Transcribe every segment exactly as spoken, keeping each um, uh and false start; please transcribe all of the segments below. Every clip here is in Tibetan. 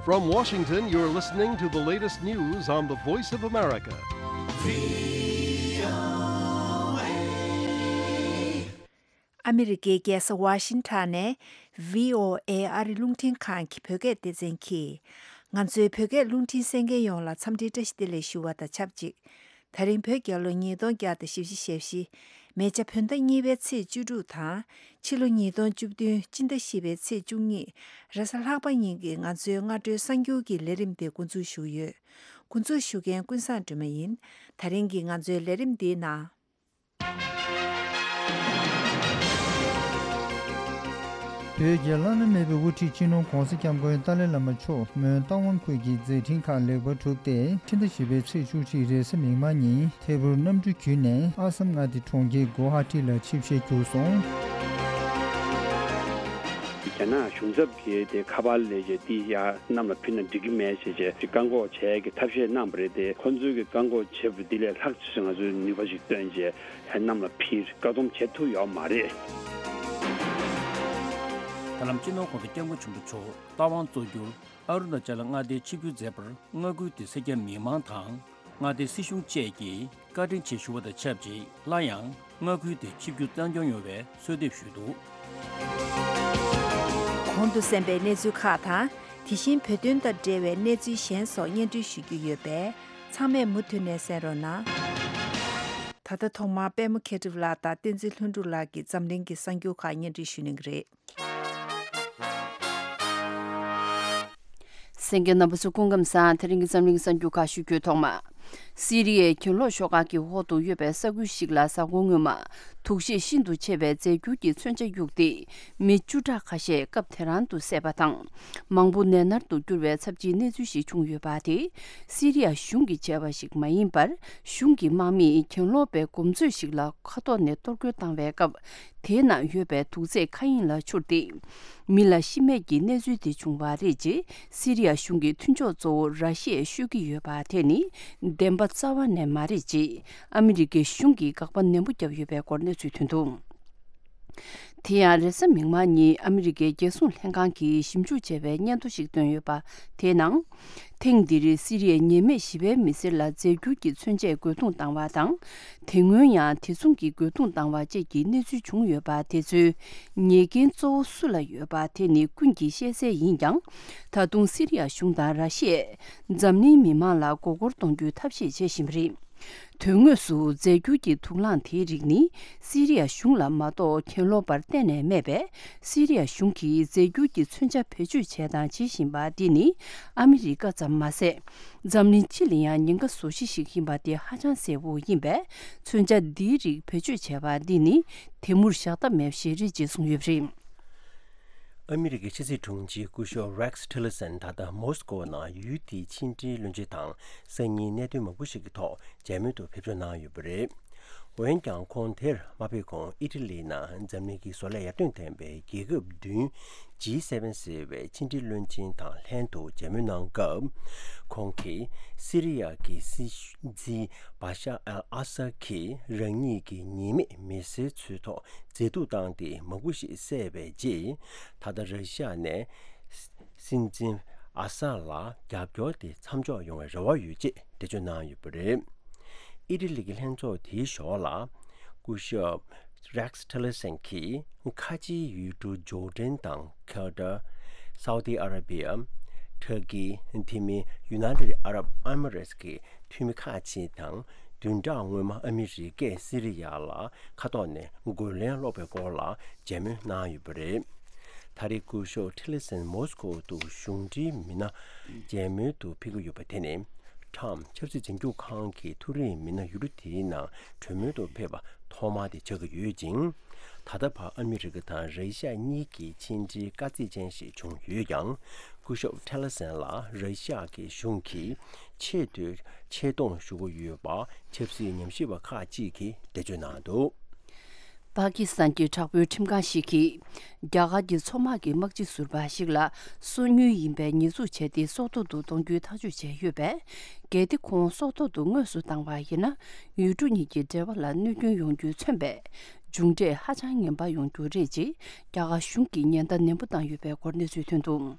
From Washington, you're listening to the latest news on the Voice of America. ཨ་མི་རི་ཀའི་རྒྱལ་ས་ཝ་ཤིང་ཊོན་ནས་བྷི་ཨོ་ཨེ་ཨ་རི་རླུང་འཕྲིན་ཁང་གི་བོད་སྐད་སྡེ་ཚན་གྱིས། ང་ཚོའི་བོད་སྐད་རླུང་འཕྲིན་གསན་མཁན་ཡོངས་ལ་འཚམས་འདྲིའི་བཀྲ་ཤིས་བདེ་ལེགས་ཞུ་བ་དང་ཆབས་ཅིག་ད་རིང་བོད་རྒྱལ་ལོ་ཉིས་སྟོང་བརྒྱ་དང་བཞི་བཅུ་ཞེ་བཞི། མེ་བྱ་བོད་ཟླ་གཉིས་པའི་ཚེས་བཅུ་དྲུག་དང་། ཕྱི་ལོ་ཉིས་སྟོང་བཅུ་བདུན་སྤྱི་ཟླ་བཞི་པའི་ཚེས་བཅུ་གཉིས། རེས་གཟའ་ལྷག་པ་ཉིན་གྱི་ང་ཚོའི་སྔ་དྲོའི་གསར་འགྱུར་གྱི་ལས་རིམ་དེ་འགོ་འཛུགས་ཞུ་གི་ཡོད། འགོ་འཛུགས་ཞུ་མཁན་ཀུན་བཟང་སྒྲོལ་མ་ཡིན། ད་རིང་གི་ང་ཚོའི་ལས་རིམ་འདིའི་ནང་། བོད་ཀྱི་བླ་ན་མེད་པའི་དབུ་ཁྲིད་སྤྱི་ནོར་༧གོང་ས་༧སྐྱབས་མགོན་ཏཱ་ལའི་བླ་མ་མཆོག་མོན་རྟ་དབང་ཁུལ་གྱི་མཛད་འཕྲིན་ཁག་ལེགས་པར་གྲུབ་སྟེ། ཕྱི་ཟླ་བཞི་པའི་ཚེས་བཅུ་གཅིག་རེས་གཟའ་མིག་དམར་ཉིན་ཐད་འཕུར་གནམ་གྲུ་བརྒྱུད་ནས་ཨ་སམ་མངའ་སྡེ་གྲོང་ཁྱེར་གོ་ཧ་ཊི་ལ་ཆིབས་ཞལ་བསྒྱུར་སོང་། རྒྱ་ནག་གཞུང་ཚབ་ཀྱིས་དེ་ཁ་པར་ལས་བྱེད་འདི་ཡར་གནམ་ལ་ཕུལ་ན་འགྲིག་གི་མེད་ཅེས་བྱས་བཀག་འགོག་བྱས་ཀྱི་ཐབས་ཤེས་གནང་བ་རེད་དེ། ཁོ་ཚོའི་གི་བཀག་འགོག་བྱས་པ་འདི་ལས་ལྷག་ཅིག་ང་ཚོའི་ནུས་པ་ཞིག་བཏོན་བྱས་ཡར་གནམ་ལ་ཕུལ། བཀག་སྡོམ་བྱེད་ཐུབ་ཡོད་མ་རེད། ད་ལམ་སྤྱི་ནོར་༧གོང་ས་༧སྐྱབས་མགོན་ཆེན་པོ་མཆོག་རྟ་དབང་གཙོ་གྱུར་ཨ་རུ་ན་ཅལ་མངའ་སྡེའི་ཆིབས་བསྒྱུར་མཛད་པར་མངའ་ཁུལ་དེའི་སེར་སྐྱ་མི་མང་དང་མངའ་སྡེའི་སྲིད་གཞུང་བཅས་ཀྱིས་བཀའ་དྲིན་ཆེ་ཞུ་བ་དང་ཆབས་ཅིག་སླར་ཡང་མངའ་ཁུལ་དེར་ཆིབས་བསྒྱུར་གཙང་སྐྱོང་ཡོང་བའི་གསོལ་འདེབས་ཞུས་འདུག། གོང་དུ་གསན་པའི་གནས་ཚུལ་ཁག་དང་། དེ་བཞིན་བོད་དོན་དང་འབྲེལ་བའི་གནས་ཚུལ་གཞན་སོགས་སྙན་སྒྲོན་ཞུ་རྒྱུ་ཡོད་པས། ཚང་མས་མུ་མཐུད་ནས་གསན་རོགས་གནང་། ད་ལྟ་ཐོག་མར་པད་མ་མཁས་གྲུབ་ལགས་དང་བསྟན་འཛིན་ལྷུན་གྲུབ་ལགས་ཀྱིས་འཛམ་གླིང་གི་གསར་འགྱུར་ཁག་སྙན་སྒྲོན་ཞུ་གནང་གི་རེད། གསན་མཁན་རྣམ་པ་ཚོ་སྐུ་ཁམས་བཟང་། དེ་རིང་གི་འཛམ་གླིང་གསར་འགྱུར་ཁག་ཞུ་རྒྱུའི་ཐོག་མ། སི་རི་ཡའི་གྱེན་ལོག་ཤོག་ཁག་གི་འོག་ཏུ་ཡོད་པའི་ས་ཁུལ་ཞིག་ལ་གཟའ་འཁོར་སྔོན་མ་དུག་ཤེད་ཤིན་ཏུ་ཆེ་བའི་རྫས་འགྱུར་གྱི་མཚོན་ཆ་གཡུགས་ཏེ། མི་བཅུ་ཕྲག་ཁ་ཤས་སྐབས་དེ་རང་དུ་བསད་པ་དང་། མང་པོ་ནད་མནར་དུ་གྱུར་བའི་ཚབས་ཆེའི་གནས་ཚུལ་ཞིག་བྱུང་ཡོད་པ་དེ། སི་རི་ཡ་གཞུང་གིས་བྱས་པ་ཞིག་མ་ཡིན་པར། གཞུང་གི་དམག་མིས་གྱེན་ལོག་པའི་གོམ་མཛོད་ཞིག་ལ་མཁའ་ཐོག་ནས་གཏོར་རྒོལ་བཏང་བའི་སྐབས། དེའི་ནང་ཡོད་པའི་དུག་རྫས་མཁའ་དབྱིངས་ལ་འཕྱུར་ཏེ། མི་ལ་ཤི་རྨས་ཀྱི་གནས་ཚུལ་དེ་བྱུང་བ་རེད་ཅེས་སི་རི་ཡ་གཞུང་གི་མཐུན་ཕྱོགས་གཙོ་བོ་ར་ཤི་ཡས་ཤོད་ཀྱི་ཡོད་པ་དེ་ནི་བདེན་པ་རྩ་བ་ནས་མ་རེད་ཅེས་ཨ་མི་རི་ཀའི་གཞུང་གིས་དགག་པ་ནན་པོ་བརྒྱབ་ཡོད་པའི་སྐོར་གནས་ཚུལ་ཐོན་འདུག། དེ་ཡང་རེས་གཟའ་མིག་དམར་ཉིན་ཨ་མི་རི་ཀའི་རྒྱལ་སྲུང་ལྷན་ཁང་གིས་ཞིབ་འཇུག་བྱས་པའི་སྙན་ཐོ་ཞིག་བཏོན་ཡོད་པ། དེའི་ནང་། ཐེངས་འདིར་སི་རི་ཡའི་ཉེས་མེད་ཞི་བའི་མི་སེར་ལ་རྫས་འགྱུར་གྱི་མཚོན་ཆས་རྒོལ་རྡུང་བཏང་བ་དང་། དེ་སྔོན་ཡང་དེ་མཚུངས་ཀྱི་རྒོལ་རྡུང་བཏང་བ་བཅས་ཀྱི་གནས་ཚུལ་བྱུང་ཡོད་པ་དེ་ཚོའི་ཉེས་འགན་གཙོ་བོ་སུ་ལ་ཡོད་པ་དེ་ནི་ཀུན་གྱིས་ཤེས་གསལ་ཡིན་ཀྱང་། ད་དུང་སི་རི་ཡ་གཞུང་དང་ར་ཤི་ཡས་འཛམ་གླིང་མི་མང་ལ་མགོ་སྐོར་གཏོང་རྒྱུའི་ཐབས་ཤེས་བྱེད་བཞིན་པ་རེད། དོན་དངོས་སུ་རྫས་འགྱུར་གྱི་དུག་རླངས་དེའི་རིགས་ནི་སི་རི་ཡ་གཞུང་ལ་མ་གཏོགས་གྱེན་ལོག་པར་གཏན་ནས་མེད་པས། སི་རི་ཡ་གཞུང་གིས་རྫས་འགྱུར་གྱི་མཚོན་ཆ་བེད་སྤྱོད་བྱས་དང་བྱེད་བཞིན་པ་འདི་ནི་ཨ་མི་རི་ཀ་ཙམ་མ་ཟད། འཛམ་གླིང་སྤྱི་ལ་ཡང་ཉེན་ཁ་བཟོ་གཞི་ཞིག་ཡིན་པ་དེ་ཧ་ཅང་གསལ་པོ་ཡིན་པས། མཚོན་ཆ་འདིའི་རིགས་བེད་སྤྱོད་བྱས་པ་འདི་ནི་དེ་མུར་བཞག་ཐབས་མེད་པ་ཞིག་རེད་ཅེས་གསུངས་ཡོད་པ་རེད། ཨ་མི་རི་ཀའི་ཕྱི་སྲིད་དྲུང་ཆེ་སྐུ་ཞབས་Rex Tillerson ད་ལྟ་མོ་སི་ཀོ་ནང་ཡུལ་དེའི་ཕྱི་འབྲེལ་བློན་ཆེན་དང་སང་ཉིན་གནད་དོན་མང་པོ་ཞིག་གི་ཐོག་མཇལ་མོལ་དུ་ཕེབས་འབྱོར་གནང་ཡོད་པ་རེད། འོན་ཀྱང་ཁོང་དེར་མ་ཕེབས་གོང་ཨི་ཊ་ལི་ནང་འཛམ་གླིང་གི་བཟོ་ལས་ཡར་ཐོན་ལྡན་པའི་རྒྱལ་ཁབ་བདུན་G seven ཟེར་བའི་ཕྱི་འབྲེལ་བློན་ཆེན་དང་ལྷན་དུ་མཇལ་མོལ་གནང་སྐབས། ཁོང་གིས་སི་རི་ཡ་གི་སྲིད་འཛིན་བ་ཤ་ཨལ་ཨ་སཱད་ཀྱིས་རང་ཉིད་ཀྱི་ཉེས་མེད་མི་སེར་ཚོའི་ཐོག་མཛེས་སྡུག་བཏང་སྟེ་མང་པོ་ཞིག་བསད་པའི་རྗེས། ད་ལྟ་ར་ཤི་ཡ་ནས་སྲིད་འཛིན་ཨ་སཱད་ལ་རྒྱབ་སྐྱོར་དེ་མཚམས་འཇོག་ཡོང་བའི་རེ་བ་ཡོད་ཅེས་འགྲེལ་བརྗོད་གནང་ཡོད་པ་རེད། ཨི་ཊ་ལི་གི་ལྷན་ཚོགས་དེའི་ཞོར་ལ། སྐུ་ཞབས་Rex Tillerson གྱིས་ཁ་ཆེའི་ཡུལ་གྲུ་ཇོར་ཌན་དང་ཁ་ཏར། སའུ་ཏི་ཨ་ར་བི་ཡ། ཊར་ཀི། དེ་མིན་United Arab Emirates གི་འཐུས་མི་ཁག་ཅིག་དང་། བདུན་ཕྲག་སྔོན་མ་ཨ་མི་རི་ཀས་སི་རི་ཡ་ལ་མཁའ་ཐོག་ནས་རྒོལ་ལན་སློག་པའི་སྐོར་ལ་མཇལ་མོལ་གནང་ཡོད་པ་རེད། ད་རེས་སྐུ་ཞབས་ཊི་ལི་སན་མོ་སི་ཀོ་དུ་གཞུང་འབྲེལ་མི་སྣ་མཇལ་མོལ་དུ་ཕེབས་ཀྱི་ཡོད་པ་དེ་ནི། ཁྲམ་ཆབ་སྲིད་འཛིན་སྐྱོང་ཁང་གི་མཐོ་རིམ་མི་སྣ་ཡུལ་གྲུ་དེའི་ནང་གྲོས་མོལ་དུ་ཕེབས་པ་ཐོག་མ་དེ་ཆགས་ཀྱི་ཡོད་ཅིང་། ད་ལྟ་བར་ཨ་མི་རི་ཀ་དང་ར་ཤི་ཡ་གཉིས་ཀྱི་ཕྱི་འབྲེལ་དཀའ་ཚེགས་ཅན་ཞིག་བྱུང་ཡོད་ཀྱང་། སྐུ་ཞབས་ཊི་ལི་སན་ལ་ར་ཤི་ཡ་གི་གཞུང་གིས་ཆེས་མཐོའི་ཆེ་མཐོང་ཞུ་གི་ཡོད་པ་ཆབ་སྲིད་ཉམས་ཞིབ་པ་ཁག་ཅིག་གིས་འགྲེལ་བརྗོད་གནང་འདུག། པ་ཀི་སི་ཐན་གྱི་དྲག་པོའི་ཁྲིམས་ཁང་ཞིག་གིས། རྒྱ་གར་གྱི་མཚོ་དམག་གི་དམག་སྤྱི་ཟུར་པ་ཞིག་ལ་སོ་ཉུལ་ཡིན་པའི་ཉེས་འཛུགས་བྱས་ཏེ་སྲོག་ཐོག་ཏུ་གཏོང་རྒྱུའི་ཐག་གཅོད་བྱས་ཡོད་པས། གལ་ཏེ་ཁོང་སྲོག་ཐོག་ཏུ་དངོས་སུ་བཏང་བ་ཡིན་ན། ཡུལ་གྲུ་གཉིས་ཀྱི་འབྲེལ་བ་ལ་གནོད་སྐྱོན་ཡོང་རྒྱུས་མཚོན་པའི་མཇུག་འབྲས་ཧ་ཅང་ངན་པ་ཡོང་རྒྱུ་རེད་ཅེས་རྒྱ་གར་གཞུང་གིས་ཉེན་བརྡ་ནན་པོ་བཏང་ཡོད་པའི་སྐོར་གནས་ཚུལ་ཐོན་འདུག།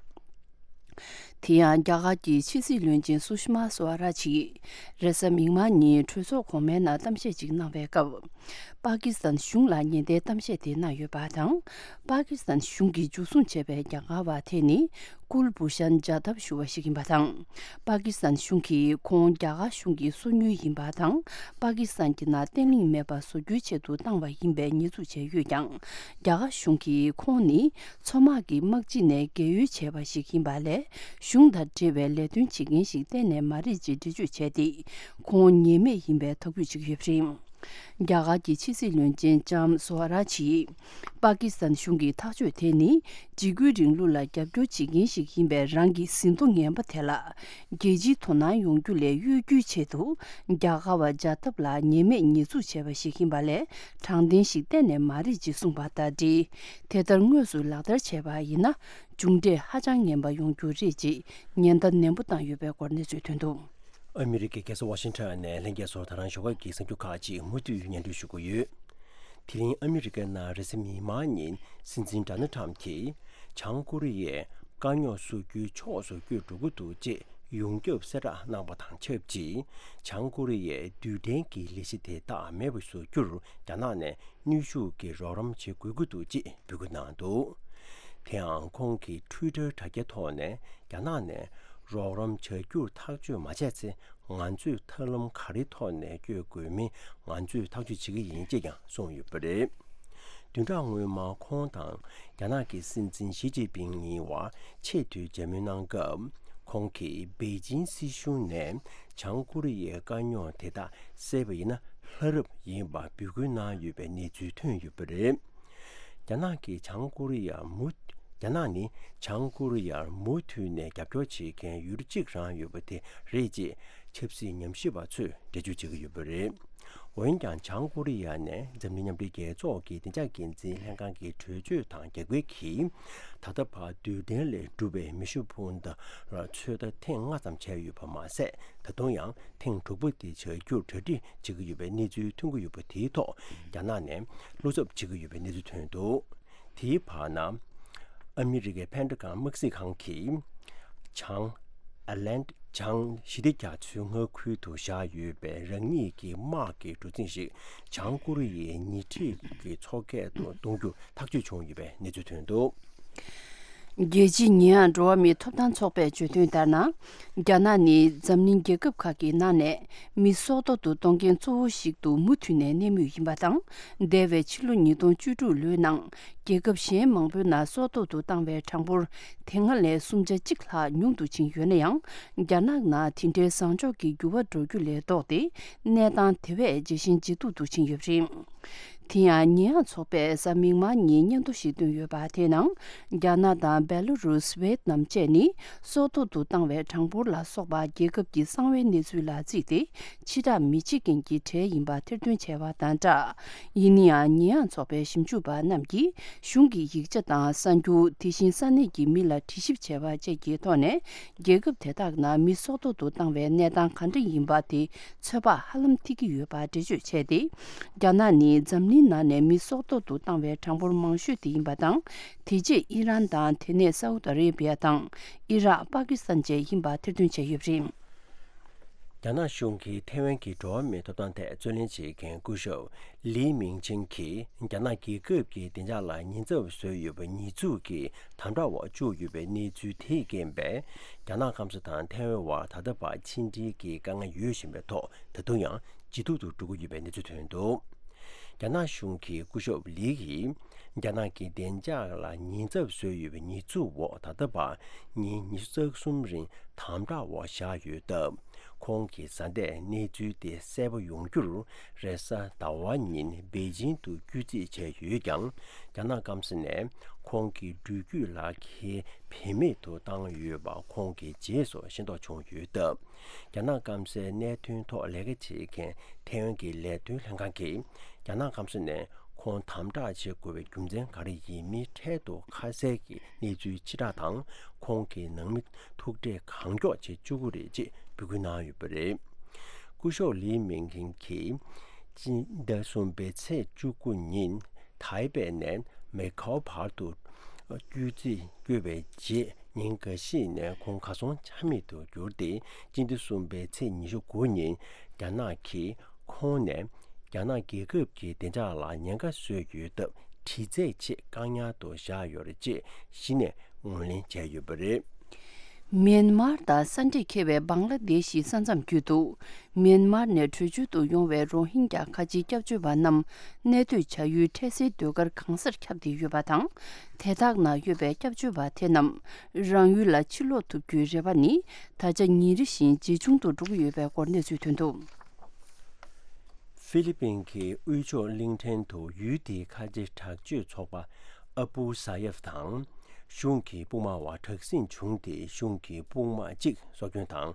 དེ་ཡང་རྒྱ་གར་གྱི་ཕྱི་སྲིད་བློན་ཆེན་སུ་ཤི་མ་སུ་ཝ་ར་ཇིས་རེས་གཟའ་མིག་དམར་ཉིན་གྲོས་ཚོགས་གོང་མའི་ནང་གཏམ་བཤད་ཅིག་གནང་བའི་སྐབས། པ་ཀི་སི་ཐན་གཞུང་ལ་ཉེན་བརྡའི་གཏམ་བཤད་དེ་གནང་ཡོད་པ་དང་། པ་ཀི་སི་ཐན་གཞུང་གིས་འཇུ་བཟུང་བྱས་པའི་རྒྱ་གར་བ་དེ་ནི་ཀུལ་བྷུ་ཤན་ཇཱ་དབ་ཞུ་བ་ཞིག་ཡིན་པ་དང་། པ་ཀི་སི་ཐན་གཞུང་གིས་ཁོང་རྒྱ་གར་གཞུང་གི་སོ་ཉུལ་ཡིན་པ་དང་། པ་ཀི་སི་ཐན་གྱི་ནང་བརྟན་ལྷིང་མེད་པ་བཟོ་རྒྱུའི་ཆེད་དུ་བཏང་བ་ཡིན་པའི་ཉེས་འཛུགས་བྱས་ཡོད་ཀྱང་། རྒྱ་གར་གཞུང་གིས་ཁོང་ནི་མཚོ་དམག་གི་དམག་སྤྱི་ནས་རྒས་ཡོལ་བྱས་པ་ཞིག་ཡིན་པ་ལས། གཞུང་དང་འབྲེལ་བའི་ལས་དོན་བྱེད་མཁན་ཞིག་གཏན་ནས་མ་རེད་ཅེས་འགྲེལ་བརྗོད་བྱས་ཏེ། ཁོང་ཉེས་མེད་ཡིན་པའི་ཐག་གཅོད་བྱེད་ཀྱི་ཡོད་པ་རེད། རྒྱ་གར་གྱི་ཕྱི་སྲིད་བློན་ཆེན་ལྕམ་སུ་ཝ་ར་ཇིས། པ་ཀི་སི་ཐན་གཞུང་གི་ཐག་གཅོད་དེ་ནི། འཇིགས་སྐུལ་རིང་ལུགས་ལ་རྒྱབ་སྐྱོར་བྱེད་མཁན་ཞིག་ཡིན་པའི་རང་གི་ཟིན་ཐོ་ངན་པ་དེ་ལ། རྒྱལ་སྤྱིའི་དོ་སྣང་ཡོང་རྒྱུ་ལས་གཡོལ་རྒྱུའི་ཆེད་དུ། རྒྱ་གར་བ་ཇཱ་དབ་ལ་ཉེས་མེད་ཉེས་འཛུགས་བྱས་པ་ཞིག་ཡིན་པ་ལས། དྲང་བདེན་ཞིག་གཏན་ནས་མ་རེད་ཅེས་གསུངས་པ་དང་འབྲེལ། དེ་ལྟར་དངོས་སུ་ལག་བསྟར་བྱས་པ་ཡིན་ན། མཇུག་འབྲས་ཧ་ཅང་ངན་པ་ཡོང་རྒྱུ་རེད་ཅེས་ཉེན་བརྡ་ནན་པོ་བཏང་ཡོད་པའི་སྐོར་གནས་ཚུལ་ཐོན་འདུག། ཨ་མི་རི་ཀའི་རྒྱལ་ས་ཝ་ཤིང་ཊོན་ནས་ལྷན་རྒྱས་ཚོར་ད་རང་ཞོགས་ཀ་གི་གསར་འགྱུར་ཁག་ཅིག་མུ་མཐུད་སྙན་སྒྲོན་ཞུ་གི་ཡོད། དེ་རིང་ཨ་མི་རི་ཀའི་ནང་རེས་གཟའ་མིག་དམར་ཉིན་སྲིད་འཛིན་ཌོ་ནལ་ཊམ་གྱིས་བྱང་ཀོ་རི་ཡས་དཀའ་རྙོག་བཟོ་རྒྱུའི་ཕྱོགས་སུ་བསྐྱོད་འགྲོ་གི་འདུག་ཅེས་ཡོངས་ཁྱབ་གསལ་བསྒྲགས་གནང་བ་དང་ཆབས་ཅིག། བྱང་ཀོ་རི་ཡས་རྡུལ་ཕྲན་གྱི་ལས་གཞི་དེ་དག་མེད་པར་བཟོ་རྒྱུར་རྒྱ་ནག་ནས་ནུས་ཤུགས་ཀྱི་རོགས་རམ་བྱེད་དགོས་ཀྱི་འདུག་ཅེས་འབོད་སྐུལ་གནང་འདུག། དེའང་ཁོང་གི་ཊུའི་ཊར་དྲ་རྒྱའི་ཐོག་ནས་རྒྱ་ནག་ནས་རོགས་རམ་བྱ་རྒྱུར་ཐག་གཅོད་མ་བྱས་ཚེ། ང་ཚོས་ཐབས་ལམ་ག་རེའི་ཐོག་ནས་བསྐྱོད་དགོས་མིན་ང་ཚོས་ཐག་གཅོད་བྱེད་ཀྱི་ཡིན་ཅེས་ཀྱང་གསུངས་ཡོད་པ་རེད། བདུན་ཕྲག་སྔོན་མ་ཁོང་དང་རྒྱ་ནག་གི་སྲིད་འཛིན་ཞི་ཅིན་ཕིང་གཉིས་བར་ཆེས་མཐོའི་མཇལ་མོལ་གནང་སྐབས། ཁོང་གིས་པེ་ཅིང་སྲིད་གཞུང་ནས་བྱང་ཀོ་རི་ཡའི་དཀའ་རྙོག་དེ་དག་སེལ་བ་ཡིན་ན་ལྷ་རབ་ཡིན་པ་འབོད་སྐུལ་གནང་ཡོད་པའི་གནས་ཚུལ་ཐོན་ཡོད་པ་རེད། རྒྱ་ནག་གིས་བྱང་ཀོ་རི་ཡར་མུ། རྒྱ་ནག་ནི་བྱང་ཀོ་རི་ཡར་མུ་མཐུད་ནས་རྒྱབ་སྐྱོར་བྱེད་མཁན་ཡུལ་གཅིག་རང་ཡོད་པ་དེ་རེད་ཅེས་ཆབ་སྲིད་ཉམས་ཞིབ་པ་ཚོས་འགྲེལ་བརྗོད་བྱེད་ཀྱི་ཡོད་པ་རེད། འོན་ཀྱང་བྱང་ཀོ་རི་ཡ་ནས་འཛམ་གླིང་མཉམ་འབྲེལ་རྒྱལ་ཚོགས་ཀྱི་བདེ་འཇགས་འགན་འཛིན་ལྷན་ཁང་གི་གྲོས་ཆོད་དང་རྒྱབ་འགལ་གྱིས། ད་ལྟ་བར་རྡུལ་ཕྲན་ལས་གྲུབ་པའི་མེ་ཤུགས་འཕུར་མདའ་ལ་ཚོད་ལྟ་ཐེངས་ལྔ་ཙམ་བྱས་ཡོད་པ་མ་ཟད། ད་དུང་ཡང་ཐེངས་དྲུག་པ་དེ་བྱ་རྒྱུར་གྲ་སྒྲིག་བྱེད་ཀྱི་ཡོད་པའི་གནས་ཚུལ་ཐོན་གྱི་ཡོད་པ་དེའི་ཐོག་རྒྱ་ནག་ནས་བློ་འཚབ་བྱེད་ཀྱི་ཡོད་པའི་གནས་ཚུལ་ཐོན་འདུག། དེའི་བར་ན། ཨ་མི་རི་ཀའི་ཕན་ཌ་གྷོན་དམག་སྲིད་ཁང་གིས། བྱང་། ཨ་ལན། བྱང་ཞི་བདེ་རྒྱ་མཚོའི་མངའ་ཁུལ་དུ་བཞག་ཡོད་པའི་རང་ཉིད་ཀྱི་དམག་གི་གྲུ་གཟིངས་ཤིག་བྱང་ཀོ་རི་ཡའི་ཉེ་འཁྲིས་ཀྱི་མཚོ་ཁུལ་དུ་གཏོང་རྒྱུ་ཐག་གཅོད་བྱུང་ཡོད་པའི་གནས་ཚུལ་ཐོན་འདུག། རྒྱལ་སྤྱིའི་ཉེས་ཡངས་འགྲོ་བ་མིའི་ཐོབ་ཐང་ཚོགས་པས་བརྗོད་དོན་ལྟར་ན། རྒྱ་ནག་ནི་འཛམ་གླིང་རྒྱལ་ཁབ་ཁག་གི་ནང་ནས་མི་སྲོག་ཐོག་ཏུ་གཏོང་མཁན་གཙོ་བོ་ཞིག་ཏུ་མུ་མཐུད་ནས་གནས་མུས་ཡིན་པ་དང་། འདས་པའི་ཕྱི་ལོ་ཉིས་སྟོང་བཅུ་དྲུག་ལོའི་ནང་རྒྱལ་ཁབ་གཞན་མང་པོའི་ནང་སྲོག་ཐོག་ཏུ་བཏང་བའི་གྲངས་འབོར་དེ་སྔ་ལས་སུམ་ཆ་གཅིག་ལྷག་ཉུང་དུ་ཕྱིན་ཡོད་ན་ཡང་། རྒྱ་ནག་ནང་དེ་འདྲའི་བཟང་ཕྱོགས་ཀྱི་འགྱུར་བ་འགྲོ་རྒྱུ་ལས་ལྡོག་སྟེ། གནས་སྟངས་དེ་བས་ཇེ་ཞན་ཇེ་སྡུག་ཏུ་ཕྱིན་ཡོད་པ་རེད། དེ་ཡང་ཉེས་ཡངས་ཚོགས་པས་གཟའ་མིག་དམར་ཉིན་སྙན་ཐོ་ཞིག་བཏོན་ཡོད་པ་དེའི་ནང་། རྒྱ་ནག་དང་བེ་ལོ་རུས། ཝེད་ནམ་བཅས་ནི་སྲོག་ཐོག་ཏུ་བཏང་བའི་གྲངས་འབོར་ལ་སོགས་པ་རྒྱལ་ཁབ་ཀྱི་གསང་བའི་གནས་ཚུལ་ལ་བརྩིས་ཏེ། ཕྱི་བསྒྲགས་མི་བྱེད་མཁན་གྱི་གྲས་ཡིན་པ་ཐེར་འདོན་བྱས་པ་དང་སྦྲགས། ཡིན་ན་ཡང་ཉེས་ཡངས་ཚོགས་པའི་ཞིབ་འཇུག་པ་རྣམས་ཀྱིས་གཞུང་གི་ཡིག་ཆ་དང་གསར་འགྱུར། དེ་བཞིན་ས་གནས་ཀྱི་མི་ལ་དྲི་ཞིབ་བྱས་པ་བཅས་ཀྱི་ཐོག་ནས། རྒྱལ་ཁབ་དེ་དག་ནང་མི་སྲོག་ཐོག་ཏུ་བཏང་བའི་གནས་སྟངས་ག་འདྲ་ཡིན་པ་དེ་ཚོད་དཔག་ཧ་ལམ་ཐིག་གི་ཡོད་པ་འགྲེལ་བརྗོད་བྱས་ཏེ། རྒྱ་ནག་ནི་འཛམ་གླིང་ནང་ནས་མི་སྲོག་ཐོག་ཏུ་བཏང་བའི་གྲངས་འབོར་མང་ཤོས་དེ་ཡིན་པ་དང་། དེ་རྗེས་ཨི་རན་དང་། དེ་ནས་སའུ་ཏི་ཨ་རེ་བྷི་ཡ་དང་། ཨི་རག་པ་ཀི་སི་ཐན་བཅས་ཡིན་པ་ཐེར་འདོན་བྱས་ཡོད་པ་རེད། རྒྱ་ནག་གཞུང་གིས་ཐའེ་ཝན་གྱི་འགྲོ་བ་མིའི་ཐོབ་ཐང་ཐད་རྩོད་ལེན་བྱེད་མཁན་སྐུ་ཞབས་ལི་མིང་ཆིང་གིས་རྒྱ་ནག་རྒྱལ་ཁབ་ཀྱི་བདེ་འཇགས་ལ་ཉེན་ཚབས་བཟོས་ཡོད་པའི་ཉེས་འཛུགས་ཀྱི་དམ་དྲག་འོག་བཅུག་ཡོད་པའི་གནས་ཚུལ་དེས་རྐྱེན་པས། རྒྱ་ནག་སྐམ་ས་དང་ཐའེ་ཝན་བར་ད་ལྟ་བར་ཕྱི་འབྲེལ་གྱི་དཀའ་ངལ་ཡོད་བཞིན་པའི་ཐོག་ད་དུང་ཡང་ཇེ་སྡུག་ཏུ་འགྲོ་གི་ཡོད་པའི་གནས་ཚུལ་ཐོན་འདུག། རྒྱ་ནག་གཞུང་གིས་སྐུ་ཞབས་ལི་ཡིས་རྒྱ་ནག་གི་བདེ་འཇགས་ལ་ཉེན་ཚབས་བཟོས་ཡོད་པའི་ཉེས་འཛུགས་འོག་ད་ལྟ་བར་ཉིན་ཉི་ཤུ་རྩ་གསུམ་རིང་དམ་དྲག་འོག་བཞག་ཡོད་སྟབས། ཁོང་གི་བཟའ་ཟླས་གནས་ཚུལ་དེ་གསལ་པོ་ཡོང་རྒྱུར་རེས་གཟའ་ཟླ་བ་ཉིན་པེ་ཅིང་དུ་བསྐྱོད་རྩིས་བྱས་ཡོད་ཀྱང་། རྒྱ་ནག་སྐམ་ས་ནས་ཁོང་གི་འགྲུལ་སྐྱོད་ལག་ཁྱེར་བེད་མེད་དུ་བཏང་ཡོད་པ་ཁོང་གི་རྗེས་སུ་ཤེས་རྟོགས་བྱུང་ཡོད་སྟབས། རྒྱ་ནག་སྐམ་སའི་གནད་དོན་ཐོག་ལས་ཀ་བྱེད་མཁན་ཐའེ་ཝན་གྱི་ལས་དོན་ལྷན་ཁང་གིས། རྒྱ་ནག་སྐམ་ས་ནས་ཁོང་དམ་དྲག་བྱེད་དགོས་པའི་རྒྱུ་མཚན་ག་རེ་ཡིན་མིན་འཕྲལ་དུ་ཁ་གསལ་གྱི་གནས་ཚུལ་ཕྱིར་བསྒྲགས་དང་། ཁོང་གི་ནང་མི་ཐུག་འཕྲད་གང་མགྱོགས་བྱེད་བཅུག་གི་རེད་ཅེས་འབོད་སྐུལ་གནང་ཡོད་པ་རེད། སྐུ་ཞབས་ལི་མིང་ཁིང་གིས་སྤྱི་ཟླ་གསུམ་པའི་ཚེས་བཅུ་དགུ་ཉིན་ཐའེ་པེ་ནས་མེ་ཁའོ་བར་དུ་བསྐྱོད་རྩིས་བསྐྱོད་པའི་རྗེས། ཉིན་འགའ་ཤས་ནས་ཁོང་གར་སོང་ཆ་མེད་དུ་གྱུར་ཏེ། སྤྱི་ཟླ་གསུམ་པའི་ཚེས་ཉི་ཤུ་དགུ་ཉིན་རྒྱ་ནག་གིས་ཁོང་ནས་རྒྱ་ནག་རྒྱལ་ཁབ་ཀྱི་བདེ་འཇགས་ལ་ཉེན་ཁ་བཟོས་ཡོད་སྟབས། དྲི་རྩད་ཆེད་བཀག་ཉར་དུ་བཞག་ཡོད་རེད་ཅེས་གཞི་ནས་ངོས་ལེན་བྱས་ཡོད་པ་རེད། མིན་མར་དང་ས་འདྲེས་ཁེལ་བའི་བང་ལ་དེ་ཤི་ས་མཚམས་བརྒྱུད་དུ། མིན་མར་ནས་བྲོས་བྱོལ་དུ་ཡོང་བའི་རོ་ཧིན་རྒྱ་ཁ་ཆེའི་སྐྱབས་བཅོལ་བ་རྣམས་གནས་སྡོད་བྱ་ཡུལ་འཕྲལ་སེལ་སྡོད་སྒར་གང་སར་ཁྱབ་སྟེ་ཡོད་པ་དང་། དེ་དག་ནང་ཡོད་པའི་སྐྱབས་བཅོལ་བ་དེ་རྣམས་རང་ཡུལ་ལ་ཕྱིར་ལོག་ཐུབ་རྒྱུའི་རེ་བ་ནི་ད་ཆ་ཉིན་རེ་བཞིན་ཇེ་ཆུང་དུ་འགྲོ་གི་ཡོད་པའི་སྐོར་གནས་ཚུལ་ཐོན་འདུག། ཧྥི་ལི་པིན་གྱི་དབུས་ཕྱོགས་གླིང་ཕྲན་དུ་ཡུལ་དེའི་ཁ་ཆེ་དྲག་སྤྱོད་ཚོགས་པ་ཨ་པུ་ས་ཡབ་དང་གཞུང་གི་དཔུང་དམག་བར་དྲག་ཟིང་བྱུང་སྟེ། གཞུང་གི་དཔུང་དམག་གཅིག་སྲོག་སྐྱོན་དང་།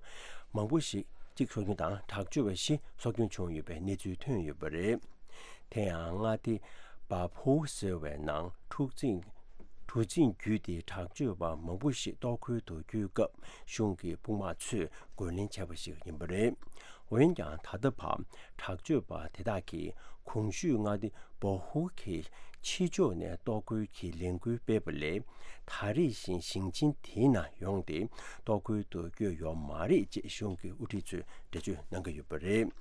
མང་པོ་ཞིག་གཅིག་སྲོག་སྐྱོན་དང་། དྲག་སྤྱོད་པ་བཞི་སྲོག་སྐྱོན་བྱུང་ཡོད་པའི་གནས་ཚུལ་ཐོན་ཡོད་པ་རེད། དེ་ཡང་མངའ་སྡེ་བ་ཕུའུ་ཟེར་བའི་ནང་འཁྲུག་འཛིང་གྲུ་གཟིངས་བརྒྱུད་དེ་དྲག་སྤྱོད་པ་མང་པོ་ཞིག་གཏོར་རྒོལ་དུ་བསྐྱོད་སྐབས། གཞུང་གི་དཔུང་དམག་ཚོས་རྒོལ་ལན་བྱས་པ་ཞིག་ཡིན་པ་རེད། འོན་ཀྱང་། ད་ལྟ་བར་དྲག་སྤྱོད་པ་དེ་དག་གིས་གོང་ཞུས་མངའ་སྡེ་བོ་ཧུ་གི་ཕྱི་ཕྱོགས་ནས་གཏོར་རྒོལ་གྱི་ལས་འགུལ་སྤེལ་བ་ལས། ད་རེས་བཞིན་ཞིང་ཆེན་དེའི་ནང་ཡོང་སྟེ་གཏོར་རྒོལ་དུ་བསྐྱོད་ཡོད་མ་རེད་ཅེས་གཞུང་གི་དབུ་ཁྲིད་ཚོས་འགྲེལ་བརྗོད་གནང་གི་ཡོད་པ་རེད།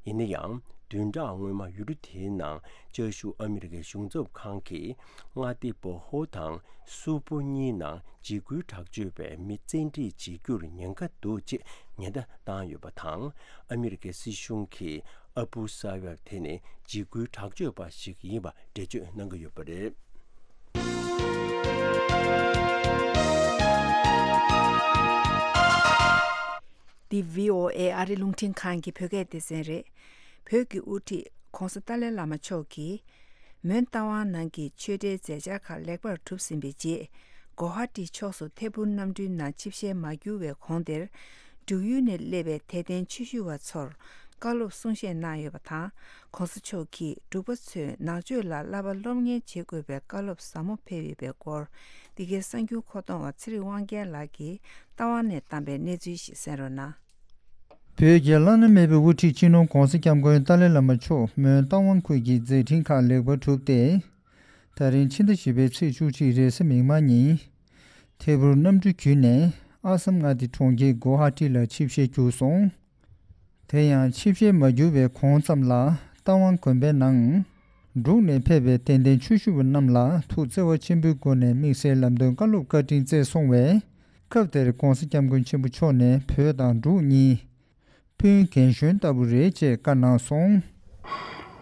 ཡིན་ན་ཡང་། བདུན་ཕྲག་སྔོན་མ་ཡུལ་གྲུ་དེའི་ནང་བཅའ་བཞུགས་ཨ་མི་རི་ཀའི་གཞུང་ཚབ་ཁང་གིས་མངའ་སྡེ་བོ་ཧོ་དང་སུ་པོ་གཉིས་ནང་འཇིགས་སྐུལ་དྲག་སྤྱོད་པས་མི་བཙན་ཁྲིད་བྱེད་རྒྱུར་ཉེན་ཁ་འདུག་ཅེས་ཉེན་བརྡ་བཏང་ཡོད་པ་དང་། ཨ་མི་རི་ཀའི་སྲིད་གཞུང་གིས་ཨ་པུ་ས་ཡབ་དེ་ནི་འཇིགས་སྐུལ་དྲག་སྤྱོད་པ་ཞིག་ཡིན་པ་འགྲེལ་བརྗོད་གནང་གི་ཡོད་པ་རེད། འདི་བྷི་ཨོ་ཨེ་ཨ་རི་རླུང་འཕྲིན་ཁང་གི་བོད་སྐད་སྡེ་ཚན་རེད། བོད་ཀྱི་དབུ་ཁྲིད་༧གོང་ས་ཏཱ་ལའི་བླ་མ་མཆོག་གིས། མོན་རྟ་དབང་ནང་གི་ཆོས་འབྲེལ་མཛད་འཆར་ཁག་ལེགས་པར་གྲུབ་ཟིན་པའི་རྗེས། གོ་ཧ་ཊི་ཕྱོགས་སུ་ཐད་འཕུར་གནམ་གྲུའི་ནང་ཆིབས་ཞལ་མ་བསྒྱུར་བའི་གོང་དེར། འབྲུག་ཡུལ་ནས་སླེབས་པའི་དད་ལྡན་ཆོས་ཞུ་བ་ཚོར་བཀའ་སློབ་གསུང་བཤད་གནང་ཡོད་པ་དང་། ྋགོང་ས་མཆོག་གིས་འབྲུག་པ་ཚོས་ནག་ཆོས་ལ་བསླབ་པ་སློབ་གཉེར་བྱེད་དགོས་པའི་བཀའ་སློབ་ཟབ་མོ་ཕེབས་ཡོད་པའི་སྐོར། འདི་གའི་གསར་འགྱུར་མཁོ་གཏོང་བ་ཚེ་རིང་དབང་རྒྱལ་ལགས་ཀྱིས་རྟ་དབང་ནས་བཏང་པའི་གནས་ཚུལ་ཞིག་གསན་རོགས་གནང་། བོད་ཀྱི་བླ་ན་མེད་པའི་དབུ་ཁྲིད་སྤྱི་ནོར་༧གོང་ས་༧སྐྱབས་མགོན་ཏཱ་ལའི་བླ་མ་མཆོག་མོན་རྟ་དབང་ཁུལ་གྱི་མཛད་འཕྲིན་ཁག་ལེགས་པར་གྲུབ་སྟེ། ད་རིང་ཕྱི་ཟླ་བཞི་པའི་ཚེས་བཅུ་གཅིག་རེས་གཟའ་མིག་དམར་ཉིན། ཐད་འཕུར་གནམ་གྲུ་བརྒྱུད་ནས་ཨ་སམ་མངའ་སྡེ་གྲོང་ཁྱེར་གོ་ཧ་ཊི་ལ་ཆིབས་ཞལ་བསྒྱུར་སོང་། དེ་ཡང་ཆིབས་ཞལ་མ་བསྒྱུར་བའི་གོང་ཙམ་ལ་རྟ་དབང་དགོན་པའི་ནང་། འབྲུག་ནས་ཕེབས་པའི་དད་ལྡན་ཆོས་ཞུ་བ་རྣམས་ལ་ཐུགས་བརྩེ་བ་ཆེན་པོའི་སྒོ་ནས་དམིགས་བསལ་ལམ་སྟོན་བཀའ་སློབ་བཀའ་དྲིན་སྩལ་སོང་བས། སྐབས་དེར་༧གོང་ས་༧སྐྱབས་མགོན་ཆེན་པོ་མཆོག་ནས་བོད་དང་འབྲུག་གཉིས་སྤུན་རྒན་གཞོན་ལྟ་བུ་རེད་ཅེས་བཀའ་གནང་སོང་།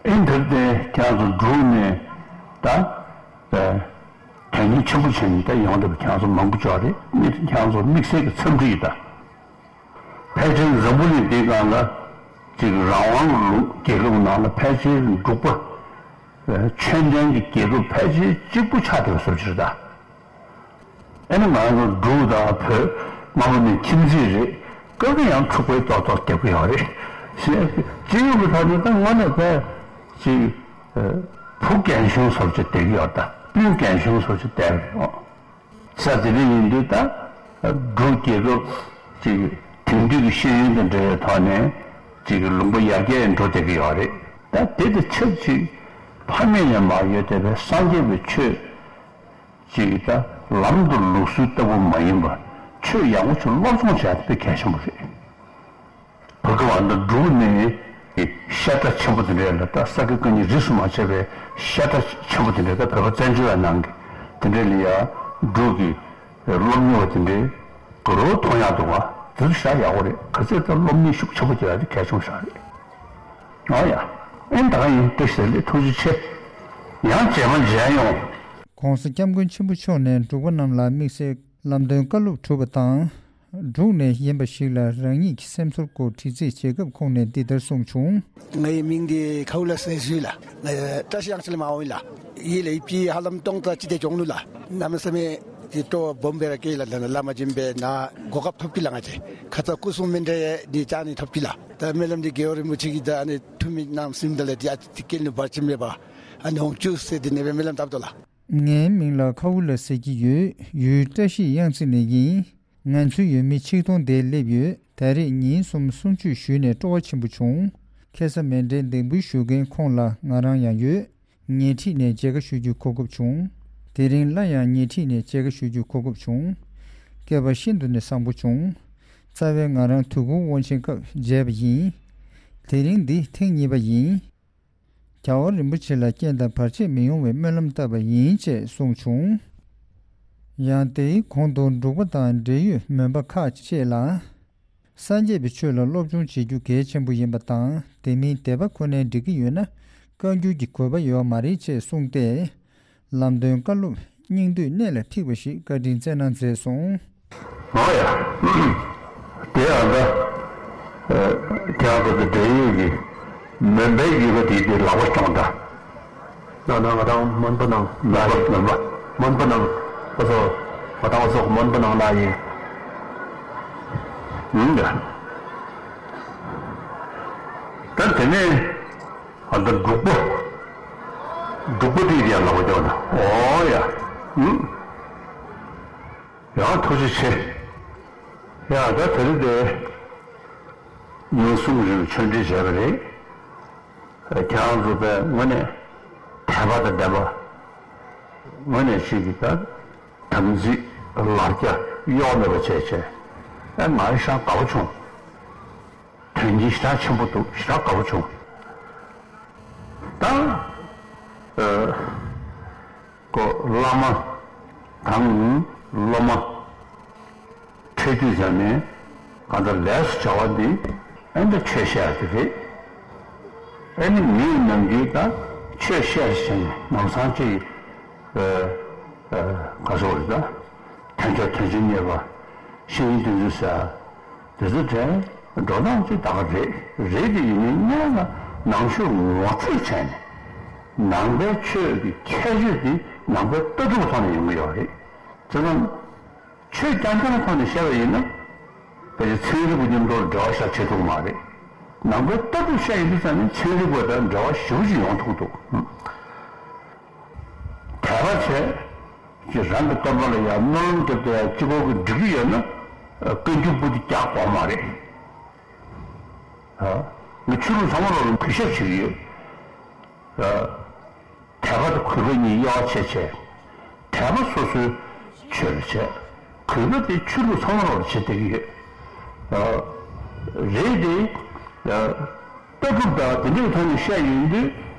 ཨེ་འདིར་དེ་ཁྱེད་ཚོ་འབྲུག་ནས་ད་དོན་སྙིང་ཆེན་པོ་བྱས་ནས་ད་ཡོང་འདུག་ཁྱེད་ཚོ་མང་པོ་ཅོག་རེད། ཁྱེད་ཚོ་དམིགས་བསལ་གྱི་འཚམས་འདྲི་ཡིན་ད། ཕལ་ཆེར་འཛམ་བུ་གླིང་འདིའི་སྒང་ལ་ཅིག་རང་དབང་གི་ལུང་རྒྱལ་ཁབ་ནང་ལ་ཕལ་ཆེར་འབྲུག་པ་ཆོས་ལྡན་གྱི་རྒྱལ་ཁབ་ཕལ་ཆེར་གཅིག་པུ་ཆགས་བསྡད་པ་བཟོ་ཅིག་རེད་ད། ཨ་ནི་ང་ཚོ་འབྲུག་དང་བོད་སྔ་མོ་ནས་ཁྱིམ་མཚེས་རེད། སྐབས་རེ་ཡང་འཁྲུག་པའི་ཏོག་ཏོག་རྒྱག་གི་ཡོད་རེད། ཞེས་ཅི་ཡོད་པའི་ཐོག་ནས་ད་དངོས་གནས་དཔེ་ཅིག་བུ་རྒན་གཞོན་བཟོ་ཅིག་བསྡད་ཀྱི་ཡོད་ད། སྤུན་རྒན་གཞོན་བཟོ་ཅིག་བསྡད་ཀྱི་ཡོད། ས་དེ་རིང་ཡིན་དུས་ད་འབྲུག་རྒྱལ་ཁབ་ཅིག་དེང་དུས་ཀྱི་ཤེས་ཡོན་དང་འབྲེལ་བའི་ཐོག་ནས་ཅིག་ལུང་པ་ཡར་རྒྱས་འགྲོ་བསྡད་ཀྱི་ཡོད་རེད། ད་དེ་དང་ཆབས་ཅིག་ཕ་མེས་ནས་མར་ཡོད་བསྡད་པའི་སངས་རྒྱས་པའི་ཆོས་ཅིག་ད་ལམ་དང་ལུགས་སྲོལ་ལྟ་བུ་མ་ཡིན་པར་ཆོས་ཡག་པོ་ཅིག་སློབ་སྦྱོང་བྱས་ཏེ་དཔེ་གལ་ཆེན་པོ་རེད། བོད་ཀྱི་བར་དུ་འབྲུག་ནས་བཤད་གྲྭ་ཆེན་པོ་དེ་འདྲའི་ལ་ད་ས་དགེ་བཀའ་རྙིང་རིས་སུ་མ་ཆད་པའི་བཤད་གྲྭ་ཆེན་པོ་དེ་འདྲའི་ད་བོད་པ་བཙན་བྱོལ་བའི་ནང་གི་དེ་འདྲའི་ལ་ཡ་འབྲུག་གི་སློབ་གཉེར་བ་དེ་འདྲའི་ག་རོ་མཐོང་ཡག་འདུག་བ། དེ་ཚོ་བཞག་ཡག་པོ་རེད། ག་ཚོད་ད་སློབ་གཉེར་ཤུགས་ཆེན་པོ་བྱེད་ཡག་དེ་གལ་ཆེན་པོ་ཞིག་རེད། ཨོ་ཡ། ཨེ་ད་ག་ཡིན། བཀྲ་ཤིས་བདེ་ལེགས། ཐུགས་རྗེ་ཆེ། ཡང་རྗེས་མ་མཇལ་ཡོང་། ྋགོང་ས་ྋསྐྱབས་མགོན་ཆེན་པོ་མཆོག་ནས་འབྲུག་པ་རྣམས་ལ་དམིགས་བསལ་ལམ་སྟོན་བཀའ་སློབ་གྲུབ་པ་དང་། འབྲུག་ནས་ཡིན་པ་ཞིག་ལ་རང་ཉིད་ཀྱི་སེམས་ཚོར་སྐོར་དྲི་རྩད་བྱེད་སྐབས་ཁོང་ནས་འདི་ལྟར་གསུངས་བྱུང་། ངའི་མིང་འདི་ཁའུ་ལ་སེ་སུའི་ལ། ང་བཀྲ་ཤིས་གཡང་ཆེན་ལ་མ་འོངས་ལ། ཡིད་ལ་ཡིད་ཀྱི་ཧ་ལམ་སྟོང་རྩ་ཅི་དེ་གྱོང་ནུ་ལ། གནམ་མེད་ས་མེད་ཀྱི་སྤྲོ་བ་སྦོམ་སྦེ་ར་སྐྱེས་ལ། ལ་ལ་མ་སྦྱིན་པའི་ན་གོ་སྐབས་ཐོབ་ཀྱི་ལ། ང་ཅེ་ཁ་ཚ་སྐུ་གསུང་མཎྜལ་འདི་བཅར་ནི་ཐོབ་ཀྱི་ལ། ད་སྨོན་ལམ་འདི་རྒྱལ་བ་རིན་པོ་ཆེ་གི་ད་ཨ་ནི་ཐུགས་མི་རྣམ་སེམས་ད་ལ་འདི་ཨ་ཅི་སྐྱེལ་ནུ་བར་ཆིམ་མེད་པ། ཨ་ནི་འོང་བཅུག་ཟེར་འདི་ནས་སྦེ་སྨོན་ལམ་བཏབ་དོ་ལ། ངའི་མིང་ལ་ཁའུ་ལ་ཟེར་གྱི་ཡོད། ཡུལ་བཀྲ་ཤིས་གཡང་རྩེ་ནས་ཡིན། ང་ཚོའི་ཡུལ་མི་ཆིག་སྟོང་དེ་སླེབས་ཡོད། ད་རེས་ཉིན་གསུམ་གསུང་ཆོས་ཞུས་ནས་སྤྲོ་བ་ཆེན་པོ་བྱུང་། ཁ་སང་མཎྜལ་འདེགས་འབུལ་ཞུ་མཁན་ཁོང་ལ་ང་རང་ཡང་ཡོད། ཉེ་འཁྲིས་ནས་མཇལ་ཁ་ཞུ་རྒྱུའི་གོ་སྐབས་བྱུང་། དེ་རིང་སླར་ཡང་ཉེ་འཁྲིས་ནས་མཇལ་ཁ་ཞུ་རྒྱུའི་གོ་སྐབས་བྱུང་། སྐལ་པ་ཤིན་ཏུ་ནས་བཟང་པོ་བྱུང་། རྩ་བའི་ང་རང་དུས་འཁོར་དབང་ཆེན་སྐབས་མཇལ་བ་ཡིན། དེ་རིང་འདི་ཐེངས་གཉིས་པ་ཡིན། རྒྱལ་བ་རིན་པོ་ཆེ་ལ་རྐྱེན་དང་བར་ཆད་མི་ཡོང་བའི་སྨོན་ལམ་བཏབ་པ་ཡིན་ཅེས་གསུངས་བྱུང་། ཡང་དེའི་གོང་དུ་འབྲུག་པ་དང་འབྲེལ་ཡོད་མོན་པ་ཁག་ཅིག་ལ། སངས་རྒྱས་པའི་ཆོས་ལ་སློབ་སྦྱོང་བྱེད་རྒྱུ་གལ་ཆེན་པོ་ཡིན་པ་དང་། དེ་མིན་དད་པ་ཁོ་ནའི་འགྲིག་གི་ཡོད་ན་བཀའ་འགྱུར་གྱི་དགོས་པ་ཡོད་མ་རེད་ཅེས་གསུངས་ཏེ། ལམ་སྟོན་བཀའ་སློབ་སྙིང་བསྡུས་གནད་ལ་ཕིགས་པ་ཞིག་བཀའ་དྲིན་སྩལ་གནང་མཛད་སོང་། ཨོ་ཡ། དེ་ཡང་ད། ཁྱེད་རང་ཚོ་དེ་འབྲེལ་ཡོད་ཀྱི་མོན་པའི་ཡུལ་ག་དེའི་དེ་ལག་པ་སྐྱོང་ད། ན་ན་ང་དང་མོན་པ་ནང་ལ་ཡིན། མོན་པ་ནང་། ཨོ་ཙོ། ང་དང་ཨོ་ཙོ་མོན་པ་ནང་ལ་ཡིན། ཡིན་ད། ད་དེ་ནས་ཨ་ད་འབྲུག་པ། འབྲུག་པ་དེའི་དེ་ཡང་ལག་པ་སྐྱོང་ད། ཨོ་ཡ། ཡང་ཐུགས་རྗེ་ཆེ། ཡ་ད་དེ་རིང་དེ་ཉིན་གསུམ་རིང་ཆོས་འབྲེལ་བྱས་པ་རེད། ཁྱེད་རང་ཚོ་པའི་ངོས་ནས་དད་པ་དང་ལྡན་པ་ངོས་ནས་ཞིག་གིས་ད་དམ་ཚིག་ལ་རྒྱ་གཡོ་མེད་པ་བྱས་བྱས་ཨེ་ང་ཧྲང་དགའ་བོ་བྱུང་། དོན་གྱི་ཞེ་དྲག་ཆེན་པོ་འདུག་ཞེ་དྲག་དགའ་བོ་བྱུང་། ད་ཨ་ཀོ་བླ་མ་དང་སློབ་མ། འཕྲད་དུས་ཙམ་ནས་གང་ལྟར་ལས་སུ་བྱ་བ་འདི་ཨེ་འདྲ་ཆོས་བཤད་ཡ་དེ་རེད། ཨེ་ནི་མིའི་ནམ་རྒྱུན་ད་ཆོས་བཤད་བྱས་ནས་ནམ་སང་ཅིག་ཨ་ཨ་ག་སོག་རེད་ད། ཐན་ཕྱོགས་དོན་ཆེན་གཉེར་བ་ཤེས་ཡོན་དོན་འཛིན་ཟེར་དེ་ཚོ་དྲན་འགྲོ་སྟངས་ཅིག་ད་ག་རེད་རེད་དེ་ཡིན་ནའི་སྔོན་ལ་ནང་ཆོས་ངོ་སྤྲོད་བྱས་ནས་ནང་པའི་ཆོས་ཀྱི་ཁྱད་ཆོས་དེ་ནང་པའི་ལྟ་གྲུབ་ཐོག་ནས་ཡོང་གི་ཡོད་རེད། བྱས་ཙང་། ཆོས་རྐྱང་རྐྱང་ཐོག་ནས་བཤད་པ་ཡིན་ན། ཕལ་ཆེར་ཚན་རིག་པ་མཉམ་དུ་འབྲེལ་བ་བཞག་བྱེད་ཐུབ་ཀྱི་མ་རེད། ནང་པའི་ལྟ་གྲུབ་བཤད་ཡིན་དུས་ཙམ་ནས་ཚན་རིག་པ་དང་འབྲེལ་བ་ཞེ་པོ་ཅིག་ཡོང་ཐུབ་ཀྱི་འདུག་དད་པ་བྱས། ཅིག་རང་གི་སྟོན་པ་ལ་ཡང་སྨོན་ལམ་བརྒྱབ་སྟེ་ཡང་གཅིག་པོ་གི་འགྲིག་གི་ཡོད་ན། བཀའ་འགྱུར་པོ་དེ་རྒྱག་དགོས་མ་རེད། ཨ། ངས་ཆོས་ལུགས་ཚང་མ་ལ་གུས་ཞབས་བྱེད་ཀྱི་ཡོད། ཨ། དད་པ་དང་གུས་པ་གཉིས་དབྱེ་བ་ཕྱེ་བྱས། དད་པ་སོ་སོའི་ཆོས་ལ་བྱས། གུས་པ་དེ་ཆོས་ལུགས་ཚང་མ་ལ་བྱེད་བསྡད་ཀྱི་ཡོད། ཨ། རེད་དེ། ཨ། ལྟ་གྲུབ་དང་དེ་འདྲའི་ཐོག་ནས་བཤད་ཡོང་དུས་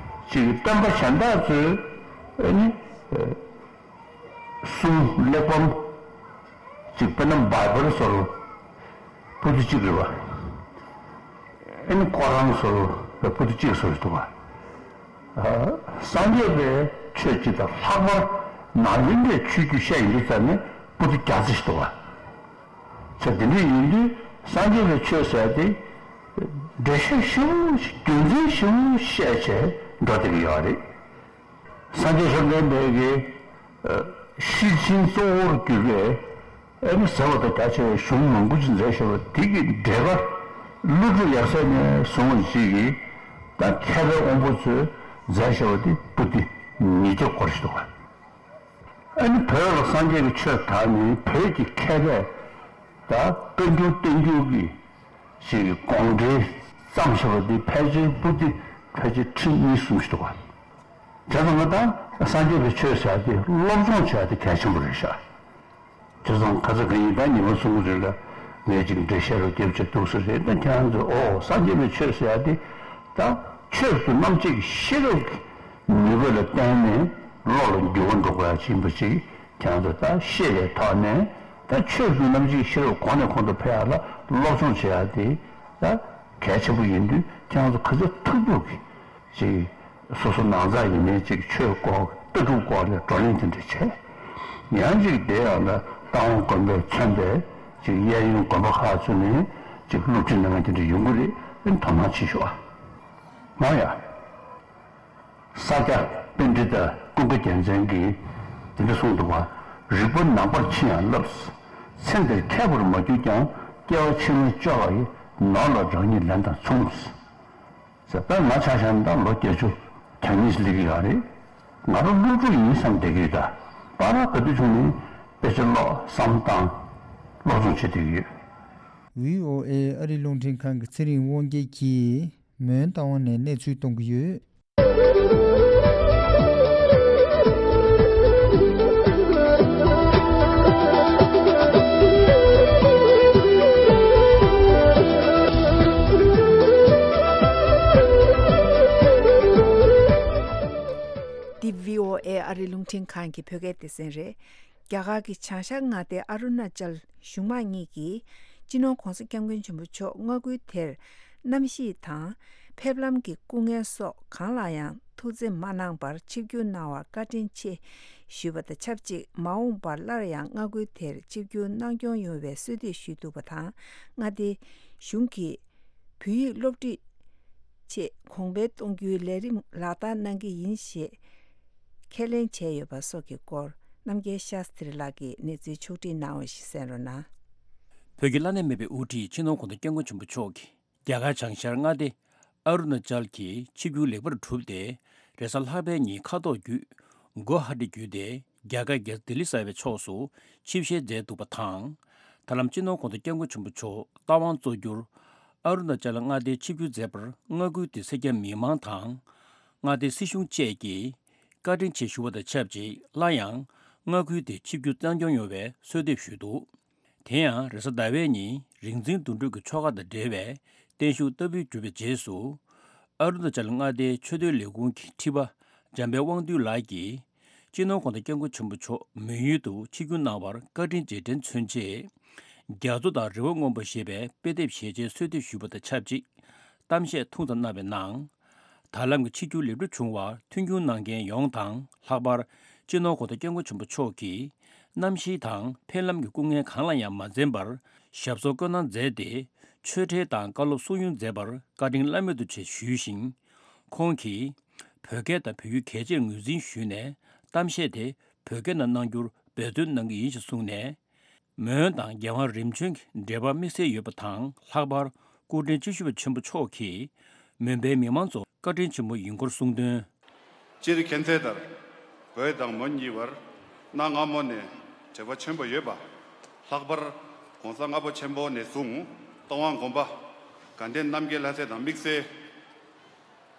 ཅིག་སྟོན་པ་གཞན་དག་ཚོས་ཨ་ནི། ཨ། གསུང་གླེགས་བམ། གཅིག་དཔེར་ན་བྷའི་བལ་སོགས་པོ་ཏི་གཅིག་རེད་བ། ཨེ་ནི་ཁོ་རང་སོགས་པོ་ཏི་གཅིག་སོགས་ཤིག་འདུག་བ། སངས་རྒྱས་པའི་ཆོས་གཅིག་དང་ལྷག་པར་ནཱ་ལེནྡྲའི་ཆོས་བརྒྱུད་བཤད་ཡིན་དུས་ཙམ་ནས་པོ་ཏི་བརྒྱ་རྩ་ཞིག་འདུག་བ། ཚེ་འདི་འདྲ་ཡིན་དུས་སངས་རྒྱས་པའི་ཆོས་ཟེར་ཏེ་འགྲེལ་བཤད་ཞིབ་པོ་ཞིག་རྒྱུ་མཚན་ཞིབ་པོ་བཤད་བྱས་འགྲོ་བསྡད་ཀྱི་ཡོད་རེད། སངས་རྒྱས་བཅོམ་ལྡན་འདས་ཀྱིས་ཤེར་ཕྱིན་གཙོ་བོར་གྱུར་པའི་ཨེ་ནི་ཟབ་པ་དང་རྒྱ་ཆེ་བའི་གཞུང་མང་པོ་ཅིག་མཛད་བཞག་པ་དེ་གི་འགྲེལ་པ་ཀླུ་སྒྲུབ་ཡབ་སྲས་ནས་བཟུང་བ་ཅིག་གིས་ད་མཁས་པའི་དབང་པོ་ཚོས་མཛད་བཞག་པ་དེ་པོ་ཏི་ཉིས་བརྒྱ་སྐོར་ཞིག་འདུག་ག་ཨེ་ནི་བོད་ལ་སངས་རྒྱས་ཀྱི་ཆོས་དར་ནས་བོད་ཀྱི་མཁས་པས་ད་བཀའ་འགྱུར་བསྟན་འགྱུར་གྱི་ཞིག་གི་དགོངས་འགྲེལ་བརྩམས་བཞག་པ་འདི་ཕལ་ཆེར་པོ་ཏི་ཕལ་ཆེར་ཁྲི་གཉིས་གསུམ་ཞིག་འདུག་བ། བྱས་ཙང་ང་དང་སངས་རྒྱས་པའི་ཆོས་ཟེར་ཡ་དེ་སློབ་སྦྱོང་བྱེད་ཡ་དེ་གལ་ཆེན་པོ་རེད་ཤག་བྱས་ཙང་ཁ་ས་ག་ཡིན་ད་ཉི་མ་གསུམ་གྱི་རིང་ལ་ངས་ཅིག་འགྲེལ་བཤད་རོ་རྒྱབ་བྱས་འདུག་ས་རེད། ད་ཁྱེད་རང་ཚོས་ཨོ་སངས་རྒྱས་པའི་ཆོས་ཟེར་ཡ་དེ་ད་ཆོས་སུ་རྣམ་དཔྱོད་ཀྱི་ཤེས་རབ་ཀྱི་ནུས་པ་ལ་བརྟེན་ནས་བློ་ལ་འགྱུར་བ་འགྲོ་དགོས་ཡ་ཅིག་ཡིན་པ་ཅིག་ཁྱེད་རང་ཚོ་ད་ཤེས་པའི་ཐོག་ནས་ད་ཆོས་ཀྱི་རྣམ་འབྱེད་ཤེས་རབ་གོང་ནས་གོང་དུ་འཕེལ་ཡག་ལ་སློབ་སྦྱོང་བྱེད་ཡག་དེ་ད་གལ་ཆེན་པོ་ཡིན་དུས་ཁྱེད་རང་ཚོ་ག་ཚོད་ཐུབ་ཐུབ་ཀྱིས་ཅིག་སོ་སོ་ནང་ཚགས་ཡིན་ནའི་ཅིག་ཆོས་སྐོར་ལྟ་གྲུབ་སྐོར་ལ་བགྲོ་གླེང་དེ་འདྲ་བྱས། ཡང་ཅིག་དེ་ཡང་ན་རྟ་དབང་དགོན་པས་མཚོན་པའི་ཅིག་གཡས་གཡོན་དགོན་པ་ཁག་ཚོ་ནས་ཅིག་སློབ་ཁྲིད་གནང་མཁན་དེ་འདྲ་ཡོང་གི་རེད། དོ་སྣང་བྱེད་ཤོག་ཨ། མ་ཡ། ས་སྐྱ་པཎྜི་ཏ་ཀུན་དགའ་རྒྱལ་མཚན་གྱིས་འདི་འདྲ་གསུངས་འདུག་བ། རིག་པ་ནང་པར་ཕྱིན་ཡང་བསླབས། ཚེ་འདིར་མཁས་པར་མ་གྱུར་ཀྱང་། སྐྱེ་བ་ཕྱི་མའི་སྐྱོ་བ་ཡི། ནོར་ལ་རང་ཉིད་ལེན་དང་མཚུངས། ཟེར་བས་ང་ཆ་བཞག་ན་ད་ལོ་བརྒྱད་ཅུ་གྱ་གཉིས་སླེབས་ཀྱི་ཡོད་རེད། ང་རང་སློབ་ཕྲུག་ཡིན་བསམ་བསྡད་ཀྱི་ཡོད་ད། བར་ག་དུས་བྱུང་ནས་དཔེ་ཆ་ཀློག་བསམ་བཏང་། སློབ་སྦྱོང་བྱེད་བསྡད་ཀྱི་ཡོད། བྷི་ཨོ་ཨེ་ཨ་རི་རླུང་འཕྲིན་ཁང་གི་ཚེ་རིང་དབང་རྒྱལ་གྱིས་མོན་རྟ་དབང་ནས་གནས་ཚུལ་གཏོང་གི་ཡོད། ཨེ་ཨ་རི་རླུང་འཕྲིན་ཁང་གི་བོད་སྐད་སྡེ་ཚན་རེད། རྒྱ་གར་གྱི་བྱང་ཤར་མངའ་སྡེ་ཨ་རུ་ན་ཅལ་གཞུང་མང་གཉིས་ཀྱིས་སྤྱི་ནོར་༧གོང་ས་༧སྐྱབས་མགོན་ཆེན་པོ་མཆོག་མངའ་ཁུལ་དེར་གནམ་གཤིས་དང་ཕེབས་ལམ་གྱི་སྐུ་ངལ་སོགས་གང་ལ་ཡང་ཐུགས་འཚེམ་མ་གནང་བར་ཆིབས་བསྒྱུར་གནང་བར་བཀའ་དྲིན་ཆེ་ཞུས་པ་དང་ཆབས་ཅིག་མ་འོངས་པར་སླར་ཡང་མངའ་ཁུལ་དེར་ཆིབས་བསྒྱུར་གནང་སྐྱོང་ཡོང་བའི་གསོལ་འདེབས་ཞུས་འདུག་པ་དང་། མངའ་སྡེ་གཞུང་གིས་བོད་ཡིག་སློབ་ཁྲིད་ཆེད་གོང་འཕེལ་གཏོང་རྒྱུའི་ལས་རིམ་ལག་བསྟར་གནང་གི་ཡིན་ཞེས་ཁས་ལེན་བྱས་ཡོད་པ་སོགས་ཀྱི་སྐོར། རྣམ་རྒྱལ་ཤཱསྟྲི་ལགས་ཀྱིས་གནས་ཚུལ་ཕྱོགས་སྒྲིག་གནང་བ་ཞིག་གསན་རོགས་གནང་། བོད་ཀྱི་བླ་ན་མེད་པའི་དབུ་ཁྲིད་སྤྱི་ནོར་༧གོང་ས་༧སྐྱབས་མགོན་ཆེན་པོ་མཆོག་གིས་རྒྱ་གར་བྱང་ཤར་མངའ་སྡེ་ཨ་རུ་ན་ཅལ་གྱི་ཆིབས་བསྒྱུར་ལེགས་པར་གྲུབ་སྟེ། རེས་གཟའ་ལྷག་པའི་ཉིན་མཁའ་ཐོག་བརྒྱུད་གུ་ཧ་ཊི་བརྒྱུད་དེ་རྒྱ་གར་རྒྱལ་ས་ལྡི་ལི་གསར་པའི་ཕྱོགས་སུ་ཆིབས་ཞལ་མཛད་འདུག་པ་དང་། ད་ལམ་སྤྱི་ནོར་༧གོང་ས་༧སྐྱབས་མགོན་ཆེན་པོ་མཆོག་རྟ་དབང་གཙོ་གྱུར་ཨ་རུ་ན་ཅལ་མངའ་སྡེའི་ཆིབས་བསྒྱུར་མཛད་པར་མངའ་ཁུལ་དེའི་སེར་སྐྱ་མི་མང་དང་། མངའ་སྡེའི་སྲིད་གཞུང་བཅས་ཀྱིས་བཀའ་དྲིན་ཆེ་ཞུ་བ་དང་ཆབས་ཅིག་སླར་ཡང་མངའ་ཁུལ་དེར་ཆིབས་བསྒྱུར་གནང་སྐྱོང་ཡོང་བའི་གསོལ་འདེབས་ཞུས་འདུག་དེ་ཡང་རེས་གཟའ་ཟླ་བའི་ཉིན་རིག་འཛིན་དོན་གྲུབ་ཀྱི་ཆོ་ག་དང་འབྲེལ་བའི་བརྟན་བཞུགས་བསྟར་འབུལ་གྲུབ་པའི་རྗེས་སུ། ཨ་རུ་ན་ཅལ་མངའ་སྡེའི་ཆོས་དོན་ལས་ཁུངས་ཀྱི་ཁྲི་པ་འཇམ་དཔལ་དབང་འདུས་ལགས་ཀྱིས། སྤྱི་ནོར་༧གོང་ས་༧སྐྱབས་མགོན་ཆེན་པོ་མཆོག་མོན་ཡུལ་དུ་ཆིབས་བསྒྱུར་གནང་བར་བཀའ་དྲིན་རྗེས་དྲན་མཚོན་ཆེད། རྒྱ་མཚོ་དང་རི་བོ་སྔོན་པོ་ཞེས་པའི་དཔེ་དེབ་ཞལ་ཆེའི་གསོལ་འདེབས་ཞུས་པ་དང་ཆབས་ཅིག་གཏམ་བཤད་ཐུང་ཙམ་གནང་བའི་ནང་། ད་ལམ་གྱི་ཆིབས་བསྒྱུར་ལེགས་གྲུབ་བྱུང་བར་མཐུན་འགྱུར་གནང་མཁན་ཡོངས་དང་། ལྷག་པར་སྤྱི་ནོར་༧གོང་ས་༧སྐྱབས་མགོན་ཆེན་པོ་མཆོག་གིས་གནམ་གཤིས་དང་ཕེབས་ལམ་གྱི་སྐུ་ངལ་གང་ལ་ཡང་མ་འཛེམས་པར་ཞབས་སོར་བཀོད་གནང་མཛད་དེ། ཆོས་འབྲེལ་དང་བཀའ་སློབ་གསུང་ཡོང་མཛད་པར་བཀའ་དྲིན་བླ་མེད་དུ་ཆེ་ཞུས་ཤིང་། ཁོང་གིས་བོད་སྐད་དང་བོད་ཡིག་གལ་ཆེར་ངོས་འཛིན་ཞུས་ནས་གཏམ་བཤད་དེ་བོད་སྐད་ནང་གནང་རྒྱུར་འབད་བརྩོན་གནང་གི་ཡིན་ཞེས་གསུངས་ནས། མོན་དང་རྒྱལ་དབང་རིམ་བྱོན་གྱི་འབྲེལ་བ་དམིགས་བསལ་ཡོད་པ་དང་། ལྷག་པར་སྐུ་ཕྲེང་བཅུ་བཞི་པ་ཆེན་པོ་མཆོག་གིས་མོན་པའི་མི་མང་ཚོར་བཀའ་དྲིན་ཆེན་པོ་ཡིན་སྐོར་གསུངས་དོན། སྤྱིར་མཁྱེན་གསལ་ལྟར། བོད་དང་མོན་གཉིས་བར་གནའ་སྔ་མོ་ནས་འབྲེལ་བ་ཆེན་པོ་ཡོད་པ། ལྷག་པར་༧གོང་ས་ལྔ་པ་ཆེན་པོ་ནས་བཟུང་རྟ་དབང་དགོན་པ་དགའ་ལྡན་རྣམ་རྒྱལ་ལྷ་སྲས་དང་དམིགས་བསལ་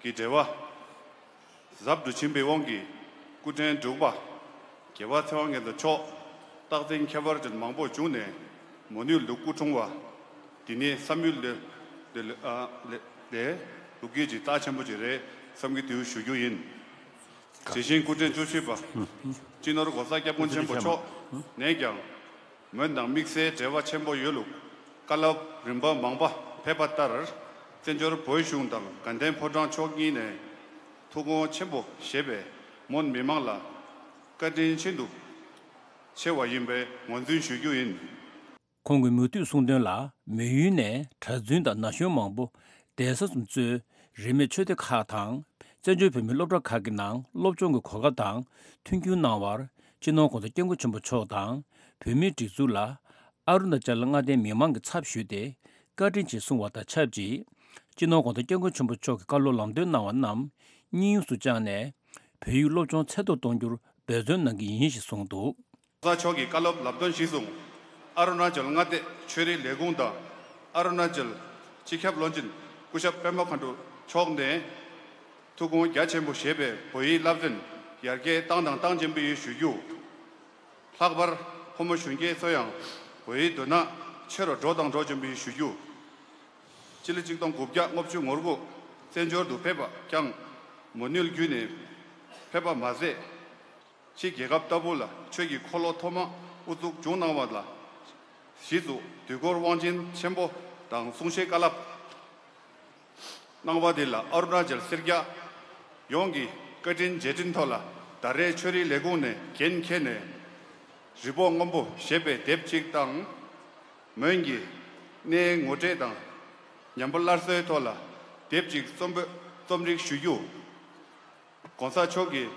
གྱི་འབྲེལ་བ་ཟབ་ཏུ་ཕྱིན་པའི་དབང་གིས། སྐུ་ཕྲེང་དྲུག་པ་རྒྱལ་བ་ཚེ་དབང་མཁན་མཆོག་རྟག་འཛིན་ཁྱད་པར་ཅན་མང་པོ་བྱུང་ནས་མོན་ཡུལ་དུ་སྐུ་འཁྲུངས་པ་འདི་ནི་བསམ་ཡུལ་ལས་ལས་ལས་ལས་ལས་ལུགས་ཀྱི་ཇི་ལྟ་ཆེན་པོ་ཅིག་རེད་བསམ་གྱི་འདུག་ཞུ་རྒྱུ་ཡིན། དེ་བཞིན་སྐུ་ཕྲེང་བཅུ་བཞི་པ་སྤྱི་ནོར་༧གོང་ས་༧སྐྱབས་མགོན་ཆེན་པོ་མཆོག་ནས་ཀྱང་མོན་དང་དམིགས་བསལ་འབྲེལ་བ་ཆེན་པོ་ཡོད་ལུགས་བཀའ་སློབ་རིམ་པ་མང་པ་ཕེབས་པ་ལྟར། བཙན་བྱོལ་བོད་གཞུང་དང་དགའ་ལྡན་ཕོ་བྲང་ཕྱོགས་གཉིས་ནས་ཐུགས་དགོངས་ཆེན་པོ་བཞེས་པས་མོན་མི་མང་ལ་བཀའ་དྲིན་ཤིན་ཏུ་ཆེ་བ་ཡིན་པའི་ངོས་འཛིན་ཞུ་རྒྱུ་ཡིན། ཁོང་གིས་མུ་མཐུད་གསུངས་དོན་ལ། མོན་ཡུལ་ནས་གྲྭ་བཙུན་དང་ན་གཞོན་མང་པོ་གདན་ས་གསུམ་གཙོས་རིས་མེད་ཆོས་སྡེ་ཁག་དང་བཙན་བྱོལ་བོད་མིའི་སློབ་གྲྭ་ཁག་གི་ནང་སློབ་སྦྱོང་གི་གོ་སྐབས་དང་མཐུན་འགྱུར་གནང་བར་སྤྱི་ནོར་༧གོང་ས་༧སྐྱབས་མགོན་ཆེན་པོ་མཆོག་དང་བོད་མིའི་སྒྲིག་འཛུགས་ལ་ཨ་རུ་ན་ཅལ་མངའ་སྡེའི་མི་མང་གི་ཚབ་ཞུས་ཏེ་བཀའ་དྲིན་ཆེ་གསུང་བ་དང་ཆབས་ཅིག་སྤྱི་ནོར་༧གོང་ས་༧སྐྱབས་མགོན་ཆེན་པོ་མཆོག་གིས་བཀའ་སློབ་ལམ་སྟོན་གནང་བ་རྣམས་སྙིང་དབྱིངས་སུ་བཅངས་ནས་བོད་ཡིག་སློབ་སྦྱོང་ཚད་མཐོར་གཏོང་རྒྱུར་འབད་བརྩོན་གནང་གི་ཡིན་ཞེས་གསུངས་འདུག་གོང་ས་མཆོག་གིས་བཀའ་སློབ་ལམ་སྟོན་གཞིར་བཟུང་། ཨ་རུ་ན་ཅལ་མངའ་སྡེ་ཆོས་རིག་ལས་ཁུངས་དང་ཨ་རུ་ན་ཅལ་སྤྱི་ཁྱབ་བློན་ཆེན་སྐུ་ཞབས་པད་མ་མཁའ་འགྲོ་མཆོག་ནས་ཐུགས་དགོངས་རྒྱ་ཆེན་པོ་བཞེས་པའི་བོད་ཡིག་བསླབ་ཚན་ཡར་རྒྱས་བཏང་དང་གཏང་བཞིན་པ་ཡིན་ཞུ་རྒྱུ། ལྷག་པར་ཕོ་མོ་གཞོན་སྐྱེས་ཚོ་ཡང་བོད་ཡིག་དོན་དག་ཆེ་རུ་འགྲོ་དང་འགྲོ་བཞིན་པ་ཡིན་ཞུ་རྒྱུ། སྤྱི་ལོ་གཅིག་སྟོང་དགུ་བརྒྱ་ལྔ་བཅུ་ང་དགུ་བཙན་བྱོལ་དུ་ཕེབས་པ་ཀྱང་མོན་ཡུལ་བརྒྱུད་ནས་ཕེབས་པ་མ་ཟད། ཕྱི་རྒྱལ་ཁབ་ལྟ་བུ་ལ་ཆོས་ཀྱི་འཁོར་ལོ་ཐོག་མ་དབུ་འཛུགས་བྱུང་གནང་བ་ལ་གཞི་བཙུགས་དུས་འཁོར་དབང་ཆེན་ཆེན་པོ་དང་གསུང་བཤད་བཀའ་སློབ་གནང་བ་དེ་ལ་ཨ་རུ་ན་ཅལ་སེར་སྐྱ་ཡོངས་ཀྱི་བཀའ་དྲིན་རྗེས་དྲན་ཐོག་ལ་ད་རེས་ཆོས་རིག་ལས་ཁུངས་ནས་འགན་འཁྱེར་ནས་རི་བོ་སྔོན་པོ་ཞེས་པའི་དེབ་ཅིག་དང་། མོན་གྱི་གནས་ངོ་སྤྲོད་དང་ཉམས་པ་སླར་གསོའི་ཐོག་ལ་དེབ་ཅིག་རྩོམ་པ་རྩོམ་སྒྲིག་ཞུ་རྒྱུ། གོང་ས་མཆོག་གིས་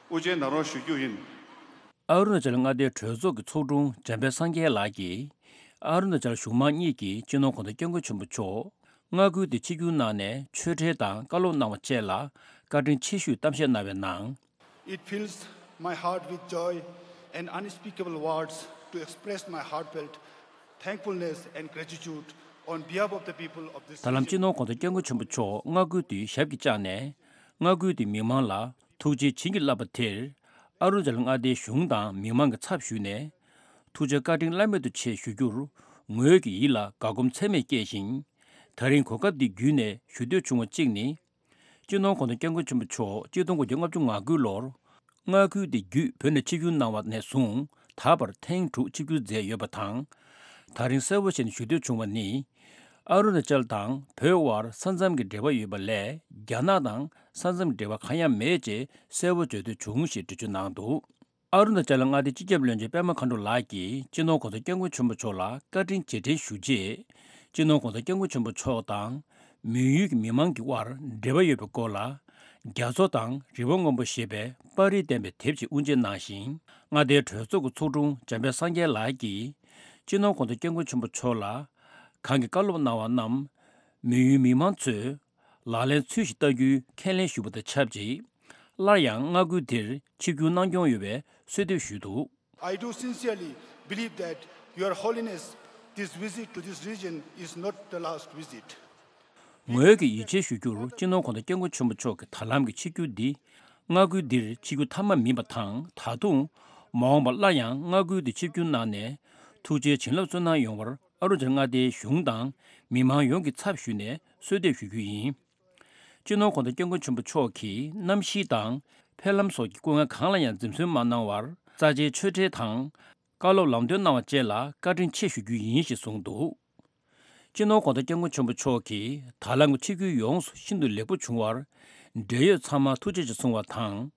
དབུ་འབྱེད་གནང་རོགས་ཞུ་རྒྱུ་ཡིན། ཨ་རུ་ན་ཅལ་མངའ་སྡེའི་གྲོས་ཚོགས་ཀྱི་ཚོགས་དྲུང་འཇམ་དཔལ་སངས་རྒྱས་ལགས་ཀྱིས། ཨ་རུ་ན་ཅལ་གཞུང་མང་གཉིས་ཀྱིས་སྤྱི་ནོར་༧གོང་ས་༧སྐྱབས་མགོན་ཆེན་པོ་མཆོག་མངའ་ཁུལ་དུ་ཆིབས་བསྒྱུར་གནང་ནས་ཆོས་འབྲེལ་དང་བཀའ་སློབ་གནང་བ་བཅས་ལ་བཀའ་དྲིན་ཆེ་ཞུའི་གཏམ་བཤད་གནང་བའི་ནང་། It fills my heart with joy and unspeakable words to express my heartfelt thankfulness and gratitude on behalf of the people of this ད་ལམ་region. སྤྱི་ནོར་༧གོང་ས་༧སྐྱབས་མགོན་ཆེན་པོ་མཆོག་མངའ་ཁུལ་དུ་ཞབས་ཀྱིས་བཅགས་ནས་མངའ་ཁུལ་དུ་མི་མང་ལ་ཐུགས་རྗེ་བྱིན་གྱིས་བརླབས་པ་དེར་ཨ་རུ་ན་ཅལ་མངའ་སྡེའི་གཞུང་དང་མི་མང་གི་ཚབ་ཞུས་ནས་ཐུགས་རྗེ་བཀའ་དྲིན་བླ་མེད་དུ་ཆེ་ཞུ་རྒྱུར་ངོས་ཀྱི་ཡིད་ལ་དགའ་སྒོམ་ཚད་མེད་སྐྱེས་ཤིང་། ད་རིང་གོ་སྐབས་འདི་བརྒྱུད་ནས་ཞུ་འདོད་བྱུང་བ་གཅིག་ནི། སྤྱི་ནོར་༧གོང་ས་༧སྐྱབས་མགོན་ཆེན་པོ་མཆོག་གཅིག་སྟོང་དགུ་བརྒྱ་ལྔ་བཅུ་ང་དགུ་ལོར་ མངའ་ཁུལ་དེ་བརྒྱུད་བོད་ནས་ཆིབས་བསྒྱུར་གནང་བ་ནས་བཟུང་ད་བར་ཐེངས་དྲུག་ཆིབས་བསྒྱུར་མཛད་ཡོད་པ་དང་། ད་རིང་གསལ་པོ་བྱས་ནས་ཞུ་འདོད་བྱུང་བ་ནི། ཨ་རུ་ན་ཅལ་དང་བོད་དབར་ས་མཚམས་ཀྱི་འབྲེལ་བ་ཡོད་པ་ལས་རྒྱ་ནག་དང་ས་མཚམས་འབྲེལ་བ་གང་ཡང་མེད་ཅེས་གསལ་པོ་བརྗོད་འདོད་བྱུང་ཞེས་འགྲེལ་བརྗོད་གནང་འདུག་ཨ་རུ་ན་ཅལ་མངའ་སྡེའི་སྤྱི་ཁྱབ་བློན་ཆེན་པད་མ་མཁའ་འགྲོ་ལགས་ཀྱིས་སྤྱི་ནོར་གོང་ས་སྐྱབས་མགོན་ཆེན་པོ་མཆོག་ལ་བཀའ་དྲིན་རྗེས་དྲན་ཞུ་ཆེད། སྤྱི་ནོར་གོང་ས་སྐྱབས་མགོན་ཆེན་པོ་མཆོག་དང་། མོན་ཡུལ་གྱི་མི་མང་གི་དབར་འབྲེལ་བ་ཡོད་པའི་སྐོར་ལ། རྒྱ་མཚོ་དང་རི་བོ་སྔོན་པོ་ཞེས་པའི་པར་རིས་བསྟན་པའི་དེབ་ཅིག་དབུ་འབྱེད་གནང་ཞིང་། མངའ་སྡེའི་གྲོས་ཚོགས་ཀྱི་ཚོགས་དྲུང་འཇམ་དཔལ་སངས་རྒྱས་ལགས་ཀྱིས། སྤྱི་ནོར་གོང་ས་སྐྱབས་མགོན་ཆེན་པོ་མཆོག་ལ། གང་གི་བཀའ་སློབ་གནང་བ་རྣམས། མོན་ཡུལ་མི་མང་ཚོས། ལག་ལེན་ཚུལ་བཞིན་བསྟར་རྒྱུའི་ཁས་ལེན་ཞུས་པ་དང་ཆབས་ཅིག་སླར་ཡང་མངའ་ཁུལ་འདིར་ཆིབས་བསྒྱུར་གནང་སྐྱོང་ཡོད་པའི་གསོལ་འདེབས་ཞུས་འདུག I do sincerely believe that Your Holiness, this visit to this region is not the last visit. ངོས་ཀྱིས་ཡིད་ཆེས་ཞུ་རྒྱུར་སྤྱི་ནོར་གོང་ས་སྐྱབས་མགོན་ཆེན་པོ་མཆོག་གི་ད་ལམ་གྱི་ཆིབས་བསྒྱུར་འདི་མངའ་ཁུལ་འདིར་ཆིབས་བསྒྱུར་མཐའ་མ་མིན་པ་དང་། ད་དུང་མ་འོངས་པར་སླར་ཡང་མངའ་ཁུལ་དུ་ཆིབས་བསྒྱུར་གནང་ནས་ཐུགས་རྗེའི་བྱིན་རླབས་སྩོལ་གནང་ཡོང་བར་ཨ་རུ་ཇར་མངའ་སྡེའི་གཞུང་དང་མི་མང་ཡོངས་ཀྱི་ཚབ་ཞུས་ནས་གསོལ་འདེབས་ཞུ་རྒྱུ་ཡིན། སྤྱི་ནོར་གོང་ས་སྐྱབས་མགོན་ཆེན་པོ་མཆོག་གིས་གནམ་གཤིས་དང་འཕེལ་ལམ་སོགས་ཀྱི་སྐུ་ངལ་གང་ལ་ཡང་འཛེམ་ཟོན་མ་གནང་བར་རྩ་ཆེའི་ཆོས་འབྲེལ་དང་། བཀའ་སློབ་ལམ་སྟོན་གནང་བ་བཅས་ལ་བཀའ་དྲིན་ཆེ་ཞུ་རྒྱུ་ཡིན་ཞེས་གསུངས་འདུག་སྤྱི་ནོར་གོང་ས་སྐྱབས་མགོན་ཆེན་པོ་མཆོག་གིས་ད་ལམ་གྱི་ཆིབས་བསྒྱུར་ཡོངས་སུ་ཤིན་ཏུ་ལེགས་པོ་བྱུང་བར། འབྲེལ་ཡོད་ཚང་མར་ཐུགས་རྗེ་ཆེ་གསུང་བ་དང་།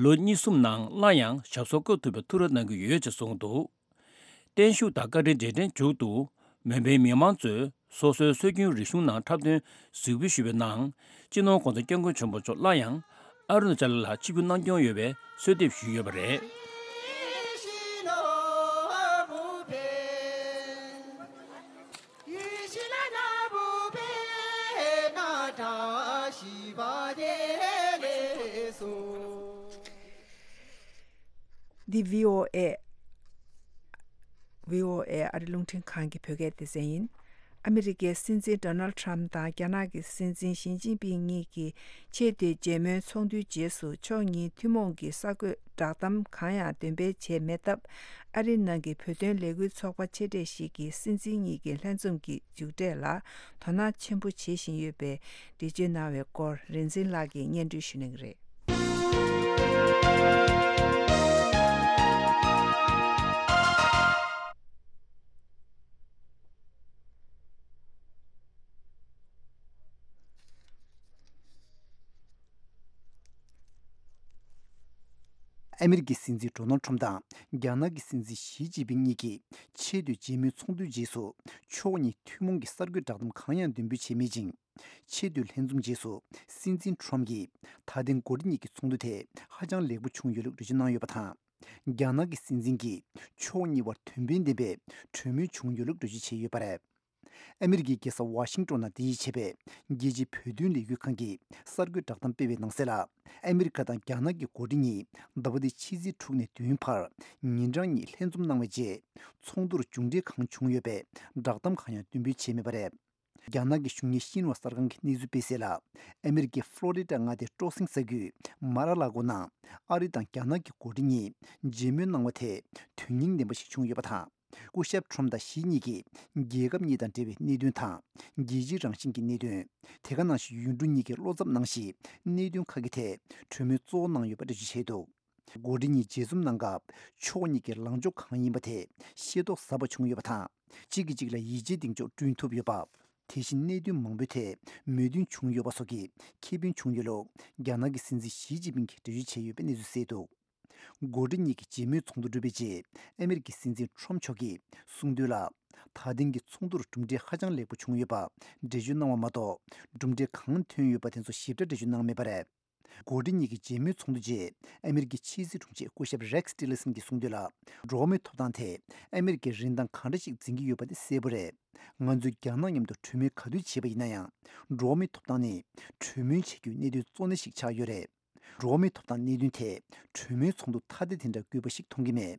ལོ་གཉིས་གསུམ་ནང་སླར་ཡང་ཞབས་སོར་བཀུག་ཐུབ་པའི་ཐུགས་རེ་གནང་གི་ཡོད་ཅེས་གསུངས་འདུག་བརྟན་བཞུགས་དང་བཀའ་དྲིན་རྗེས་དྲན་མཇུག་ཏུ། མོན་པའི་མི་མང་ཚོས་སོ་སོའི་སྲོལ་རྒྱུན་རིག་གཞུང་ནང་འཁྲབ་སྟོན་གཟིགས་འབུལ་ཞུས་པའི་ནང་། སྤྱི་ནོར་གོང་ས་སྐྱབས་མགོན་ཆེན་པོ་མཆོག་སླར་ཡང་ཨ་རུ་ན་ཅལ་ལ་ཆིབས་བསྒྱུར་གནང་སྐྱོང་ཡོད་པའི་གསོལ་འདེབས་ཞུས་ཡོད་པ་རེད། འདི་བྷི་ཨོ་ཨེ། བྷི་ཨོ་ཨེ་ཨ་རི་རླུང་འཕྲིན་ཁང་གི་བོད་སྐད་སྡེ་ཚན་ཡིན། ཨ་མི་རི་ཀའི་སྲིད་འཛིན་ཌོ་ནལ་ཁྲམ་དང་རྒྱ་ནག་གི་སྲིད་འཛིན་ཞི་ཅིན་ཕིང་གཉིས་ཀྱིས་ཆེས་མཐོའི་མཇལ་མོལ་ཚོགས་འདུའི་རྗེས་སུ་ཕྱོགས་གཉིས་ཐུན་མོང་གི་གསར་འགོད་བསྒྲགས་གཏམ་གང་ཡང་འདོན་སྤེལ་བྱས་མེད་སྟབས། ཨ་རིའི་ནང་གི་བོད་དོན་ལས་འགུལ་ཚོགས་པ་ཆེ་གྲས་ཤིག་གིས་སྲིད་འཛིན་གཉིས་ཀྱི་ལྷན་འཛོམས་ཀྱི་མཇུག་འབྲས་ལ་དོ་སྣང་ཆེན་པོ་བྱེད་བཞིན་ཡོད་པའི་འགྲེལ་བརྗོད་གནང་བའི་སྐོར་རིག་འཛིན་ལགས་ཀྱིས་སྙན་སྒྲོན་ཞུ་གནང་གི་རེད། ཨ་མི་རི་ཀའི་སྲིད་འཛིན་ཌོ་ནལ་ཁྲམ་དང་རྒྱ་ནག་གི་སྲིད་འཛིན་ཞི་ཅིན་ཕིང་གཉིས་ཀྱིས་ཆེས་མཐོའི་མཇལ་མོལ་ཚོགས་འདུའི་རྗེས་སུ་ཕྱོགས་གཉིས་ཐུན་མོང་གི་གསར་འགོད་བསྒྲགས་གཏམ་གང་ཡང་འདོན་སྤེལ་བྱས་མེད་ཅིང་། ཆེས་མཐོའི་ལྷན་འཛོམས་རྗེས་སུ་སྲིད་འཛིན་ཁྲོམ་གྱིས་ད་ཐེངས་འགོ་ཁྲིད་གཉིས་ཀྱི་ཚོགས་འདུ་དེ་ཧ་ཅང་ལེགས་པོ་བྱུང་ཡོད་ལུགས་འགྲེལ་བརྗོད་གནང་ཡོད་པ་དང་། རྒྱ་ནག་གི་སྲིད་འཛིན་གྱིས་ཕྱོགས་གཉིས་བར་དོན་ཕན་ལྡན་པའི་གྲོས་མོལ་བྱུང་ཡོད་ལུགས་འགྲེལ་བརྗོད་བྱས་ཡོད་པ་རེད། ཨ་མི་རི་ཀའི་རྒྱལ་ས་ཝ་ཤིང་ཏོན་ནང་དེ་ཡིས་བྱས་པའི་རྒྱལ་སྤྱིའི་བོད་དོན་ལས་འགུལ་ཁང་གིས་གསར་འགོད་བསྒྲགས་གཏམ་སྤེལ་བའི་ནང་གསལ་ལ། ཨ་མི་རི་ཀ་དང་རྒྱ་ནག་གི་འགོ་ཁྲིད་གཉིས་ཟླ་བ་འདིའི་ཕྱི་ཚེས་དྲུག་ནས་བདུན་བར་ཉིན་གྲངས་གཉིས་ལྷན་འཛོམས་གནང་བའི་རྗེས། ཚོགས་འདུར་མཇུག་འབྲས་གང་བྱུང་ཡོད་པའི་བསྒྲགས་གཏམ་གང་ཡང་འདོན་སྤེལ་བྱས་མེད་པ་རེད། རྒྱ་ནག་གི་གཞུང་གཉེར་ཤིན་ཧྭ་གསར་ཁང་གིས་གནས་ཚུལ་སྤེལ་གསལ་ལ། ཨ་མི་རི་ཀའི་ཧྥ་ལོ་རི་ཌ་མངའ་སྡེའི་སྤྲོ་གསེང་ས་ཁུལ་མ་ར་ལ་གོ་ནང་ཨ་རི་དང་རྒྱ་ནག་གི་འགོ་ཁྲིད་གཉིས་མཇལ་མོལ་གནང་བ་དེ་དོན་སྙིང་ལྡན་པ་ཞིག་བྱུང་ཡོད་པ་དང་། སྐུ་ཞབས་ཁྲོམ་དང་ཞི་གཉིས་ཀྱིས་རྒྱལ་ཁབ་གཉིས་དང་འབྲེལ་བའི་གནད་དོན་དང་། རྒྱལ་སྤྱིའི་རང་བཞིན་གྱི་གནད་དོན། དེ་ག་ནང་བཞིན་ཡུལ་གྲུ་གཉིས་ཀྱི་བློ་འཚབ་གནང་གཞིའི་གནད་དོན་ཁག་གི་ཐད་གྲོས་མོལ་གཙོ་བོ་གནང་ཡོད་པ་འགྲེལ་བརྗོད་བྱས་འདུག་འགོ་ཁྲིད་གཉིས་མཇལ་འཛོམས་གནང་སྐབས་ཕྱོགས་གཉིས་ཀྱི་ལངས་ཕྱོགས་གང་ཡིན་པ་དེ་ཤེས་རྟོགས་ཟབ་པ་བྱུང་ཡོད་པ་དང་། གཅིག་གིས་གཅིག་ལ་ཡིད་ཆེས་གདེང་འཇོག་བསྐྲུན་ཐུབ་ཡོད་པ། དེ་བཞིན་གནད་དོན་མང་པོའི་ཐད་མོས་མཐུན་བྱུང་ཡོད་པ་སོགས་ཀྱི་ཁེ་ཕན་བྱུང་ཡོད་ལུགས་རྒྱ་ནག་གི་སྲིད་འཛིན་ཞི་ཅིན་ཕིང་གིས་འགྲེལ་བརྗོད་བྱས་ཡོད་པའི་གནས་ཚུལ་གསལ་འདུག་འགོ་ཁྲིད་གཉིས་ཀྱི་མཇལ་མོལ་ཚོགས་འདུ་གྲུབ་པའི་རྗེས་ཨ་མི་རི་ཀའི་སྲིད་འཛིན་ཁྲོམ་མཆོག་གིས་གསུངས་དོན་ལ། ད་ཐེངས་ཀྱི་ཚོགས་འདུར་གྲུབ་འབྲས་ཧ་ཅང་ལེགས་པོ་བྱུང་ཡོད་པ་འགྲེལ་བརྗོད་གནང་བ་མ་གཏོགས། གྲུབ་འབྲས་གང་ཐོན་ཡོད་པ་དེ་ཚོ་ཞིབ་ཕྲ་འགྲེལ་བརྗོད་གནང་མེད་པ་རེད། འགོ་ཁྲིད་གཉིས་ཀྱི་མཇལ་མོལ་ཚོགས་འདུ་རྗེས་ཨ་མི་རི་ཀའི་ཕྱི་སྲིད་དྲུང་ཆེ་སྐུ་ཞབས་རེག་ཊི་ལི་སན་གྱིས་གསུངས་དོན་ལ། འགྲོ་བ་མིའི་ཐོབ་ཐང་དེ་ཨ་མི་རི་ཀའི་རིན་ཐང་ག་འདྲ་ཞིག་འཛིན་གྱི་ཡོད་པ་དེ་གསལ་པོ་རེད། ང་ཚོས་རྒྱ་ནག་མཉམ་དུ་གྲོས་མོལ་ག་དུས་བྱས་པ་ཡིན་ན་ཡང་། འགྲོ་བ་མིའི་ཐོབ་ཐང་ནི་གྲོས་མོལ་བྱེད་རྒྱུའི་གནད་དོན་གཙོ་གནད་ཞིག་ཆགས་ཡོད་རེད། འགྲོ་བ་མིའི་ཐོབ་ཐང་གནད་དོན་དེ་གྲོས་མོལ་ཚོགས་འདུ་ཐ་དད་དེ་འདྲ་དགོས་པ་ཞིག་མཐོང་གི་མེད།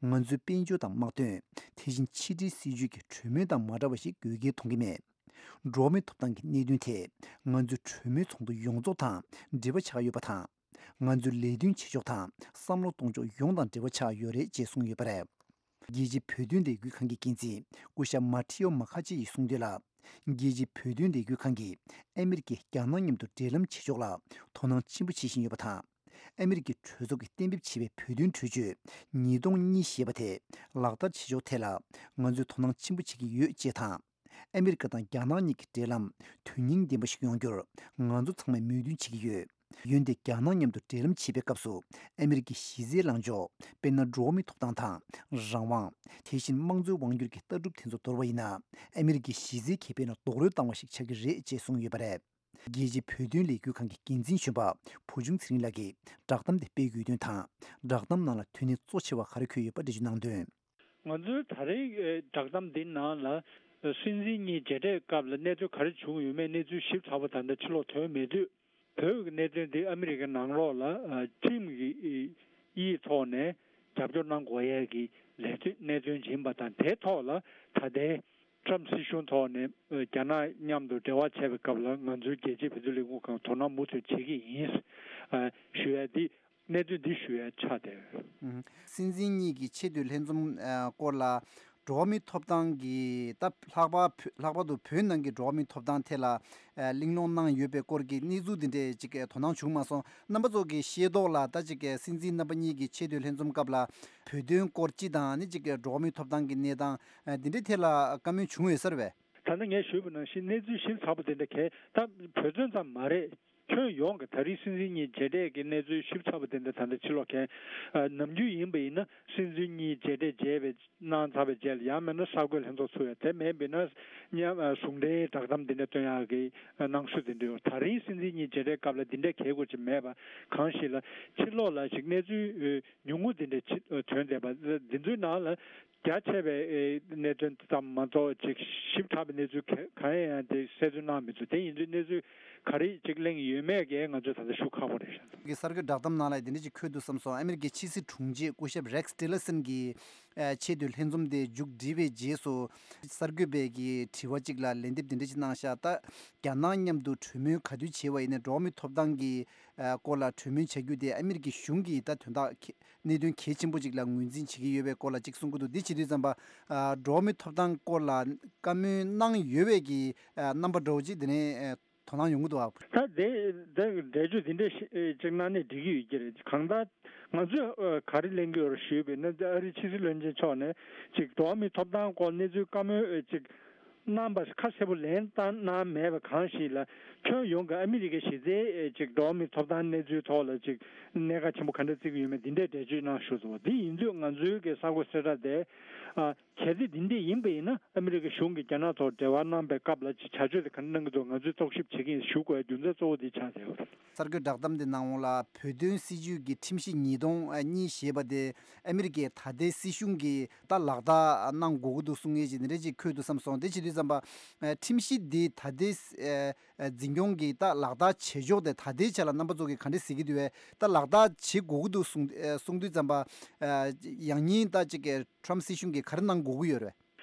ང་ཚོའི་དཔལ་འབྱོར་དང་དམག་དོན། དེ་བཞིན་ཕྱི་འབྲེལ་སྲིད་ཇུས་ཀྱི་གྲོས་མོལ་དང་མ་འདྲ་བ་ཞིག་དགོས་གལ་མཐོང་གི་མེད། འགྲོ་བ་མིའི་ཐོབ་ཐང་གི་གནད་དོན་དེ་ང་ཚོའི་གྲོས་མོལ་ཚོགས་འདུ་ཡོངས་རྫོགས་དང་འབྲེལ་བ་ཆགས་ཡོད་པ་དང་། ང་ཚོའི་ལས་དོན་བྱེད་ཕྱོགས་དང་བསམ་བློ་གཏོང་ཕྱོགས་ཡོངས་དང་འབྲེལ་བ་ཆགས་ཡོད་རེད་ཅེས་གསུངས་ཡོད་པ་རེད། རྒྱལ་སྤྱིའི་བོད་དོན་ལས་འགུལ་ཁང་གི་འགན་འཛིན་སྐུ་ཞབས་མ་ཐི་ཡོ་མ་ཁ་ཆེ་ཡིས་གསུངས་དོན་ལ། རྒྱལ་སྤྱིའི་བོད་དོན་ལས་འགུལ་ཁང་གིས་ཨ་མི་རི་ཀས་རྒྱ་ནག་མཉམ་དུ་འབྲེལ་ལམ་བྱེད་ཕྱོགས་ལ་དོ་སྣང་ཆེན་པོ་བྱེད་བཞིན་ཡོད་པ་དང་། ཨ་མི་རི་ཀའི་གྲོས་ཚོགས་ཀྱིས་གཏན་འབེབས་བྱས་པའི་བོད་དོན་གྲོས་ཆོད་ཉིས་སྟོང་གཉིས་ཞེས་པ་དེ་ལག་བསྟར་བྱེད་ཕྱོགས་ཐད་ལ་ང་ཚོས་དོ་སྣང་ཆེན་པོ་བྱེད་ཀྱི་ཡོད་ཅེས་དང་། ཨ་མི་རི་ཀ་དང་རྒྱ་ནག་གཉིས་ཀྱི་འབྲེལ་ལམ་དོན་སྙིང་ལྡན་པ་ཞིག་ཡོང་རྒྱུར་ང་ཚོ་ཚང་མས་མོས་མཐུན་བྱེད་ཀྱི་ཡོད། འོན་ཏེ་རྒྱ་ནག་མཉམ་དུ་འབྲེལ་ལམ་བྱེད་པའི་སྐབས་སུ་ཨ་མི་རི་ཀའི་གཞི་རྩའི་ལངས་ཕྱོགས་དཔེར་ན་འགྲོ་བ་མིའི་ཐོབ་ཐང་དང་རང་དབང་། དེ་བཞིན་དམངས་གཙོའི་དབང་སྒྱུར་གྱི་ལྟ་གྲུབ་དེ་ཚོ་འདོར་བ་ཡིན་ན་ཨ་མི་རི་ཀའི་གཞི་རྩའི་ཁེ་ཕན་ལ་རྡོག་རོལ་བཏང་བ་ཞིག་ཆགས་ཀྱི་རེད་ཅེས་གསུངས་ཡོད་པ་རེད། རྒྱལ་སྤྱིའི་བོད་དོན་ལས་འགུལ་ཁང་གི་འགན་འཛིན་གཞོན་པ་བུ་ཆུང་ཚེ་རིང་ལགས་ཀྱིས་བསྒྲགས་གཏམ་དེ་སྤེལ་དགོས་དོན་དང་། བསྒྲགས་གཏམ་ནང་ལ་དོན་སྙིང་གཙོ་ཆེ་བ་ག་རེ་འཁོད་ཡོད་པ་འགྲེལ་བརྗོད་གནང་དོན། ང་ཚོའི་ད་རེས་བསྒྲགས་གཏམ་འདི་ནང་ལ་སྲིད་འཛིན་གཉིས་མཇལ་འཕྲད་སྐབས་ལ་གནས་ཚུལ་ག་རེ་བྱུང་ཡོད་མེད་གནས་ཚུལ་ཞིབ་ཚགས་པོ་ད་ལྟ་ཕྱི་ལོགས་ཐོན་མེད་དུས། བོད་ཀྱི་གནད་དོན་འདི་ཨ་མི་རི་ཀའི་ནང་ལོགས་ལ་ཁྲིམས་ཀྱི་ཡིག་ཐོག་ནས་རྒྱབ་སྐྱོར་གནང་དགོས་ཡས་ཀྱི་ལས་དོན་གནད་དོན་ཡིན་པ་དང་། དེའི་ཐོག་ལ་ད་ལྟའི་ཊམ་སྲིད་གཞུང་ཐོག་ནས་རྒྱ་ནག་མཉམ་དུ་འབྲེལ་བ་བྱས་པའི་སྐབས་ལ་ང་ཚོའི་རྒྱལ་སྤྱིའི་བོད་དོན་ལས་འགུལ་ཁང་དོ་སྣང་མུ་མཐུད་བྱེད་ཀྱི་ཡིན་ཞུ་ཡས་འདི། གནད་དོན་འདི་ཞུ་ཡ་ཆགས་བསྡད་ཡོད། ཨུམ། སྲིད་འཛིན་གཉིས་ཀྱི་ཆེས་མཐོའི་ལྷན་འཛོམས་ཨ་སྐོར་ལ་འགྲོ་བ་མིའི་ཐོབ་ཐང་གི་ད་ལྷག་པར་བོད་ལྷག་པར་དུ་བོད་ནང་གི་འགྲོ་བ་མིའི་ཐོབ་ཐང་ཐད་ལ་ཨ་གླེང་སློང་གནང་ཡོད་པའི་སྐོར་གྱི་གནས་ཚུལ་འདི་འདྲས་ཅིག་དོ་སྣང་བྱུང་མ་སོང་། རྣམ་པ་ཚོ་གིས་ཤེས་རྟོགས་ལ་ད་ཅིག་སྲིད་འཛིན་རྣམ་པ་གཉིས་ཀྱི་ཆེས་མཐོའི་ལྷན་འཛོམས་སྐབས་ལ་བོད་དོན་སྐོར་སྤྱི་དང་ནི་ཅིག་འགྲོ་བ་མིའི་ཐོབ་ཐང་གི་གནས་སྟངས་ཨ་འདི་འདྲས་ཐད་ལ་བཀའ་མོལ་བྱུང་ཡོད་ས་རེད་པས། ད་ལྟ་ངས་ཞུས་པ་ནང་བཞིན་གནས་ཚུལ་ཞིབ་ཚགས་པོ་དེ་འདྲ་གས་ད་བོད་དོན་ཙམ་མ་རེད། ཁྱོན་ཡོངས་ཀྱི་ད་རེས་སྲིད་འཛིན་གཉིས་མཇལ་འཕྲད་ཀྱི་གནས་ཚུལ་ཞིབ་ཚགས་པོ་དེ་འདྲ་ད་ལྟ་ཕྱི་ལོགས་གས། ཨ་ནམ་རྒྱུན་ཡིན་པ་ཡིན་ན་སྲིད་འཛིན་གཉིས་མཇལ་འཕྲད་བྱས་པའི་གནང་ཚར་བའི་རྗེས་ལ་ཡང་མིན་ན་གསར་འགོད་ལྷན་ཚོགས་ཚུགས་ཡ། དེ་མིན་པ་ཡིན་ན་མཉམ་ཨ་ཟུང་འབྲེལ་བསྒྲགས་གཏམ་འདི་འདྲ་སྟོན་ཡག་གི་ཨ་གནང་སྲོལ་དེ་འདྲ་ཡོད། ད་རིང་སྲིད་འཛིན་གཉིས་མཇལ་འཕྲད་སྐབས་ལ་འདི་འདྲ་གལ་དགོས་ཅིག་མེད་པ། གང་ཞིག་ལ་ཕྱི་ལོགས་ལ་ཞིག་གནས་ཚུལ་ཨ་ཉུང་ངུ་འདི་འདྲ་ཅིག་ཨ་ཐོན་བསྡད་པ་འདི་ཚོའི་ནང་ལ། རྒྱ་ཆེ་བའི་ཨེ་གནད་དོན་ཙམ་མ་གཏོགས་ཅིག་ཞིབ་ཕྲ་བའི་གནས་ཚུལ་ག་གང་ཡང་དེ་གསལ་སྟོན་གནང་མི་འདུག་དེ་ཡིན་དུས་གནས་ཚུལ་ག་རེ་ཅིག་གླེང་ཡོད་མེད་ཀྱི་ང་ཚོས་ད་ལྟ་ཞུ་ཁག་པོ་རེད་ཤག་གི་གསར་འགོད་བསྒྲགས་གཏམ་ནང་ལ་དེ་འདྲ་ཅིག་འཁོད་འདུག་བསམ་སོང་། ཨ་མི་རི་ཀའི་ཕྱི་སྲིད་དྲུང་ཆེ་སྐུ་ཞབས་Rex Tillerson་གྱིས་ཨེ་ཆེས་མཐོའི་ལྷན་འཛོམས་དེ་མཇུག་བསྒྲིལ་བའི་རྗེས་སུ་གསར་འགོད་པའི་གི་དྲི་བ་ཅིག་ལ་ལན་འདེབས་དེ་འདྲ་ཅིག་གནང་ཤག་ད་རྒྱ་ནག་མཉམ་དུ་གྲོས་མོལ་ག་དུས་བྱས་པ་ཡིན་ནའི་འགྲོ་བ་མིའི་ཐོབ་ཐང་གི་ཨ་སྐོར་ལ་གྲོས་མོལ་བྱ་རྒྱུ་དེ་ཨ་མི་རི་ཀའི་གཞུང་གིས་ད་དོན་དག་གནད་དོན་གལ་ཆེན་པོ་ཅིག་ལ་ངོས་འཛིན་བྱེད་ཀྱི་ཡོད་པའི་སྐོར་ལ་ཅིག་གསུང་གི་འདུག་འདི་བྱེད་དུས་ཙམ་པ་ཨ་འགྲོ་བ་མིའི་ཐོབ་ཐང་སྐོར་ལ་བཀའ་མོལ་གནང་ཡོད་པའི་གི་ཨ་རྣམ་པ་འདྲ་བོ་ཅིག་དེ་ནས་ཨ་དོ་སྣང་ཡོང་གི་འདུག་ཨ། ད་དེ་དེ་འགྲེལ་བརྗོད་འདི་འདྲ་ཞིག་ཨ་ཅིག་གནང་ནས་འགྲིག་གི་ཡོད་ཀྱི་རེད། གང་ལྟར་ང་ཚོས་ཨ་ག་རེ་གླེང་གི་ཡོད་རེད་ཞུས་པ་ཡིན་ན། ཨ་རིའི་ཕྱི་སྲིད་བློན་ཆེན་མཆོག་ནས་ཅིག་འགྲོ་བ་མིའི་ཐོབ་ཐང་སྐོར་གནས་ཚུལ་བཀའ་མོལ་ཨ་ཅིག་གནང་བ་ཁ་གསལ་པོ་ལན་བཏང་གནང་མེད་པ་གང་ཞིག་ལ། ཁྱོན་ཡོངས་ཀྱི་ཨ་མི་རི་ཀའི་གཞི་རྩའི་ཨེ་ཅིག་འགྲོ་བ་མིའི་ཐོབ་ཐང་གནས་ཚུལ་ཐོག་ལ་ཅིག་གནད་འགག་ཆེན་པོ་ག་འདྲ་བརྩི་གི་ཡོད་མེད་འདི་འདྲའི་འགྲེལ་བརྗོད་གནང་ཞུ་སོང་བ། འདི་ཡིན་དུས་ང་ཚོའི་གི་གསར་འགོད་གསལ་བསྒྲགས་དེ་ཨ་གལ་སྲིད་འདི་འདྲ་ཡིན་པ་ཡིན་ན་ཨ་མི་རི་ཀའི་གཞུང་གིས་རྒྱ་ནག་ཐོག་འབྲེལ་བ་གནང་པའི་སྐབས་ལ་ཅིག་བྱ་སྤྱོད་དེ་ག་འདྲ་གནང་གི་འདུག་ང་ཚོས་རྟོག་ཞིབ་བྱེད་ཀྱི་ཡིན་ཞུ་དགོས་རྒྱུ་མཚན་གཙོ་བོ་འདི་ཆགས་བསྡད་ཡོད་རེད། གསར་འགོད་བསྒྲགས་གཏམ་འདི་ནང་ལ་བོད་དོན་སྲིད་བྱུས་ཀྱི་ཁྲིམས་གཞི་ཉིས་སྟོང་གཉིས་ཞེས་པ་དེ་ཨ་མི་རི་ཀའི་ད་ལྟའི་སྲིད་གཞུང་གིས་ད་ལག་བསྟར་གནང་དགོས་ཀྱི་འདུག་གསུང་མཁན་ཞིག་འདི་འདྲ་ཅིག་འཁོད་འདུག་བསམ་སོང་། དེ་བྱེད་དུས་ཙམ་པ་ཨ་ཁྲིམས་གཞི་འདི་ད་ལྟའི་ཨ་ཨ་འཛིན་སྐྱོང་གིས་ད་ལག་བསྟར་བྱེད་ཕྱོགས་དེ་ད་ལྟའི་ཆ་ལ་རྣམ་པ་ཚོ་གིས་ག་འདྲ་གཟིགས་ཀྱི་འདུག་བས། ད་ལག་བསྟར་བྱེད་དགོས་ཀྱི་འདུག་གསུང་ཨ་གསུང་དུས་ཙམ་པ་ཨ་ཡང་སྙིང་ད་ཅིག་ཊམ་སྲིད་གཞུང་གིས་ག་རེ་གནང་དགོས་ཀྱི་ཡོད་རེད།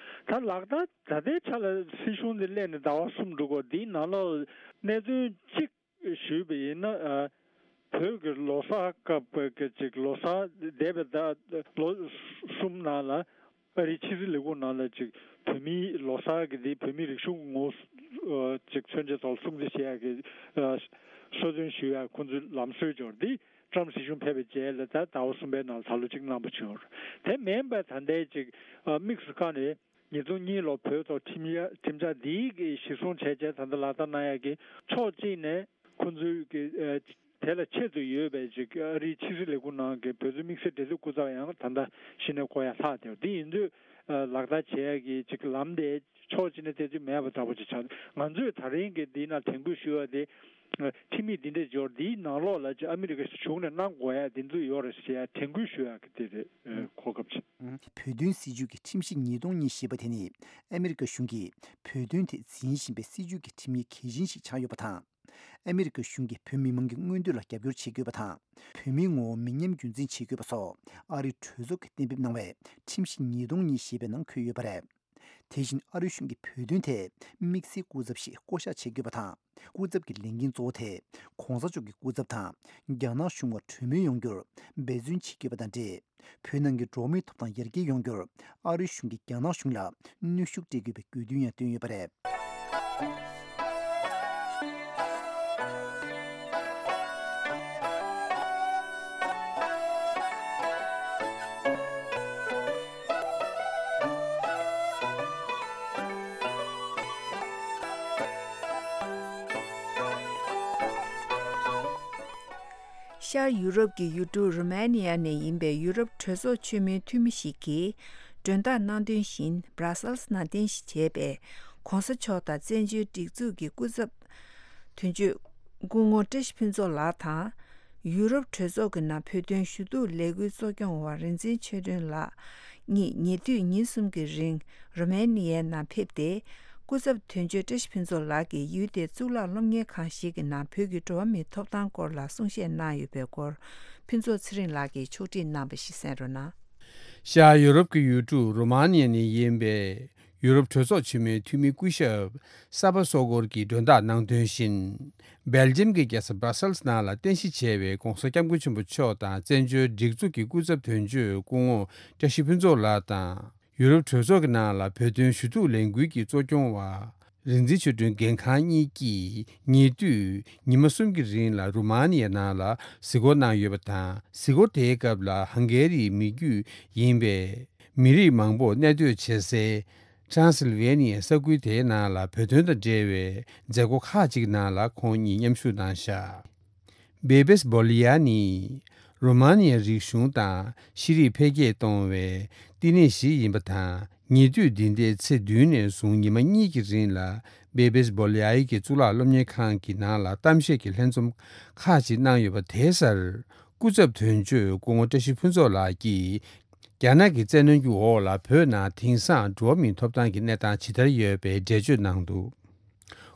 ད་ལག་བསྟར་ད་ལྟའི་ཆ་ལ་སྲིད་གཞུང་འདི་སླེབས་ནས་ཟླ་བ་གསུམ་འགྲོ་གི་ཡོད། འདིའི་ནང་ལོགས་གནད་དོན་གཅིག་ཞུས་པ་ཡིན་ན། ཨ་བོད་ཀྱི་ལོ་གསར་སྐབས་ཀྱི་ཅིག་ལོ་གསར་འདས་པའི་ཟླ་ལོ་གསུམ་ནང་ལ་ཨ་རིའི་ཕྱི་སྲིད་ལས་ཁུངས་ནང་ལ་ཅིག་བོད་མིའི་ལོ་གསར་གྱི་འདི་བོད་མིའི་རིག་གཞུང་ངོ་བོ་ཅིག་མཚོན་བྱེད་ཐོག་སྲུང་བརྩི་བྱེད་ཡག་གི་ཨ་གསོལ་སྟོན་ཞུ་ཡག་ཁོང་ཚོའི་ལམ་སྲོལ་འབྱོར་འདི། ཊམ་སྲིད་གཞུང་ཕེབས་པའི་རྗེས་ལ་ད་ཟླ་བ་གསུམ་པའི་ནང་ད་ལོ་གཅིག་གནང་པ་བྱུང་། དེ་མིན་པ་ད་ལྟའི་ཅིག་ཨ་དམིགས་སུ་བཀར་ནས་ཉིས་སྟོང་གཉིས་ལོ་བོད་ཐོག་ཁྲིམས་ཡ་ཁྲིམས་འཆར་འདིའི་གི་གཞིར་བཟུང་བྱས་རྗེས་ད་ལྟ་ལག་བསྟར་གནང་ཡག་གི་ཕྱོགས་གཅིག་ནས་ཁོང་ཚོའི་གི་ཨ་དེ་ལ་ཆེད་དུ་ཡོད་པའི་ཅིག་ཨ་རིའི་ཕྱི་སྲིད་ལས་ཁུངས་ནང་གི་བོད་དོན་དམིགས་བསལ་འབྲེལ་མཐུད་སྐུ་ཚབ་ཡང་ད་ལྟ་གཞི་ནས་བསྐོ་ཡ་ལྷག་བསྡད་པ་འདི་ཡིན་དུས། ཨ་ལག་བསྟར་བྱེད་ཡག་གི་ཅིག་ལམ་དེ་ཕྱོགས་གཅིག་ནས་བལྟས་དུས་མེད་པ་འདྲ་པོ་ཅིག་ཆགས། ང་ཚོས་ད་རིང་གི་འདི་ན་དྲན་སྐུལ་ཞུ་བ་དེ། ཁྲིམས་ཡིག་འདི་འདྲའི་འབྱོར་འདིའི་ནང་ལོགས་ལ་ཅིག་ཨ་མི་རི་ཀ་གཞུང་ནས་གནང་དགོས་ཡ་འདི་ཚོ་ཡོད་རེད་ཟེར་ཡ་དྲན་སྐུལ་ཞུ་ཡ་གི་དེ་རེད། ཨ་གོ་སྐབས་ཆེ། བོད་དོན་སྲིད་བྱུས་ཀྱི་ཁྲིམས་གཞི་ཉིས་སྟོང་གཉིས་ཞེས་པ་དེ་ནི་ཨ་མི་རི་ཀ་གཞུང་གིས་བོད་དོན་ཐད་འཛིན་བཞིན་པའི་སྲིད་བྱུས་ཀྱི་ཁྲིམས་ཡིག་གལ་ཆེན་ཞིག་ཆགས་ཡོད་པ་དང་། ཨ་མི་རི་ཀ་གཞུང་གིས་བོད་མི་མང་གི་མངོན་འདོད་ལ་རྒྱབ་སྐྱོར་བྱེད་དགོས་པ་དང་། བོད་མིའི་ངོ་བོ་མི་ཉམས་རྒྱུན་འཛིན་བྱེད་དགོས་པ་སོགས་ཨ་རིའི་གྲོས་ཚོགས་ཀྱིས་གཏན་འབེབས་གནང་བའི་ཁྲིམས་གཞི་ཉིས་སྟོང་གཉིས་ཞེས་པའི་ནང་འཁོད་ཡོད་པ་རེད། དེ་བཞིན་ཨ་རིའི་གཞུང་གིས་བོད་དོན་ཐད་དམིགས་བསལ་སྐུ་ཚབ་ཞིག་བསྐོ་གཞག་བྱེད་དགོས་པ་དང་། སྐུ་ཚབ་ཀྱི་ལས་འགན་གཙོ་བོ་དེ་གོང་ས་མཆོག་གི་སྐུ་ཚབ་དང་རྒྱ་ནག་གཞུང་བར་གྲོས་མོལ་ཡོང་རྒྱུར་འབད་བརྩོན་བྱེད་དགོས་པ་དང་འབྲེལ། བོད་ནང་གི་འགྲོ་བ་མིའི་ཐོབ་ཐང་ཡར་རྒྱས་ཡོང་རྒྱུར་ཨ་རིའི་གཞུང་གིས་རྒྱ་ནག་གཞུང་ལ་གནོན་ཤུགས་སྤྲད་དགོས་པའི་དགོས་འདུན་ཡང་བཏོན་ཡོད་པ་རེད། ཤར་ཡུ་རོབ་ཀྱི་ཡུལ་གྲུ་རུ་མ་ནི་ཡ་ནས་ཡིན་པའི་ཡུ་རོབ་གྲོས་ཚོགས་ཆེན་མོའི་འཐུས་མི་ཞིག་གིས་མགྲོན་བདག་གནང་དོན་བཞིན་སྦྲ་སལ་སི་ནང་རྟེན་གཞི་བྱས་པའི་གོང་ས་མཆོག་དང་བཙན་བྱོལ་སྒྲིག་འཛུགས་ཀྱི་སྐུ་ཚབ་དོན་གཅོད་སྐུ་ངོ་བཀྲ་ཤིས་ཕུན་ཚོགས་ལགས་དང་། ཡུ་རོབ་གྲོས་ཚོགས་ཀྱི་ནང་བོད་དོན་ཞུ་གཏུག་ལས་འགུལ་གཙོ་སྐྱོང་བ་རིག་འཛིན་ཆོས་སྒྲོན་ལགས་གཉིས་ཉེ་དུས་ཉིན་གསུམ་གྱི་རིང་རོ་མེ་ནི་ཡའི་ནང་ཕེབས་ཏེ། སྐུ་ཚབ་དོན་གཅོད་བཀྲ་ཤིས་ཕུན་ཚོགས་ལགས་ཀྱིས་ཡུལ་དེའི་གཙུག་ལག་སློབ་གཉེར་ཁང་ཞིག་གི་ནང་བོད་ཀྱི་འགྲོ་བ་མིའི་ཐོབ་ཐང་སྐོར་ལ་གསུང་བཤད་གནང་ཡོད་པའི་སྐོར། ཕུན་ཚོགས་ཚེ་རིང་ལགས་ཀྱིས་ཕྱོགས་སྒྲིག་གནང་བ་ཞིག་གསན་རོགས་གནང་། ཤར་ཡུ་རོབ་ཀྱི་ཡུལ་གྲུ་རོ་མ་ནི་ཡ་ནས་ཡིན་པའི་ཡུ་རོབ་གྲོས་ཚོགས་ཆེན་མོའི་འཐུས་མི་སྐུ་ཞབས་ས་པ་སོ་གོར་གྱིས་མགྲོན་བདག་གནང་དོན་བཞིན། སྦེལ་ཇམ་གྱི་རྒྱལ་ས་སྦྲ་སལ་སི་ནང་ལ་རྟེན་གཞི་བྱས་པའི་༧གོང་ས་༧སྐྱབས་མགོན་ཆེན་པོ་མཆོག་དང་བཙན་བྱོལ་སྒྲིག་འཛུགས་ཀྱི་སྐུ་ཚབ་དོན་གཅོད་སྐུ་ངོ་བཀྲ་ཤིས་ཕུན་ཚོགས་ལགས་དང་། ཡུ་རོབ་གྲོས་ཚོགས་ཀྱི་ནང་ལ་བོད་དོན་ཞུ་གཏུག་ལས་འགུལ་གྱི་གཙོ་སྐྱོང་བ། རིག་འཛིན་ཆོས་སྒྲོན་འགན་ཁང་གཉིས་ཀྱིས་ཉེ་དུས་ཉི་མ་གསུམ་གྱི་རིང་ལ་རུ་མ་ནི་ཡ་ནང་ལ་གཟིགས་སྐོར་གནང་ཡོད་པ་དང་། གཟིགས་སྐོར་དེའི་སྐབས་ལ་ཧང་གེ་རིའི་མི་རྒྱུད་ཡིན་པའི་མི་རིགས་མང་པོ་གནས་སྡོད་བྱེད་སའི་ཊྲན་སིལ་ཝེ་ནི་ཡའི་ས་ཁུལ་དེའི་ནང་ལ་བོད་དོན་དང་འབྲེལ་བའི་མཛད་སྒོ་ཁག་ཅིག་ནང་ལ་ཁོང་གཉིས་མཉམ་ཞུགས་གནང་བཞག་བེ་བེས་བོ་ལི་ཡ་ནི་རོ་མ་ནི་ཡའི་རིག་གཞུང་དང་ཤེས་རིག་འཕེལ་རྒྱས་གཏོང་བའི་བསྟི་གནས་ཤིག་ཡིན་པ་དང་། ཉེ་དུས་འདི་ཟླའི་ཚེས་བདུན་ནས་བཟུང་ཉི་མ་གཉིས་ཀྱི་རིང་ལ་བེ་བེས་བོ་ལི་ཡ་གི་གཙུག་ལག་སློབ་གཉེར་ཁང་གི་ནང་ལ་གཏམ་བཤད་ཀྱི་ལྷན་འཛོམས་ཁག་ཅིག་གནང་ཡོད་པ་དེའི་སར་སྐུ་ཚབ་དོན་གཅོད་སྐུ་ངོ་བཀྲ་ཤིས་ཕུན་ཚོགས་ལགས་ཀྱིས་རྒྱ་ནག་གི་བཙན་གནོན་གྱི་འོག་ལ་བོད་ནང་དེང་སང་འགྲོ་བ་མིའི་ཐོབ་ཐང་གི་གནས་སྟངས་ཇི་ལྟར་ཡོད་པའི་འགྲེལ་བརྗོད་གནང་འདུག་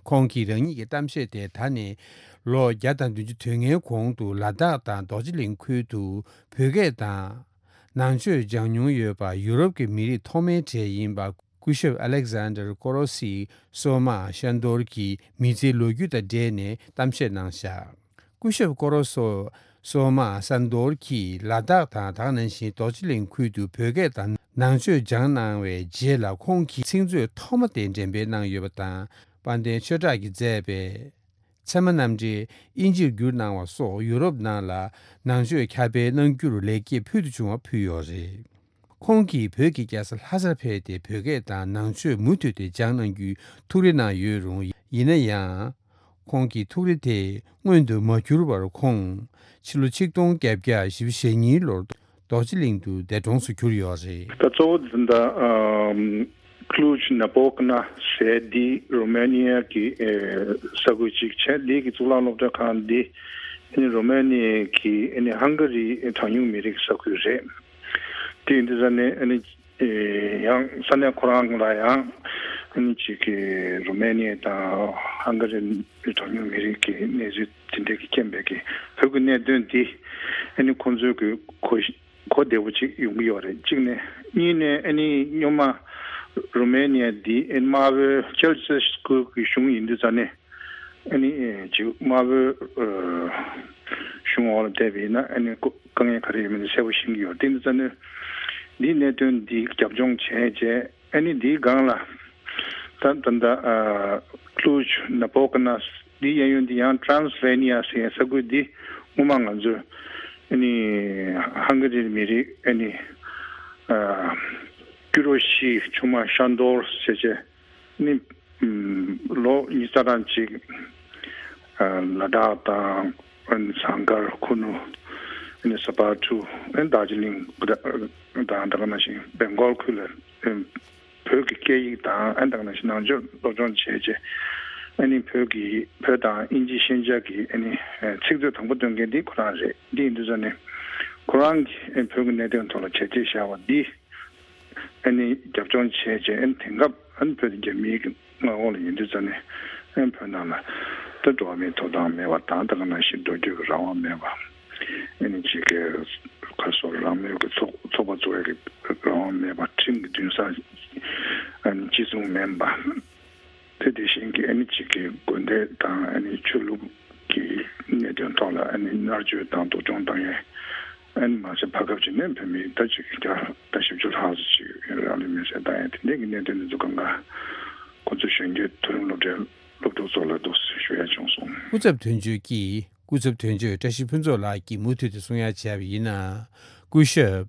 ཁོང་གིས་རང་ཉིད་ཀྱི་གཏམ་བཤད་དེ་ད་ནས་ལོ་བརྒྱ་དང་བདུན་ཅུ་དོན་ལྔའི་གོང་དུ་ལ་དྭགས་དང་རྡོ་རྗེ་གླིང་ཁུལ་དུ་བོད་སྐད་དང་ནང་ཆོས་སྦྱང་མྱོང་ཡོད་པ་ཡུ་རོབ་ཀྱི་མི་རིགས་ཐོག་མའི་གྲས་ཡིན་པ་སྐུ་ཞབས་ཨ་ལེག་ཟན་ཌར་ཀོ་རོ་སི་སོ་མ་ཤན་དོར་གྱི་མི་ཚེའི་ལོ་རྒྱུས་དང་འབྲེལ་ནས་གཏམ་བཤད་གནང་བཞག་སྐུ་ཞབས་ཀོ་རོ་སོ་སོ་མ་སན་དོར་གྱིས་ལ་དྭགས་དང་དེ་ནང་བཞིན་རྡོ་རྗེ་གླིང་ཁུལ་དུ་བོད་སྐད་དང་ནང་ཆོས་སྦྱངས་གནང་བའི་རྗེས་ལ་ཁོང་གིས་ཚིག་མཛོད་ཐོག་མ་དེ་འགྲེམས་སྤེལ་གནང་ཡོད་པ་དང་། དཔལ་ལྡན་ཆོས་གྲགས་ཀྱིས་མཛད་པའི་ཚད་མ་རྣམ་འགྲེལ་དབྱིན་ཇིར་བསྒྱུར་གནང་བ་སོགས་ཡུ་རོབ་ནང་ལ་ནང་ཆོས་ཁྱབ་སྤེལ་གནང་རྒྱུར་ལེགས་སྐྱེས་ཕུལ་དུ་བྱུང་བ་ཕུལ་ཡོད་རེད། ཁོང་གིས་བོད་ཀྱི་རྒྱལ་ས་ལྷ་སར་ཕེབས་ཏེ་བོད་སྐད་དང་ནང་ཆོས་མུ་མཐུད་དེ་སྦྱངས་གནང་རྒྱུའི་ཐུགས་རེ་གནང་ཡོད་རུང་། ཡིན་ན་ཡང་། ཁོང་གི་ཐུགས་རེ་དེ་མངོན་དུ་མ་གྱུར་བར་ཁོང་ཕྱི་ལོ་ཆིག་སྟོང་བརྒྱད་བརྒྱ་བཞི་བཅུ་ཞེ་གཉིས་ལོར་རྡོ་རྗེ་གླིང་དུ་འདས་གྲོངས་སུ་གྱུར་ཡོད་རེད། ད་གཙོ་བོ་འཛིན་གྲྭ་ཨམ། ཀླུ་ཇི་ན་པོ་ཀ་ན་ཟེར་འདི་རོ་མེ་ནི་ཡ་གི་ཨེ་ས་ཁུལ་ཅིག་བྱས། འདི་གི་གཙུག་ལག་སློབ་གྲྭ་ཁང་འདི་ཨ་ནི་རོ་མེ་ནི་ཡ་གི་ཨ་ནི་ཧང་ག་རི་གྲངས་ཉུང་མི་རིགས་ས་ཁུལ་རེད། དེ་ཡིན་དུས་ཙ་ནས་ཨ་ནི་ཨེ་ཡང་ས་གནས་ཁོ་རང་ལ་ཡང་ཨ་ནི་ཅིག་གི་རོ་མེ་ནི་ཡ་དང་ཧང་ག་རི་གྲངས་ཉུང་མི་རིགས་ཀྱི་གནས་ཚུལ་དེ་འདྲ་གི་རྐྱེན་པས་ཀྱི་བོད་ཀྱི་གནད་དོན་འདི་ཨ་ནི་ཁོང་ཚོའི་གི་གོ་གོ་བདེ་པོ་ཅིག་ཡོང་གི་ཡོད་རེད། གཅིག་ནས། གཉིས་ནས་ཨ་ནི་སྔོན་མ་རོ་མེ་ནི་ཡ་འདི་ཨ་ནི་དམར་པོའི་ཅལ་སི་སི་ཀུ་གི་གཞུང་ཡིན་དུས་ཙ་ནས་ཨ་ནི་ཅིག་དམར་པོའི་ཨ་གཞུང་འོག་ལ་བསྡད་པ་ཡིན་ན་ཨ་ནི་ཀོ་དཀའ་ངལ་ག་རེ་ཡོད་མེད་དེ་གསལ་པོ་ཤེས་ཀྱི་ཡོད། དེ་ཡིན་དུས་ཙ་ནས་འདིའི་གནད་དོན་འདི་རྒྱབ་ལྗོངས་བྱས་རྗེས། ཨ་ནི་འདིའི་སྒང་ལ་ད་ད་ལྟ་ཨ་ཀླུ་ཇི་ན་པོ་ཀ་ན་འདིའི་གཡས་གཡོན་འདི་ཡང་ཊྲན་སི་ལེ་ནི་ཡ་ཟེར་ཡའི་ས་ཁུལ་འདི་སྔོན་མ་ང་ཚོས་ཨ་ནི་ཧང་ག་རིའི་མི་རིགས་ཨ་ནི་ཨ་ཀུ་རོ་ཤི་ཆུང་མ་ཤན་དོར་ཟེར་བྱས་ཨ་ནི་ཨམ་ལོ་ཉི་ཤུ་རྩ་གྲངས་ཅིག་ཨ་ལ་དྭགས་དང་ཨ་ནི་ཟངས་དཀར་ཁུ་ནུ་ཨ་ནི་ས་ཕག་གྲུ་ཨ་ནི་རྡོ་རྗེ་གླིང་དང་དེ་ག་ནང་བཞིན་བེང་གོལ་ཁུལ་ལ་ཨ་བོད་ཀྱི་སྐད་ཡིག་དང་ཨ་ནི་དེ་ག་ནང་བཞིན་ནང་ཆོས་སློབ་སྦྱོང་བྱས་རྗེས་ཨ་ནི་བོད་ཀྱི་བོད་དང་དབྱིན་ཇི་ཤན་སྦྱར་གྱི་ཨ་ནི་ཚིག་མཛོད་དང་པོ་འདོན་མཁན་འདི་ཁོ་རང་རེད། འདི་ཡིན་དུས་ཙ་ནས་ཁོ་རང་གིས་ཨ་ནི་བོད་ཀྱི་གནད་དོན་ཐོག་ལ་བྱས་རྗེས་བཞག་པ་འདི་ཨ་ནི་རྒྱབ་ལྗོངས་བྱས་རྗེས་ཨ་ནི་དེང་སྐབས་ཨ་ནི་བོད་དེ་རྒྱ་མིའི་གི་མངའ་འོག་ལ་ཡིན་དུས་ཙ་ནས་ཨ་ནི་བོད་ནང་ལ་ད་འགྲོ་བ་མིའི་ཐོབ་ཐང་མེད་པ་དང་དེ་ག་ནང་བཞིན་འགྲོ་སྐྱོད་ཀྱི་རང་དབང་མེད་པ། ཨ་ནི་ཅིག་གི་ག་སོགས་རང་མོས་ཀྱི་ཚོགས་ཚོགས་པ་འཚོགས་ཡག་གི་རང་དབང་མེད་པ། ཁྲིམས་ཀྱི་འདུན་སར་ཨ་ནི་གཅིག་མཚུངས་མིན་པ། དེ་དེ་བཞིན་གྱི་ཨ་ནི་ཅིག་གི་དགོན་སྡེ་དང་ཨ་ནི་ཆོས་ལུགས་ཀྱི་གནད་དོན་ཐོག་ལ་ཨ་ནི་མནར་གཅོད་དང་སྡུག་སྦྱོང་བཏང་ཡས། ཨ་ནི་མ་ཟད་བར་སྐབས་ཅིག་ནས་བོད་མི་ད་ཅིག་བརྒྱ་དང་བཞི་བཅུ་ལྷག་ཙམ་ཅིག་རང་ལུས་མེར་སྲེག་བཏང་ཡས་དེ་འདྲའི་གི་གནད་དོན་འདི་ཚོ་གང་ག་ཁོ་ཚོ་གཞོན་སྐྱེས་མཐོ་རིམ་སློབ་གྲྭའི་སློབ་ཕྲུག་ཚོ་ལ་འདུག་སེ་ཞུ་ཡ་བྱུང་སོང་། སྐུ་ཚབ་དོན་གཅོད་ཀྱིས། སྐུ་ཚབ་དོན་གཅོད་བཀྲ་ཤིས་ཕུན་ཚོགས་ལགས་ཀྱིས་མུ་མཐུད་དུ་གསུང་ཡ་བྱས་པ་ཡིན་ན། སྐུ་ཞབས་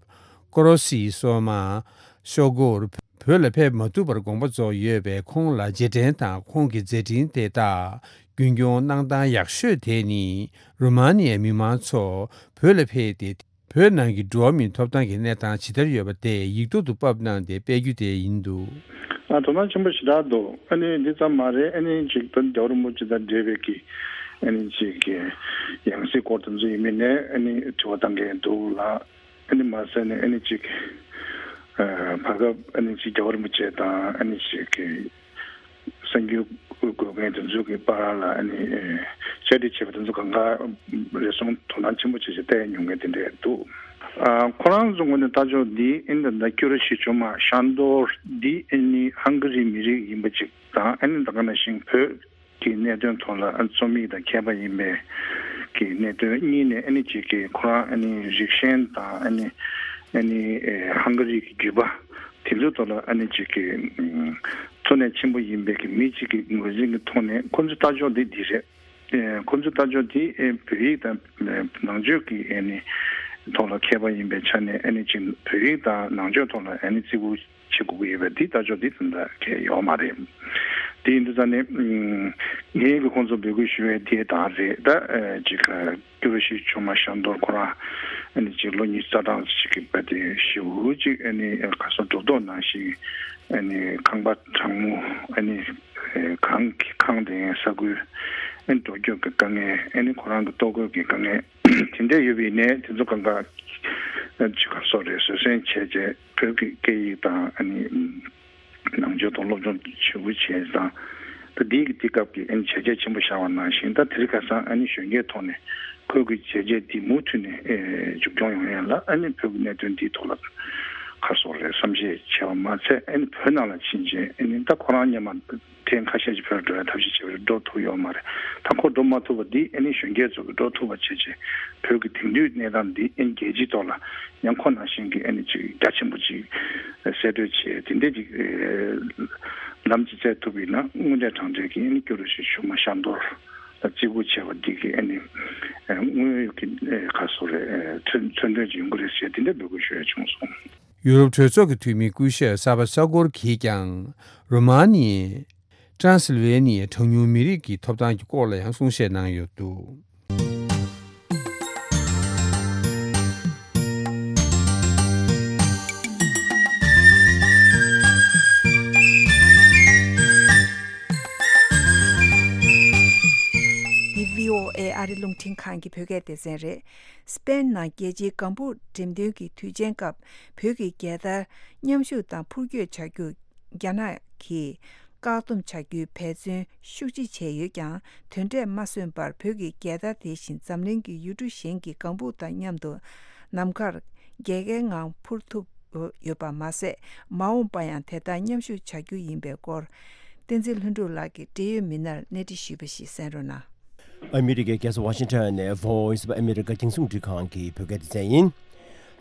ཀོ་རོ་སི་སོ་མ་ཤོ་གོར་བོད་ལ་ཕེབས་མ་ཐུབ་པར་དགོངས་པ་རྫོགས་ཡོད་པས། ཁོང་ལ་རྗེས་དྲན་དང་ཁོང་གི་མཛད་འཕྲིན་དེ་དག་ རྒྱུན་སྐྱོང་གནང་སྟངས་ཡག་ཤོས་དེ་ནི་རོ་མ་ནི་ཡའི་མི་མང་ཚོ་བོད་ལ་ཕེབས་ཏེ། བོད་ནང་གི་འགྲོ་བ་མིའི་ཐོབ་ཐང་གི་གནས་སྟངས་ཇི་ལྟར་ཡོད་པ་དེ་ཡིག་ཐོག་ཏུ་ཕབ་གནང་སྟེ་སྤེལ་རྒྱུ་དེ་ཡིན་འདུག། ཨ། དོ་སྣང་ཆེན་པོ་ཞེ་དྲག་འདུག། ཨ་ནི་འདི་ཙམ་མ་རེད། ཨ་ནི་ཅིག་ད་རྒྱལ་བ་རིན་པོ་ཆེ་དང་འབྲེལ་བའི་གི་ཨ་ནི་ཅིག་གི་ཡང་སྲིད་སྐོར་དེ་ཚོ་ཡིན་མིན་ནས་ཨ་ནི་དྲི་བ་བཏང་མཁན་འདུག་ལ། ཨ་ནི་མ་ཟད་ནས་ཨ་ནི་ཅིག་ཨ། བར་སྐབས་ཨ་ནི་ཅིག་རྒྱལ་བ་རིན་པོ་ཆེ་དང་ཨ་ནི་ཅིག་གི་གསར་འགྱུར་འགོད་མཁན་དེ་ཚོ་གི་བར་ལ་ཨ་ནི་ཨ། བཅར་འདྲི་བྱས་པ་དེ་ཚོ་གང་ག་རེ་ཟུང་དོ་སྣང་ཆེན་པོ་བྱས་བྱས་བལྟས་མྱོང་མཁན་དེ་འདྲས་འདུག། ཨ། ཁོ་རང་ཚོ་ངོས་ནས་ལྟ་ཕྱོགས་འདི་ཨ་ནི་ད་ལྟ་ཀུ་རུ་ཤི་ཆུང་མ་ཤང་རྡོར་འདི་ཨ་ནི་ཧང་ག་རི་མི་རིགས་ཡིན་པ་ཅིག་དང་། ཨ་ནི་ད་ག་ནང་བཞིན་བོད་ཀྱི་གནད་དོན་ཐོག་ལ་ཨ་རྩོམ་ཡིག་དང་མཁས་པ་ཡིན་པའི་གི་གནད་དོན་གཉིས་ནས་ཨ་ནི་ཅིག་གི་ཁོ་རང་ཨ་ནི་རིགས་ཞེན་དང་ཨ་ནི་ཨ་ནི་ཨེ། ཧང་ག་རི་གི་བརྒྱུད་པ་དེ་ཚོའི་ཐོག་ལ་ཨ་ནི་ཅིག་གི་ཨ། གཙོ་གནད་ཆེན་པོ་ཡིན་པའི་གི་མི་གཅིག་གི་ངོས་འཛིན་གྱི་ཐོག་ནས་ཁོ་ཚོའི་ལྟ་ཕྱོགས་འདི་འདི་རེད། ཨེ། ཁོ་ཚོའི་ལྟ་ཕྱོགས་འདི་ཨེ། བོད་ཡིག་དང་ནང་ཆོས་ཀྱི་ཨ་ནི་ཐོག་ལ་མཁས་པ་ཡིན་པའི་ཆ་ནས་ཨ་ནི་ཅིག་བོད་ཡིག་དང་ནང་ཆོས་ཐོག་ལ་ཨ་ནི་བརྩི་བཀུར་བྱེད་དགོས་ཀྱི་ཡོད་པ་འདི་ལྟ་ཕྱོགས་འདི་ད་ལྟ་གལ་ཡོད་མ་རེད། དེ་ཡིན་དུས་ཙང་ནས་ངས་ཀྱི་ཁོང་ཚོ་འབོད་སྐུལ་ཞུ་བའི་དེ་དང་རེད། ད་ཨེ། ཅིག་ཀུ་རུ་ཤི་ཆུང་མ་ཤང་རྡོར་ཁོ་རང་ཨ་ནི་ཅིག་ལོ་ཉི་ཤུ་རྩ་གྲངས་ཅིག་གི་བར་དེ་ཞེ་པོ་ཅིག་ཨ་ནི་ག་སོ་འགྲོ་ལྡོག་ནང་བཞིན་ཨ་ནི་ཁང་པ་གྲང་མོ་ཨ་ནི་གངས་ཀྱི་ཁང་དེ་ས་ཁུལ་ཨ་ནི་འགྲོ་སྐྱོད་ཀྱི་དཀའ་ངལ། ཨ་ནི་ཁོ་རང་གི་ལྟོ་གོས་ཀྱི་དཀའ་ངལ་དེ་འདྲ་ཡོད་པ་ཡིན་ནའི་དེ་ཚོ་གང་ག་ཅིག་ག་སོ་རེད། བཟོད་བསྲན་བྱས་རྗེས་བོད་ཀྱི་སྐད་ཡིག་དང་ཨ་ནི། ནང་ཆོས་ཐོག་སློབ་སྦྱོང་ཞེ་པོ་བྱས་ཙང་། ད་འདི་གི་དེ་སྐབས་ཀྱི་ཨ་ནི་བྱས་རྗེས་ཆེན་པོ་བཞག་པ་ནང་བཞིན། ད་དེ་རིང་ཁ་སང་ཨ་ནི་གཞོན་སྐྱེས་ཐོག་ནས་ཁོའི་གི་བྱས་རྗེས་འདི་མུ་མཐུད་ནས་ཨེ། མཇུག་སྐྱོང་ཡོང་ཡ་ལ་ཨ་ནི་བོད་ཀྱི་གནད་དོན་འདིའི་ཐོག་ལ་ག་སོགས་རེད་བསམ་ཤེས་བྱས་པ་མ་ཚད། ཨ་ནི་བོད་ནང་ལ་ཕྱིན་རྗེས་ཨ་ནི་ད་ཁོ་རང་སྔོན་མ་ཐེངས་ཁ་ཤས་ཤིག་བོད་ལ་འགྲོ་ཡ་ཐབས་ཤེས་བྱས་པ་རེད། འགྲོ་ཐུབ་ཡོད་མ་རེད། ད་ཁོ་འགྲོ་མ་ཐུབ་པ་འདི་ཨ་ནི་གཞོན་སྐྱེས་ཚོ་གི་འགྲོ་ཐུབ་པ་བྱས་རྗེས་བོད་ཀྱི་དེང་དུས་གནས་སྟངས་འདི་ཨ་ནི་རྒྱལ་སྤྱིའི་ཐོག་ལ་ཡང་ཁོ་ནང་བཞིན་གྱི་ཨ་ནི་ཅིག་རྒྱ་ཆེན་པོ་ཅིག་གསལ་སྟོན་བྱས། དེ་འདྲས་ཅིག་ལམ་ཅིག་བཙལ་ཐུབ་པ་ཡིན་ན་དངོས་གནས་དྲང་གནས་ཀྱི་ཨ་ནི་ཀུ་རུ་ཤི་ཆུང་མ་ཤང་རྡོར་ལ་བརྩི་བཀུར་བྱས་པ་འདི་གི་ཨ་ནི་དངོས་ཡོད་ཀྱི་ག་སོ་རེད། མཚོན་དོན་ཅིག་ཡོང་གི་རེད་ཟེར་དེ་འདྲ་འབོད་སྐུལ་ཞུ་ཡ་བྱུང་སོང་། ཡུ་རོབ་གྲོས་ཚོགས་ཀྱི་འཐུས་མི་སྐུ་ཞབས་གསར་པ་ས་གོར་གྱིས་ཀྱང་རོ་མ་ནི་ཡའི་ཀྲན་སིལ་ཝེ་ནི་ཡའི་གྲངས་ཉུང་མི་རིགས་ཀྱི་ཐོབ་ཐང་གི་སྐོར་ལ་ཡང་གསུང་བཤད་གནང་ཡོད་འདུག། འདི་བྷི་ཨོ་ཨེ་ཨ་རི་རླུང་འཕྲིན་ཁང་གི་བོད་སྐད་སྡེ་ཚན་རེད། སི་པེན་ནང་རྒྱལ་སྤྱིའི་ལྒང་བུ་འགྲེམས་སྟོན་གྱི་དུས་ཆེན་སྐབས་བོད་ཀྱི་རྒྱལ་དར་མཉམ་ཞུགས་དང་འཕུར་སྐྱོད་བྱ་རྒྱུ་རྒྱ་ནག་གིས་བཀག་སྡོམ་བྱ་རྒྱུའི་འབད་བརྩོན་ཤུགས་ཆེ་བྱས་ཡོད་ཀྱང་། དོན་འབྲས་མ་སོན་པར་བོད་ཀྱི་རྒྱལ་དར་དེ་བཞིན་འཛམ་གླིང་གི་ཡུལ་གྲུ་གཞན་གྱི་ལྒང་བུ་དང་མཉམ་དུ་ནམ་མཁར་རྒྱལ་ཁའི་ངང་འཕུར་ཐུབ་ཡོད་པ་མ་ཟད། མ་འོངས་པ་ཡང་དེ་ལྟར་མཉམ་ཞུགས་བྱ་རྒྱུ་ཡིན་པའི་སྐོར། བསྟན་འཛིན་ལྷུན་གྲུབ་ལགས་ཀྱིས་འབྲེལ་ཡོད་མི་སྣར་གནས་འདྲི་ཞུས་པ་ཞིག་གསན་རོགས་གནང་། ཨ་མི་རི་ཀའི་རྒྱལ་ས་ཝ་ཤིང་ཊོན་ནས་Voice of America་རྒྱང་སྲིང་རླུང་འཕྲིན་ཁང་གི་བོད་སྐད་སྡེ་ཚན་ཡིན།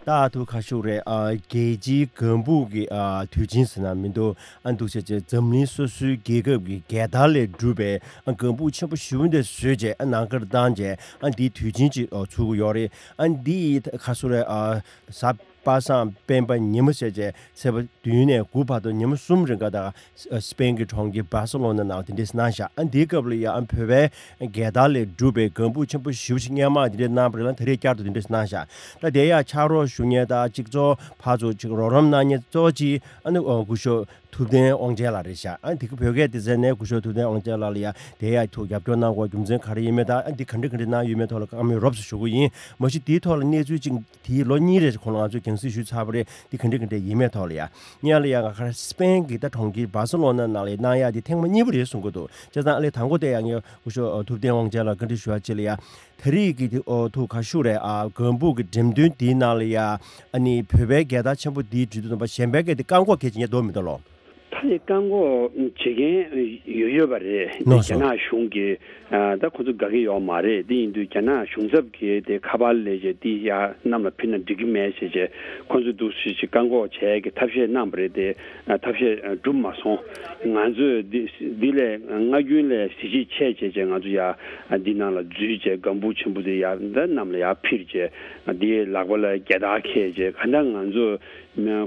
ད་ཐུག་ཁ་ཤུག་རེད། ཨ། རྒྱལ་སྤྱིའི་ལྒང་བུ་གི་ཨ། དུས་ཆེན་ཟེར་ན་མི་འདུག། ཨ། འདུག་བྱས་བྱས་འཛམ་གླིང་སོ་སོའི་རྒྱལ་ཁབ་ཀྱི་རྒྱལ་དར་ལས་གྲུབ་པའི་ཨ། ལྒང་བུ་ཆེན་པོ་ཞེ་པོ་འདི་བཟོས་བྱས་ཨ། ནམ་མཁར་བཏང་བྱས་ཨ། འདིའི་དུས་ཆེན་ཅིག་ཨ། ཚུགས་ཀྱི་ཡོད་རེད། ཨ། འདི་ཡི་ཁ་སུ་རེད། ཨ། གཟའ་པ་སངས་སྤེན་པ་ཉིན་མོ་བྱས་བྱས་ཚེས་པ་བདུན་ནས་དགུ་བར་དུ་ཉིན་མོ་གསུམ་རིང་ག་དང་། སི་པེན་གྱི་གྲོང་ཁྱེར་སྦར་སེ་ལོ་ན་ནང་དེ་འདྲས་གནང་བཞག། ཨ། འདིའི་སྐབས་ལ་ཡང་ཨ། བོད་པའི་རྒྱལ་དར་ལས་གྲུབ་པའི་ལྒང་བུ་ཆེན་པོ་ཞེ་པོ་ཅིག་སྔོན་མ་དེ་འདྲས་གནང་བ་རེད་ལ། ད་རེས་བསྐྱར་དུ་དེ་འདྲས་གནང་བཞག། ད་དེ་ཡང་ཕྱག་རོགས་ཞུ་མཁན་དང་གཅིག་གཙོ་ཕར་ཚུར་ཅིག་རོགས་རམ་གནང་མཁན་གཙོ་ཆེ་ཨ་ནི་སྐུ་ཞབས་ཐུབ་བསྟན་དབང་ཆེན་ལགས་རེད་བཞག། ཨ། དེ་གི་བོད་སྐད་སྡེ་ཚན་ནས་སྐུ་ཞབས་ཐུབ་བསྟན་དབང་ཆེན་ལགས་ལ་ཡང་དེ་ཡང་ཐུགས་རྒྱབ་སྐྱོར་གནང་དགོས་རྒྱུ་མཚན་ག་རེ་ཡིན་མིན་དང་། ཨ། འདི་ག་འདྲ་ག་འདྲ་གནང་ཡོད་མེད་ཐོག་ལ་བཀའ་མོལ་རོབ་ཙམ་ཞུ་གི་ཡིན། མ་གཞི་དེའི་ཐོག་ལ་གནས་ཚུལ་ཅིག་དེའི་ལོ་གཉིས་རེ་གོང་ལ་ང་ཚོས་རྒྱང་སྲིང་ཞུས་ཚར་བ་རེད། འདི་ག་འདྲ་ག་འདྲ་ཡིན་མེད་ཐོག་ལ་ཡ། སྔོན་ལ་ཡ་ང་གར་སི་པེན་གྱི་ད་གྲོང་ཁྱེར་སྦར་སེ་ལོ་ན་ནང་ལ་གནང་ཡ་དེ་ཐེངས་མ་གཉིས་པ་རེད་གསུང་གི་འདུག། བྱས་ཙང་ཨ་ལས་དང་པོ་དེ་ཡང་ངས་སྐུ་ཞབས་ཐུབ་བསྟན་དབང་ཆེན་ལ་བཀའ་འདྲི་ཞུ་ཡ་ཅིག་ལ་ཡ། ད་རེས་ཀྱི་དེ་ཨོ་ཐུག་ཁ་ཤུག་རེད། ཨ། ལྒང་བུ་གི་འགྲེམས་སྟོན་དེའི་ནང་ལ་ཡ། ཨ་ནི་བོད་པའི་རྒྱལ་དར་ཆེན་པོ་དེའི་འགྲེམས་སྟོན་པ་གཞན་པའི་གི་དེ་བཀག་འགོག་གལ་ཆེ་ཉེ་འདུག་མི་འདུག་ལོ། ད་རེས་བཀག་འགོག་བྱེད་མཁན་ཡོད་ཡོད་པ་རེད། དེ་ལགས་སོ། རྒྱ་ནག་གཞུང་གིས་ཨ། ད་ཁོ་ཚོ་དགའ་གི་ཡོད་མ་རེད། དེ་ཡིན་དུས་རྒྱ་ནག་གཞུང་ཚབ་ཀྱིས་དེ་ཁ་པར་ལས་བྱས་དེ་ཡ་གནམ་ལ་ཕུལ་ན་འགྲིག་གི་མེད་ཟེར་བྱས་ཁོ་ཚོ་འདུག་སེ་ཅིག་བཀག་འགོག་བྱས་ཀྱི་ཐབས་ཤེས་གནང་བ་རེད་དེ། ཨ། ཐབས་ཤེས་ཨ། འགྲུབ་མ་སོང་། ང་ཚོས་འདི་འདི་ལས་སྔ་རྒྱུན་ལས་གཟི་བརྗིད་ཆེ་བྱས་བྱས་ང་ཚོ་ཡ་འདི་ནང་ལ་འཛུལ་བྱས་ལྒང་བུ་ཆེན་པོ་དེ་ཡ་ད་གནམ་ལ་ཡ་འཕུར་བྱས་འདིའི་ལག་པ་ལ་རྒྱལ་དར་འཁྱེར་བྱས་ག་འདྲ་ང་ཚོ་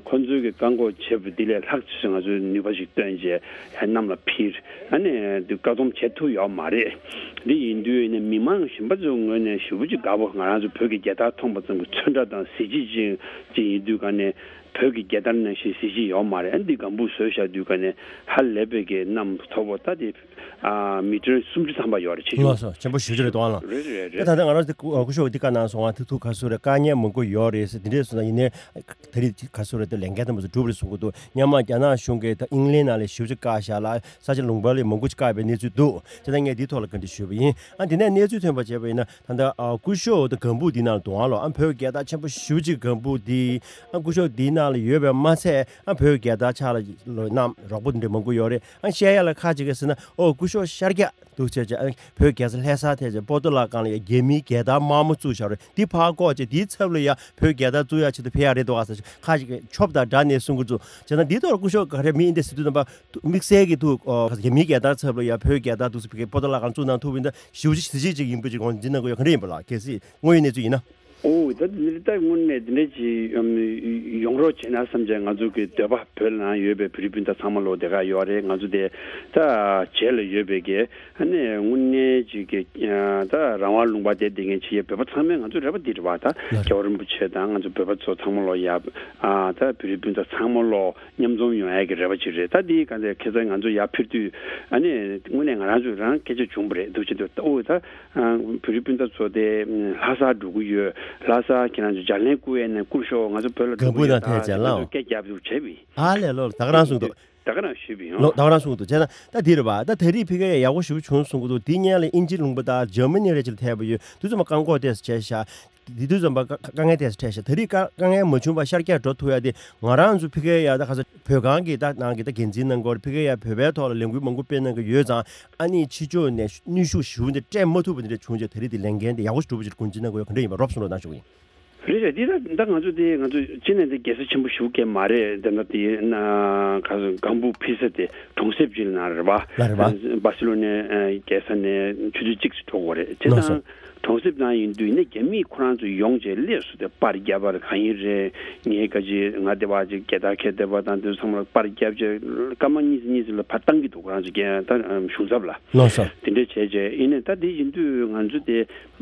ཁོ་ཚོའི་གི་བཀག་འགོག་བྱས་པ་འདི་ལས་ལྷག་ཅིག་ང་ཚོའི་ནུས་ བ་ཞིག་བཏོན་རྗེས་གནམ་ལ་འཕིར། ཨ་ནི་འདི་བཀག་སྡོམ་བྱེད་ཐུབ་ཡོད་མ་རེད། འདི་ཡིན་དུས་ནས་མི་མང་གཞན་པ་ཚོའི་ངོས་ནས་ཞེ་པོ་ཅིག་དགའ་པོ། ང་རང་ཚོ་བོད་ཀྱི་རྒྱལ་དར་མཐོང་པ་ཙམ་གྱིས་ཚོན་ཁྲ་དང་གཟི་བརྗིད་ཅན་ཅིག་ཡིན་དུས་ག་ནས་བོད་ཀྱི་རྒྱལ་དར་ནང་བཞིན་གཟི་བརྗིད་ཡོད་མ་རེད། ཨ་འདི་ལྒང་བུ་བཟོས་བཞག་དུས་ག་ནས་ཧ་ལས་པའི་གི་གནམ་མཐོ་པོ་ད་དེ་ཨ་མི་ཊར་སུམ་ཅུ་ཐམ་པ་ཡོད་རེད། ཆེ་ཆུང་ལགས་སོ། ཆེན་པོ་ཞེ་པོ་ཅིག་རེད་དོ་ཨ་ལགས། རེད་རེད་ད་རེད། ད་ལྟ་ང་རང་ཚོ་སྐུ་ཞབས་འདི་བཀའ་གནང་སོང་ང་། ཐུག་ཐུག་ག་སུ་རེད། དཀའ་ངལ་མང་པོ་ཡོད་རེད་ཟེར། འདི་འདྲས་སོང་ན་ཡིན་ནའི་ད་རེས་ག་སུ་རེད། ད་ལས་འགན་དེ་མ་ཚོ་སྒྲུབ་རེད་གསུང་གི་འདུག་སྔོན་མ་རྒྱ་ནག་གཞུང་གིས་ད་ཨིང་ལན་ནང་ལ་ཞེ་པོ་ཅིག་བཀག་བཞག་ལ། ས་ཆ་ལུང་པ་ལ་མང་པོ་ཅིག་བཀག་པའི་གནས་ཚུལ་འདུག་བྱས་ཙང་ངས་འདིའི་ཐོག་ལ་བཀའ་འདྲི་ཞུས་པ་ཡིན། ཨ་འདི་ནས་གནས་ཚུལ་ཐོན་པ་བྱས་པ་ཡིན་ན། ད་ལྟ་ཨ་སྐུ་ཞབས་དང་ལྒང་བུ་འདི་ནང་ལ་དུང་ཨ་ལོ། ཨ་བོད་རྒྱལ་དར་ཆེན་པོ་ཞེ་པོ་ཅིག་ལྒང་བུ་འདི་ཨ་སྐུ་ཞབས་འདིའི་ནང་ལ་ཡོད་པས་མ་ཚད། ཨ་བོད་རྒྱལ་དར་ཕྱག་ལ་ལོ་གནང་རོགས་པ་འདི་འདྲ་མང་པོ་ཡོད་རེད། ཨ་བཤད་ཡ་ལ་ཁ་ཅིག་གིས་ཟེར་ན། ཨོ་སྐུ་ཞབས་ཤར་རྒྱག་འདུག་བྱས་བྱས། ཨ་བོད་རྒྱལ་ས་ལྷ་ས་ཐད་བྱས་པོ་ཏོ་ལ་ཀང་ལ་ཡ་རྒྱ་མིའི་རྒྱལ་དར་དམར་མོ་བཙུགས་བཞག་རེད། འདི་ཕར་བཀོག་བྱས་འདིའི་ཚབ་ལ་ཡ་བོད་རྒྱལ་དར་བཙུགས་ཡ་ཆེད་དུ་ཕེབས་ཡ་རེད་འདུག་ཨ་ཟེར། ཁ་ཅིག་གིས་ཆོབ་དང་སྦྲགས་ནས་གསུང་གི་འདུག་བྱས་ན་འདི་ཐོག་སྐུ་ཞབས་ག་རེ་མི་ཡིན་དེ་ཟེར་དུས་ཙམ་པ། དམིགས་བསལ་གྱི་ཐུགས་ཨོ་རྒྱ་མིའི་རྒྱལ་དར་ཚབ་ལ་ཡ་བོད་རྒྱལ་དར་འདུག་སེ་ཕ་གིའི་པོ་ཏོ་ལ་ཀང་བཙུགས་གནང་ཐུབ་པ་ཡིན་ན་ཞེ་པོ་ཅིག་གཟི་བརྗིད་ཅིག་ཡིན་པ་ཅིག་དགོངས་འཛིན་གནང་གི་ཡོད། ག་འདྲ་ཡིན་པ་ལགས། གལ་སྲིད་དངོས་ཡོད་གནས་ཚུལ་ཡིན་ན། ཨོ་ད་འདི་ད་དངོས་གནས་འདི་འདྲ་ཅིག་ཡོང་རོགས་བྱས་ན་བསམ་བྱས། ང་ཚོ་གི་འདོད་པ། བོད་ནང་ཡོད་པའི་བོད་རིགས་སྤུན་ཟླ་ཚང་མ་ལོ་དེ་ག་ཡོད་རེད། ང་ཚོ་དེ་ད་རྗེས་ལ་ཡོད་པའི་གི་ཨ་ནི་དངོས་གནས་ཅིག་གི་ད་རང་དབང་ལུང་པ་དེ་བསྡད་མཁན་ཅིག་ཡོད། བོད་པ་ཚང་མས་ང་ཚོའི་རེ་བ་འདི་རེད་བ། ད་རྒྱལ་བ་རིན་པོ་ཆེ་དང་ང་ཚོ་བོད་པ་ཚོ་ཚང་མ་ལོ་ཡ། ཨ་ད་བོད་རིགས་སྤུན་ཟླ་ཚང་མ་ལོ་མཉམ་འཛོམས་ཡོང་ཡ་གི་རེ་བ་ཅིག་རེད། ད་འདི་ག་འདྲ་ཁ་སང་ང་ཚོ་ཡར་ཕེབས་དུས་ཨ་ནི་དངོས་གནས་ང་རང་ཚོ་རང་སྐད་ཆ་བྱུང་བ་རེད། འདུག་བྱེད་དུས་ད་ཨོ་ད་བོད་རིགས་སྤུན་ཟླ་ཚོ་དེ་ལྷ་སར་འགྲོ་གི་ཡོད། ལྷ་སར་ཁྱེད་རང་ཚོ་ལྗགས་ལན་བསྐུར་ཡས་ནས་བསྐུར་ཤོག་ང་ཚོ་བོད་ལ་འགྲོ་གི་ཡོད། ད་དེ་ཚོ་སྐད་རྒྱབ་འདུག་བྱས་པས། ཨ་ལས་ལོ། ད་ག་རང་གསུངས་འདུག་ད་ག་རང་ཞུས་པ་ཡིན། ལོ་ད་ག་རང་གསུངས་འདུག་བྱས་ན་ད་འདི་རེད་བ། ད་ད་རེས་ཕ་གི་ཡ་ཡག་པོ་ཞེ་པོ་བྱུང་གསུང་གི་འདུག་འདི་སྔོན་ལ་དབྱིན་ཇི་ལུང་པ་དང་འཇར་མ་ནི་རེ་ཅིག་ལ་ཐད་པ་ཡོད། དུས་ཚོད་མ་བཀག་འགོག་ཏོག་ཙམ་བྱས་ཤག་འདི་དུས་ཙམ་པ་དཀའ་དཀའ་ངལ་ཏོག་ཙམ་འཕྲད་ཤག་ད་རེས་དཀའ་དཀའ་ངལ་མ་བྱུང་བར་ཤར་རྒྱག་འགྲོ་ཐུབ་ཡ་དེ་ང་རང་ཚོ་ཕ་གི་ཡ་ད་ཁ་སང་བོད་ཁང་གི་ད་ནང་གི་ད་འགན་འཛིན་གནང་གི་ཡོད་རེད། ཕ་གི་ཡ་བོད་པའི་ཐོག་ལ་ལས་འགུལ་མང་པོ་སྤེལ་གནང་གི་ཡོད་ཙང་། ཨ་ནི་ཕྱི་ཕྱོགས་ནས་ནུས་ཤུགས་ཞེ་པོ་འདི་སྤྲད་མ་ཐུབ་པ་འདི་འདྲ་བྱུང་རྗེས་ད་རེས་འདི་ལས་འགན་འདི་ཡག་པོ་ཞེ་པོ་ཅིག་དགོངས་ཚུལ་གནང་གི་ཡོད། ག་འདྲ་ཡིན་པ་རོབ་གསུང་རོགས་གནང་ཞུ་གི་ཡིན། རེད་རེད། འདི་ད་ད་ང་ཚོ་དེ་ང་ཚོ་ཅི་ནས་འདི་རྒྱལ་ས་ཆེན་པོ་ཞེ་པོ་ཅིག་མ་རེད། འདི་ན་དེ་ན་ག་ཚོད་ལྒང་བུ་འཕིར་ས་དེ་གྲོང་གསེབ་ཅིག་ལ་ན་རེད་བ། ལ་རེད་བ། སྦར་སི་ལོ་ནའི་རྒྱལ་ས་ནས་ཆུ་ཚོད་གཅིག་ཙམ་འགྲོ་དགོས་རེད། བྱས་ཙང་གྲོང་གསེབ་ནང་ཡིན་དུས་ནས་རྒྱ་མི་ཁོ་རང་ཚོ་ཡོང་བྱས་སླེབས་སོང་། དེ་པར་རྒྱབ་པ་གང་ཡིན་རེད། ངའི་ཁ་ཅིག་ང་དེ་བ་ཅིག་རྒྱལ་དར་འཁྱེར་བསྡད་པ་དང་དེ་ཚོ་ཚང་མ་ལ་པར་རྒྱབ་བྱས་སྐར་མ་གཉིས་གཉིས་ལ་ཕར་བཏང་གི་འདུག་ཁོ་རང་ཚོ་རྒྱལ་ད་གཞུང་ཚབ་ལ། ལགས་སོ། དེ་འདྲ་བྱས་བྱས་ཡིན་ནས་ད་དེ་ཡིན་དུས་ང་ཚོ་དེ།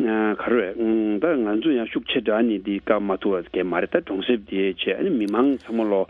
ཨ་ག་རེ་རེད། ཨང་ད་ང་ཚོ་ཡང་ཤུགས་ཆེ་དྲགས་ནས་འདི་བཀག་མ་ཐུབ་པ་གང་མ་རེད། ད་གྲོང་གསེབ་དེ་བྱས། ཨ་ནི་མི་མང་ཚང་མ་ལོ་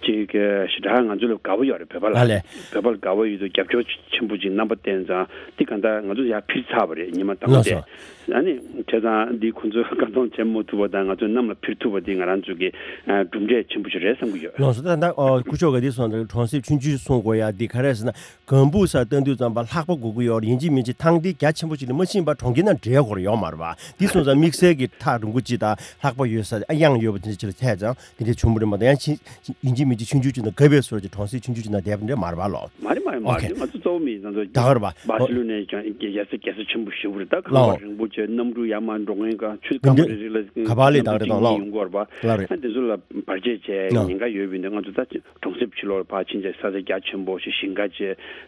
ཅིག་ཞེ་དྲག་ང་ཚོ་ལ་དགའ་བོ་ཡོད་རེད། བོད་པ་ལ། ཨ་ལས། བོད་པ་ལ་དགའ་བོ་ཡོད་དུས་རྒྱབ་སྐྱོར་ཆེན་པོ་ཅིག་རྣམ་པ་བསྟན་ཙང་། འདི་གང་ལྟར་ང་ཚོ་ཡར་འཕིར་ཚར་བ་རེད། ཉི་མ་དང་པོ་ལགས་དེ། སོ། ཨ་ནི་བྱས་ཙང་འདི་ཁོ་ཚོས་བཀག་སྡོམ་བྱེད་མ་ཐུབ་པ་དང་ང་ཚོས་གནམ་ལ་འཕིར་ཐུབ་པ་འདི་ང་རང་ཚོ་གི་ཨ་གྲུབ་འབྲས་ཆེན་པོ་ཞིག་རེད་བསམ་གྱི་ཡོད། ལགས་སོ། ད་ད་ཨོ་སྐུ་ཞབས་ག་འདི་སོང་ཙང་གྲོང་གསེབ་ཆུང་ཆུང་གསུང་དགོས་ཡ་འདི་ག་རེ་ཟེར་ན། ལྒང་བུ་སར་བཏང་དུས་ཙམ་པ་ལྷགས་པ་དགོས་ཀྱི་ཡོད་རེད། ཡིན་གཅིག་མིན་གཅིག་ཐང་འདི་རྒྱ་ཆེན་པོ་ཅིག་ལ་མ་ཕྱིན་པར་གྲོང་ཁྱེར་ནང་འགྲེལ་དགོས་རེད་ཡོད་མ་རེད་པ། འདི་སོང་ཙང་དམིགས་བསལ་གྱི་ཐག་རིང་པོ་ཅིག་དང་ལྷགས་པ་ཡོད་ས་དེ་ཨ་གཡང་ཡོད་པ་དེ་འདྲ་ཅིག་ལ་ཐད་ཙང་དེ་འདྲ་བྱུང་བ་རེད་མ་གཏོགས། ཡང་ཕྱིན་ཡིན་གཅིག་མིན་གཅིག་ཆུང་ཆུང་ཅིག་ནང་གབ་པའི་སོར་གྱི་གྲོང་གསེབ་ཆུང་ཆུང་ཅིག་ནང་བསྡད་པ་འདྲ་མ་རེད་པ་ལོ། མ་རེད་མ་རེད་མ་ཨོ་ཁེ། རེད། ང་ཚོ་གཙོ་བོ་མི་ང་ཚོ་ད་ག་རེད་པ། རྒྱལ་ས་རྒྱལ་ས་ཆེན་པོ་ཞེ་པོ་རེད། ད་གངས་ལོ་པ་རིང་པོ་བྱས། གནམ་གྲུ་ཡར་མར་འགྲོ་མཁན་ག་ཆུ་སྐམ་པོ་རེ་རེ་ལ་འདི་ག་པ་ལས་ད་ག་རེད་གནམ་གྲུ་གཅིག་གཉིས་ཡོང་གི་ཡོད་རེད་པ། ལ་རེད། ཨ་དེ་ཚོ་ལ་བར་ཆད་བྱས་ལོ་ཉེན་ཁ་ཡོད་པ་ཡིན་ན་ང་ཚོ་ད་གྲོང་གསེབ་ཕྱི་ལོགས་ལ་ཕར་ཕྱིན་བྱས་ས་ཆ་རྒྱ་ཆེན་པོ་ཞིག་ཞིང་ཁ་བྱས་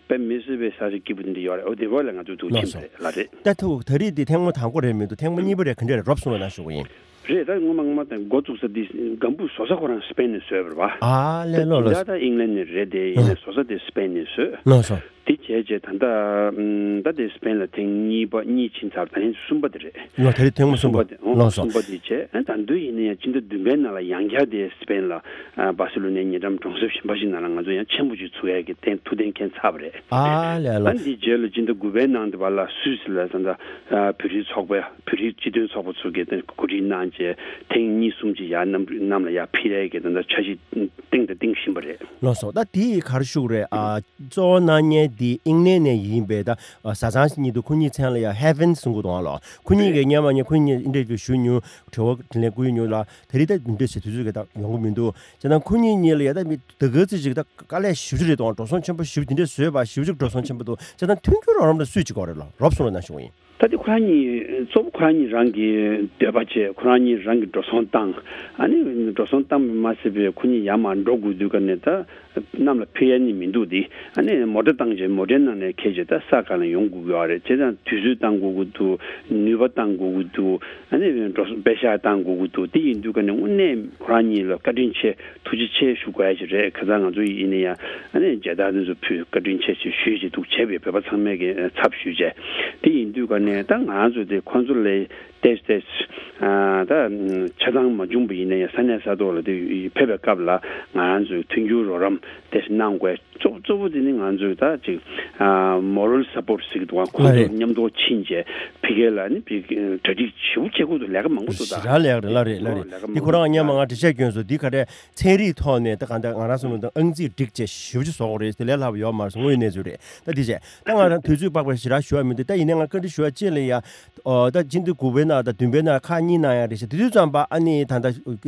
དཔེ་མི་སྲིད་པའི་ས་ཆ་སྐྱིད་པོ་དེ་འདྲ་ཡོད་རེད། འོ་དེ་བ་ལ་ང་ཚོ་འདུག་ཕྱིན་པ་རེད། ལགས་སོ། ལ་རེད། ད་ཐུག་ད་རེས་འདི་ཐེངས་མ་དང་པོ་རེད་མི་འདུག་ཐེངས་མ་གཉིས་པ་རེད། ག་འདྲ་རེད། རོབ་གསུང་རོགས་གནང་ཞུ་གི་ཡིན། རེད། ད་སྔོན་མ་སྔོན་མ་དང་འགོ་བཙུགས་ས་འདི་ལྒང་བུ་བཟོ་ས་ཁོ་རང་སི་པེན་ནས་བཟོས་པ་རེད་པ། ཨ་ལས་ལོ་ལོ། ད་ད་ཨིང་ལན་ནས་རེད་དེ། ཡིན་ནའི་བཟོ་ས་དེ་སི་པེན་ནས་བཟོས། ལགས་སོ། དེ་བྱས་རྗེས་ད་ལྟ་ཨམ་ད་དེ་སི་པེན་ལ་ཐེངས་གཉིས་པ་གཉིས་ཕྱིན་ཚར། ད་ནི་གསུམ་པ་དེ་རེད། ལོ་དེ་རིང་ཐེངས་མ་གསུམ་པ། གསུམ་པ་དེ་ཨོ་ལགས་སོ། གསུམ་པ་དེ་བྱས། ཨ་ད་དུང་ཡིན་ན་ཡང་སྤྱི་ཟླ་བདུན་པའི་ནང་ལ་ཡང་བསྐྱར་དེ་སི་པེན་ལ་ཨ་སྦར་སི་ལོ་ནའི་ཉེ་འགྲམ་གྲོང་གསེབ་གཞན་པ་ཞིག་ནང་ལ་ང་ཚོ་ཡང་ཆེན་པོ་ཅིག་ཚུགས་ཡས་ཀྱི་ཐུགས་གཏན་འཁེལ་ཚར་བ་རེད། ཨ་ལས་ལོ། ཨ་འདི་རྗེས་ལ་སྤྱི་ཟླ་དགུ་པའི་ནང་དེ་བ་ལ་སུད་སི་ལ་ད་ལྟ་ཨ་བོད་རིགས་ཚོགས་པ། བོད་རིགས་སྤྱི་མཐུན་ཚོགས་པ་ཚོ་གིས་གོ་སྒྲིག་གནང་བྱས་ཐེངས་གཉིས་གསུམ་ཅིག་ཡར་གནམ་གནམ་ལ་ཡར་འཕིར་ཡས་ཀྱི་ད་ལྟ་འཆར་གཞི་བཏིང་དང་བཏིང་བཞིན་པ་རེད། ལགས་སོ། ད་དེ་ཡི་ག་རེ་ཞུ་དགོས་རེད། ཨ་གཙོ་བོ་གནང་མཁན་དེ་ཨིང་ལན་ནས་ཡིན་པའི་ད་ཨ་བཟའ་ཚང་ཞིག་ཉིད་དུ་ཁོ་གཉིས་མཚན་ལ་ཡ་ཧེ་ཝན་གསུང་གི་འདུག་ཨ་ལོ། ཁོ་གཉིས་ཀྱིས་སྔོན་མ་ངས་ཁོ་གཉིས་ཨིན་ཊར་བིའུ་ཞུ་མྱོང་། དྲི་བ་དྲིས་ལན་བསྐུར་མྱོང་ལ། དེ་རིང་ད་འདི་འདྲ་ཞིག་དུས་ཚོད་ཀྱི་ད་ཡོང་གི་མི་འདུག་བྱས་ན་ཁོ་གཉིས་གཉིས་ལ་ཡ་ད་མི་ད་ག་ཚོད་ཅིག་ད་དཀའ་ལས་ཞེ་པོ་ཅིག་རེད་དང་། འགྲོ་སོང་ཆེན་པོ་ཞེ་པོ་འདི་འདྲ་བཟོས་པ་ཞེ་པོ་ཅིག་འགྲོ་སོང་ཆེན་པོ་འདུག་བྱས་ན་མཐུན་འགྱུར་རོགས་རམ་ལ་སུས་བྱེད་ཀྱི་ཡོད་རེད་ལོ། རོབ་གསུང་རོགས་གནང་ཞུ་གི་ཡིན། ད་ ད་དེ་ཁོ་རང་གཉིས་གཙོ་བོ་ཁོ་རང་གཉིས་རང་གི་འདོད་པ་བྱས། ཁོ་རང་གཉིས་རང་གི་འགྲོ་སོང་བཏང་། ཨ་ནི་འགྲོ་སོང་བཏང་མ་ཟད་པའི་ཁོ་གཉིས་ཡར་མར་འགྲོ་དགོས་དུས་ཀ་ནས་ད་གནམ་ལ་འཕུར་ཡ་ནི་མི་འདུག་དེ། ཨ་ནི་མོ་ཊ་བཏང་བྱས་མོ་ཊའི་ནང་ནས་འཁྱེར་བྱས་ད་ས་ག་ལ་ཡོང་དགོས་ཀྱི་ཡོད་རེད། བྱས་ཙང་དུས་ཚོད་བཏང་དགོས་ཀྱི་འདུག་ནུས་པ་བཏང་དགོས་ཀྱི་འདུག་ཨ་ནི་འགྲོ་སོང་པེ་ཤག་བཏང་དགོས་ཀྱི་འདུག་དེ་ཡིན་དུས་ཀ་ནས་དངོས་གནས་ཁོ་རང་གཉིས་ལ་བཀའ་དྲིན་ཆེ། ཐུགས་རྗེ་ཆེ་ཞུ་དགོས་ཡ་ཞིག་རེད། ཁ་སང་ང་ཚོ་ཡིན་ན་ཡང་ཨ་ནི་མཇལ་དར་དེ་ཚོ་ཕུལ། བཀའ་དྲིན་ཆེ་ཞེས་ཞུས་བྱས་འདུག་བྱས་པའི་བོད་པ་ཚང་མས་ཀྱི་ཚབ་ཞུས་བྱས། དེ་ཡིན་དུས་ཀ་ནས་ད་ང་རང་ཚོ་དེ་ཁོང་ཚོ་ལས་ཏོག་ཙམ་ཨ་ད་ཆ་ཚང་མ་བྱུང་བ་ཡིན་ན་ཡང་ས་གནས་ས་ཐོག་ལ་དེ་ཕེབས་པའི་སྐབས་ལ་ང་རང་ཚོས་མཐུན་འགྱུར་རོགས་རམ་ཏོག་ཙམ་གནང་དགོས། གཙོ་གཙོ་བོ་དེ་ནི་ང་ཚོས་ད་ཅིག་ཨ་མོ་རལ་སཔོར་ཊི་ཟེར་གྱི་འདུག་ཁོང་ཚོ་མཉམ་དུ་ཕྱིན་བྱས་ཕ་གི་ལ་ནི་ཕ་གི་གྲ་སྒྲིག་ཞེ་པོ་བྱེད་དགོས་འདུག་ལས་ཀ་མང་པོ་འདུག་ད་ཞེ་དྲག་ལས་ཀ་རེད། ལགས་རེད། ལགས་རེད། ལས་ཀ་འདི་མང་པོ་ཁོ་རང་ཉན་མ་ང་འགྲེལ་བཤད་སྐྱོན་སོང་། འདི་ག་རེ་ཚན་རིག་ཐོག་ནས་ད་གང་ལྟར་ང་རང་ཚོ་ལ་ད་ཨང་རྩིས་སྒྲིག་བྱས་ཞེ་པོ་ཅིག་བཟོ་དགོས་རེད། དེ་ལས་སླ་པོ་ཡོད་མ་རེད་ཟེར། དངོས་གནས་ཚུལ་རེད། ད་འདི་བྱས་ད་ང་རང་དུས་ཚོད་དཔག་པའི་ཞེ་དྲག་ཞུ་བ་མི་འདུག་ད་ཡིན་ནའི་ང་བཀའ་འདྲི་ཞུ་བ་གཅིག་ལ་ཡ། ཨོ་ད་སྤྱི་ཟླ་དགུ་པའི་ནང་དང་བདུན་པའི་ནང་ཁག་གཉིས་ནང་ཡང་རེད་ཤག་དེ་དུས་ཙམ་པ་ཨ་ནི་ད་ལྟ་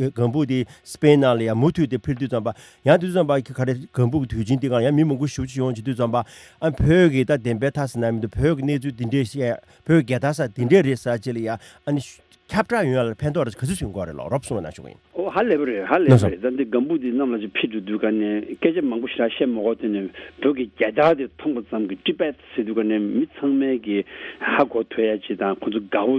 ལྒང་བུ་དེ་སི་པེན་ནང་ལ་ཡང་མུ་མཐུད་དེ་འཕུར་དུས་ཙམ་པ་ཡང་དེ་དུས་ཙམ་པ་ག་རེ་ལྒང་བུ་གི་དུས་ཆེན་དེ་ག་ཡང་མི་མང་པོ་ཞེ་པོ་ཅིག་ཡོང་བྱེད་དུས་ཙམ་པ་ཨ་བོད་ཀྱི་ད་བདེན་པའི་མཐའ་ཟེར་ན་མི་འདུག་བོད་ཀྱི་གནས་ཚུལ་འདི་འདྲས་བཤད། བོད་རྒྱལ་དར་ཟེར་འདི་འདྲས་རེད་ཟེར་ཅིག་ལ་ཡང་ཨ་ནི་ཁྱབ་བསྒྲགས་ཡོང་ཡ་ལ་ཕན་ཐོགས་རེ་ག་ཚོད་ཐོན་དགོས་རེད་ལགས། རོབ་གསུངས་གནང་ཆོག་གི་ཡིན། ཨོ་ཧ་ལས་པ་རེད། ཧ་ལས་པ་རེད། ད་འདི་ལྒང་བུ་འདི་གནམ་ལ་ཅིག་འཕུར་དུས་དུས་ག་ནས་སྐད་ཆ་མང་པོ་ཞེ་དྲག་བཤད་མ་དགོས། དེ་ནས་བོད་ཀྱི་རྒྱལ་དར་དེ་མཐོང་པ་ཙམ་གྱིས་ཊི་བེཊ་ཟེར་དུས་ག་ནས་མི་ཚང་མས་ཀྱི་ཧ་གོ་ཐུབ་ཡ་ཅིག་དང་ཁོང་ཚོ་དགའ་བོ་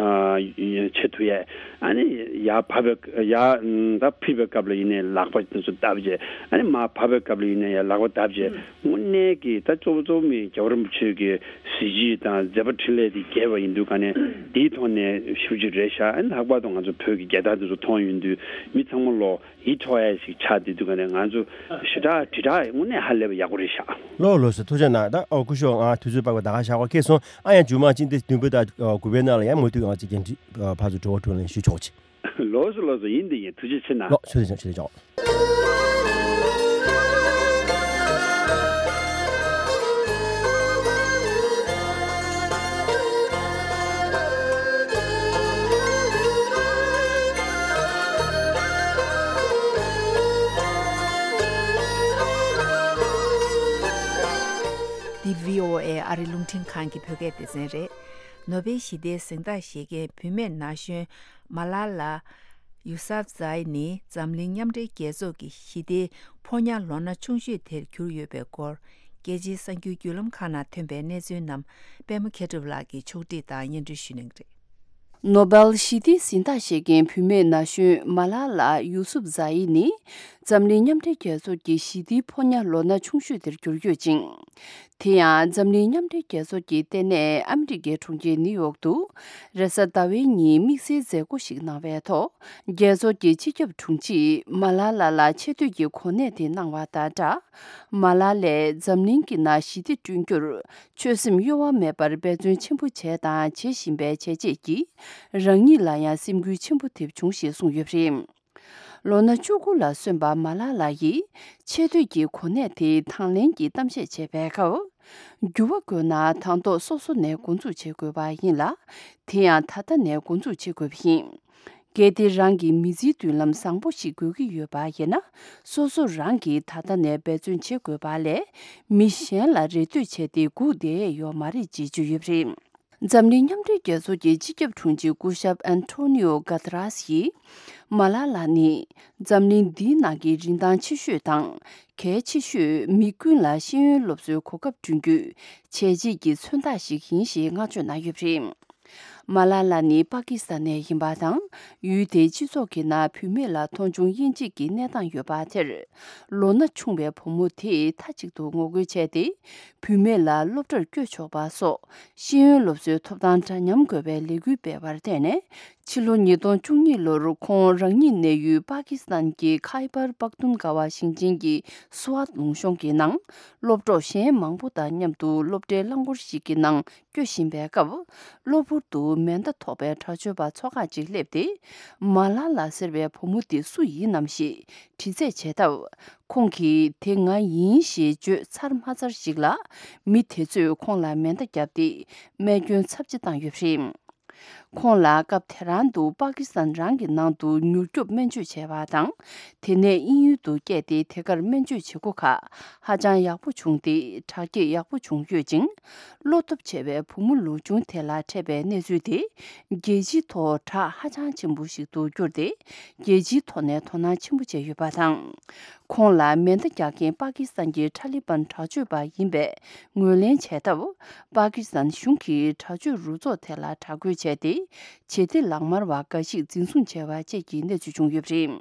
ཨ་བྱེད་ཐུབ་ཡ། ཨ་ནི་ཡར་བབས་པའི་ཡར་ད་འཕུར་བའི་སྐབས་ལ་ཡིན་ནའི་ལག་པ་དེ་ཚོ་བརྡབ་བྱས། ཨ་ནི་མར་བབས་པའི་སྐབས་ལ་ཡིན་ནའི་ཡར་ལག་པ་བརྡབ་བྱས། དངོས་གནས་ཀྱི་ད་གཙོ་བོ་གཙོ་བོ་མི་རྒྱལ་བ་རིན་པོ་ཆེ་གི་གཟི་བརྗིད་དང་མཛད་པ་འཕྲིན་ལས་དེ་རྒྱས་པ་ཡིན་དུས་ག་ནས་དེའི་ཐོག་ནས་ཞེ་པོ་ཅིག་རེད་ཤག་ཨ་ནི་ལྷག་པར་དུ་ང་ཚོ་བོད་ཀྱི་རྒྱལ་དར་དེ་ཚོ་མཐོང་ཡོང་དུས་མི་ཚང་མ་ལོ་ཡིད་འཕྲོག་ཡ་ཞིག་ཆགས་བསྡད་དུས་ག་ནས་ང་ཚོ་ཞེ་དྲག་དྲིལ་བསྒྲགས་དངོས་གནས་ཧ་ལས་པ་ཡག་པོ་རེད་ཤག་ལགས་ལགས་སོ། ཐུགས་རྗེ་གནང་། ད་ཨོ་སྐུ་ཞབས་ང་དུས་ཚོད་དཔག་པའི་ད་ག་ཞག་པ་སྐྱེས་སོང་། ཨ་ཡ་མཇུག་མ་སྤྱི་ཟླ་བདུན་པའི་ད་དགུ་པའི་ནང་ལ་ཡང་མུ་མཐུད་ང་ཚོ་འགན་འཁྲི་ཕར་ཚུར་དྲི་བ་དྲིས་ལན་ཞུ་ཆོག་ཅིག་ལགས་སོ་ལགས་སོ། ཡིན་དེ་ཡིན། ཐུགས་རྗེ་ཆེ་གནང་། ལགས་ཆེ་ཆེ་ཆེ་ཆོག་འདི་བྷི་ཨོ་ཨེ་ཨ་རི་རླུང་འཕྲིན་ཁང་གི་བོད་སྐད་སྡེ་ཚན་རེད། ནོ་བེལ་ཞི་བདེའི་གཟེངས་རྟགས་བཞེས་མཁན་བུད་མེད་ན་གཞོན་མ་ལ་ལ་ཡུ་སབ་ཛའི་ནི་འཛམ་གླིང་མཉམ་འབྲེལ་རྒྱལ་ཚོགས་ཀྱི་ཞི་བདེའི་ཕོ་ཉ་ལོ་ན་ཆུང་ཤོས་དེར་གྱུར་ཡོད་པའི་སྐོར། རྒྱལ་སྤྱིའི་གསར་འགྱུར་བརྒྱུད་ལམ་ཁག་ནང་ཐོན་པའི་གནས་ཚུལ་རྣམས་པད་མ་མཁས་གྲུབ་ལགས་ཀྱིས་ཕྱོགས་སྒྲིག་དང་སྙན་སྒྲོན་ཞུ་གནང་གི་རེད། ནོ་བེལ་ཞི་བདེའི་གཟེངས་རྟགས་བཞེས་མཁན་བུད་མེད་ན་གཞོན་མ་ལ་ལ་ཡུ་སུབ་ཛ་ཡི་ནི་འཛམ་གླིང་མཉམ་འབྲེལ་རྒྱལ་ཚོགས་ཀྱི་ཞི་བདེའི་ཕོ་ཉ་ལོ་ན་ཆུང་ཤོས་དེར་གྱུར་ཡོད་ཅིང་། དེ་ཡང་འཛམ་གླིང་མཉམ་འབྲེལ་རྒྱལ་ཚོགས་ཀྱི་ལྟེ་གནས་ཨ་མི་རི་ཀའི་གྲོང་ཁྱེར་ནིའུ་ཡོག་ཏུ་རེས་གཟའ་ཟླ་བའི་ཉིན་དམིགས་བསལ་མཛད་སྒོ་ཞིག་གནང་བའི་ཐོག་རྒྱལ་ཚོགས་ཀྱི་སྤྱི་ཁྱབ་དྲུང་ཆེས་མ་ལ་ལ་ལ་ཆེ་བསྟོད་ཀྱི་གོ་གནས་དེ་གནང་བ་དང་སྦྲགས། མ་ལ་ལས་འཛམ་གླིང་གི་ནང་ཞི་བདེ་བསྐྲུན་རྒྱུར་ཆོད་སེམས་གཡོ་བ་མེད་པར་འབད་བརྩོན་ཆེན་པོ་བྱས་དང་བྱེད་བཞིན་པའི་བྱས་རྗེས་ཀྱིས་རང་ཉིད་ལ་ཡང་སེམས་འགུལ་ཆེན་པོ་ཐེབས་བྱུང་ཞེས་གསུངས་ཡོད་པ་རེད། ལོ་ན་བཅུ་དགུ་ལ་སོན་པ་མ་ལ་ལ་ཡིས་ཆེ་བསྟོད་ཀྱི་གོ་གནས་དེ་དང་ལེན་གྱིས་གཏམ་བཤད་བྱས་པའི་སྐབས། འགྱུར་བ་དགོས་ན་དང་ཐོག་སོ་སོ་ནས་འགོ་འཛུགས་བྱེད་དགོས་པ་ཡིན་ལ། དེ་ཡང་ད་ལྟ་ནས་འགོ་འཛུགས་བྱེད་དགོས་པ་ཡིན། གལ་ཏེ་རང་གི་མི་ཚེའི་མདུན་ལམ་བཟང་པོ་ཞིག་དགོས་ཀྱི་ཡོད་པ་ཡིན་ན། སོ་སོ་རང་གིས་ད་ལྟ་ནས་འབད་བརྩོན་བྱེད་དགོས་པ་ལས། མི་གཞན་ལ་རེ་ལྟོས་བྱས་ཏེ་སྒུག་བསྡད་ཡས་ཡོད་མ་རེད་ཅེས་བརྗོད་ཡོད་པ་རེད། འཛམ་གླིང་མཉམ་འབྲེལ་རྒྱལ་ཚོགས་ཀྱི་སྤྱི་ཁྱབ་དྲུང་ཆེ་སྐུ་ཞབས་ཨན་ཐོ་ནིའོ་གྷ་ཏ་རཱས་ཡིས། མ་ལ་ལ་ནི་འཛམ་གླིང་འདིའི་ནང་གི་རིན་ཐང་ཆེ་ཤོས་དང་། གལ་ཆེ་ཤོས་མི་ཀུན་ལ་ཤེས་ཡོན་སློབ་གསོའི་གོ་སྐབས་བསྐྲུན་རྒྱུའི་བྱས་རྗེས་ཀྱི་མཚོན་རྟགས་ཤིག་ཡིན་ཞེས་བསྔགས་བརྗོད་གནང་ཡོད་པ་རེད། མ་ལ་ལ་ནི་པ་ཀི་སི་ཐན་ནས་ཡིན་པ་དང་། ཡུལ་དེའི་སྤྱི་ཚོགས་ཀྱི་ནང་བུད་མེད་ལ་མཐོང་ཆུང་དབྱེ་འབྱེད་ཀྱི་གནས་སྟངས་ཡོད་པ་དེར། ལོ་ན་ཆུང་བའི་བུ་མོ་དེས་མཐའ་གཅིག་ཏུ་ངོ་རྒོལ་བྱས་ཏེ། བུད་མེད་ལ་སློབ་གྲྭར་བསྐྱོད་ཆོག་པ་སོགས་ཤེས་ཡོན་སློབ་གསོའི་ཐོབ་ཐང་འདྲ་མཉམ་དགོས་པའི་ལས་འགུལ་སྤེལ་བར་བརྟེན་ནས། ཕྱི་ལོ་ཉིས་སྟོང་བཅུ་གཉིས་ལོར་ཁོང་རང་ཉིད་གནས་ཡུལ་པ་ཀི་སི་ཐན་གྱི་ཁའི་པར་པག་ཏུན་གྷ་བ་ཞིང་ཆེན་གྱི་སུ་ཝཱད་ལུང་གཤོང་གི་ནང་། སློབ་གྲོགས་གཞན་མང་པོ་དང་མཉམ་དུ་སློབ་གྲྭའི་རླངས་འཁོར་ཞིག་གི་ནང་། སྐྱོད་བཞིན་པའི་སྐབས། གློ་བུར་དུ་མེ་མདའ་ཐོགས་པའི་དྲག་སྤྱོད་པ་ཚོ་ཁག་ཅིག་སླེབས་ཏེ། མ་ལ་ལ་ཟེར་བའི་བུ་མོ་འདི་སུ་ཡིན་ནམ་ཞེས་དྲི་རྩད་བྱས་སྟབས། ཁོང་གིས་དེ་ང་ཡིན་ཞེས་བརྗོད་ཚར་མ་ཚར་ཞིག་ལ། མི་དེ་ཚོས་ཁོང་ལ་མེ་མདའ་བརྒྱབ་སྟེ། རྨས་སྐྱོན་ཚབས་ཆེ་བཏང་ཡོད་པ་རེད། ཁོང་ལ་སྐབས་དེ་རང་དུ་པ་ཀི་སི་ཐན་རང་གི་ནང་དུ་མྱུར་སྐྱོབ་སྨན་བཅོས་བྱས་པ་དང་། དེ་ནས་དབྱིན་ཡུལ་དུ་བསྐྱལ་ཏེ་དེ་གར་སྨན་བཅོས་བྱེད་སྒོ་ཁག་ཧ་ཅང་ཡག་པོ་བྱུང་སྟེ་དྲག་སྐྱེད་ཡག་པོ་བྱུང་ཡོད་ཅིང་། བློ་སྟོབས་ཆེ་བའི་བུ་མོ་ལོ་ཆུང་དེ་ལ་འཕྲད་པའི་གནས་ཚུལ་དེ་རྒྱལ་སྤྱིའི་ཐོག་གྲགས་ཧ་ཅང་ཆེན་པོ་ཞིག་ཏུ་གྱུར་ཏེ། རྒྱལ་སྤྱིའི་ཐོག་ནས་དོ་སྣང་ཆེན་པོ་བྱས་ཡོད་པ་དང་། ཁོང་ལ་མེ་མདའ་རྒྱག་མཁན་པ་ཀི་སི་ཐན་གྱི་ཐ་ལི་བན་དྲག་སྤྱོད་པ་ཡིན་པའི་ངོས་ལེན་བྱས་སྟབས། པ་ཀི་སི་ཐན་གཞུང་གིས་དྲག་སྤྱོད་རུ་ཚོགས་དེ་ལ་དྲག་རྒོལ་བྱས་ཏེ། བྱེད་གཏེ་ལག་དམར་བ་འགའ་ཞིག་འཛིན་བཟུང་བྱས་པ་བཅས་ཀྱི་གནས་ཚུལ་བྱུང་ཡོད་པ་རེད།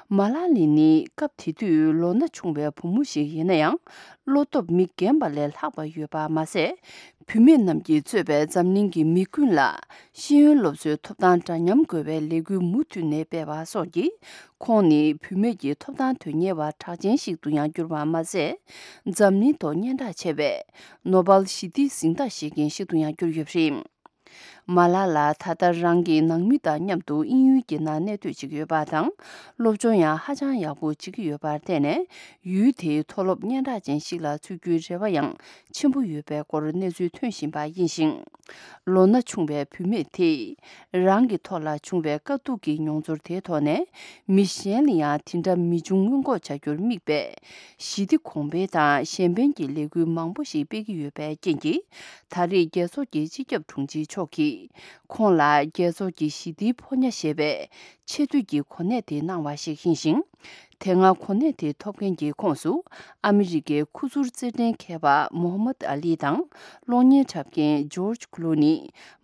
མ་ལ་ལི་ནི་སྐབས་དེ་དུས་ལོ་ན་ཆུང་བའི་བུ་མོ་ཞིག་ཡིན་ན་ཡང་། བློ་སྟོབས་མི་རྒན་པ་ལས་ལྷག་པ་ཡོད་པ་མ་ཟད། བུད་མེད་རྣམས་ཀྱིས་གཙོས་པའི་འཛམ་གླིང་གི་མི་ཀུན་ལ་ཤེས་ཡོན་སློབ་གསོའི་ཐོབ་ཐང་འདྲ་མཉམ་དགོས་པའི་ལས་འགུལ་མུ་མཐུད་ནས་སྤེལ་བ་སོགས་ཀྱིས། ཁོང་ནི་བུད་མེད་ཀྱི་ཐོབ་ཐང་དོན་གཉེར་བ་གྲགས་ཅན་ཞིག་ཏུ་ཡང་གྱུར་པ་མ་ཟད། འཛམ་གླིང་ཐོག་སྙན་གྲགས་ཆེ་བའི་ནོ་བེལ་ཞི་བདེའི་གཟེངས་རྟགས་བཞེས་མཁན་ཞིག་ཏུ་ཡང་གྱུར་ཡོད་པ་རེད། མ་ལ་ལ་ད་ལྟ་རང་གི་ནང་མི་དང་མཉམ་དུ་དབྱིན་ཡུལ་གྱི་ནང་གནས་སྡོད་བྱེད་ཀྱི་ཡོད་པ་དང་། སློབ་སྦྱོང་ཡང་ཧ་ཅང་ཡག་པོ་བྱེད་ཀྱི་ཡོད་པར་བརྟེན་ནས། ཡུལ་དེའི་མཐོ་སློབ་སྙན་གྲགས་ཅན་ཞིག་ལ་ཚུད་རྒྱུའི་རེ་བ་ཡང་ཆེན་པོ་ཡོད་པའི་སྐོར་གནས་ཚུལ་ཐོན་བཞིན་པ་ཡིན་ཞིང་། ལོ་ན་ཆུང་བའི་བུད་མེད་དེས་རང་གི་ཐོག་ལ་བྱུང་བའི་དཀའ་སྡུག་གི་མྱོང་ཚོར་དེའི་ཐོག་ནས། མི་གཞན་ལ་ཡང་དེ་འདྲ་མི་འབྱུང་སྔོན་འགོག་བྱ་རྒྱུར་དམིགས་པའི་ཞི་བདེ་གོང་འཕེལ་དང་གཞན་ཕན་གྱི་ལས་འགུལ་མང་པོ་ཞིག་སྤེལ་གྱི་ཡོད་པའི་རྐྱེན་གྱིས། ད་རེས་རྒྱལ་ཚོགས་ཀྱི་སྤྱི་ཁྱབ་དྲུང་ཆེ་མཆོག་གིས་ཁོང་ལ་རྒྱལ་ཚོགས་ཀྱི་ཞི་བདེའི་ཕོ་ཉ་ཞེས་པའི་ཆེ་བསྟོད་ཀྱི་གོ་གནས་དེ་གནང་བ་ཞིག་ཡིན་ཞིང་། དེ་སྔ་གོ་གནས་དེ་ཐོབ་མཁན་གྱི་ཁོངས་སུ་ཨ་མི་རི་ཀའི་ཁུ་ཚུར་རྩེད་འགྲན་མཁས་པ་མོ་ཧམ་མད་ཨ་ལི་དང་། གློག་བརྙན་འཁྲབ་མཁན་ཇོརྗ་ཀུ་ལུ་ནི།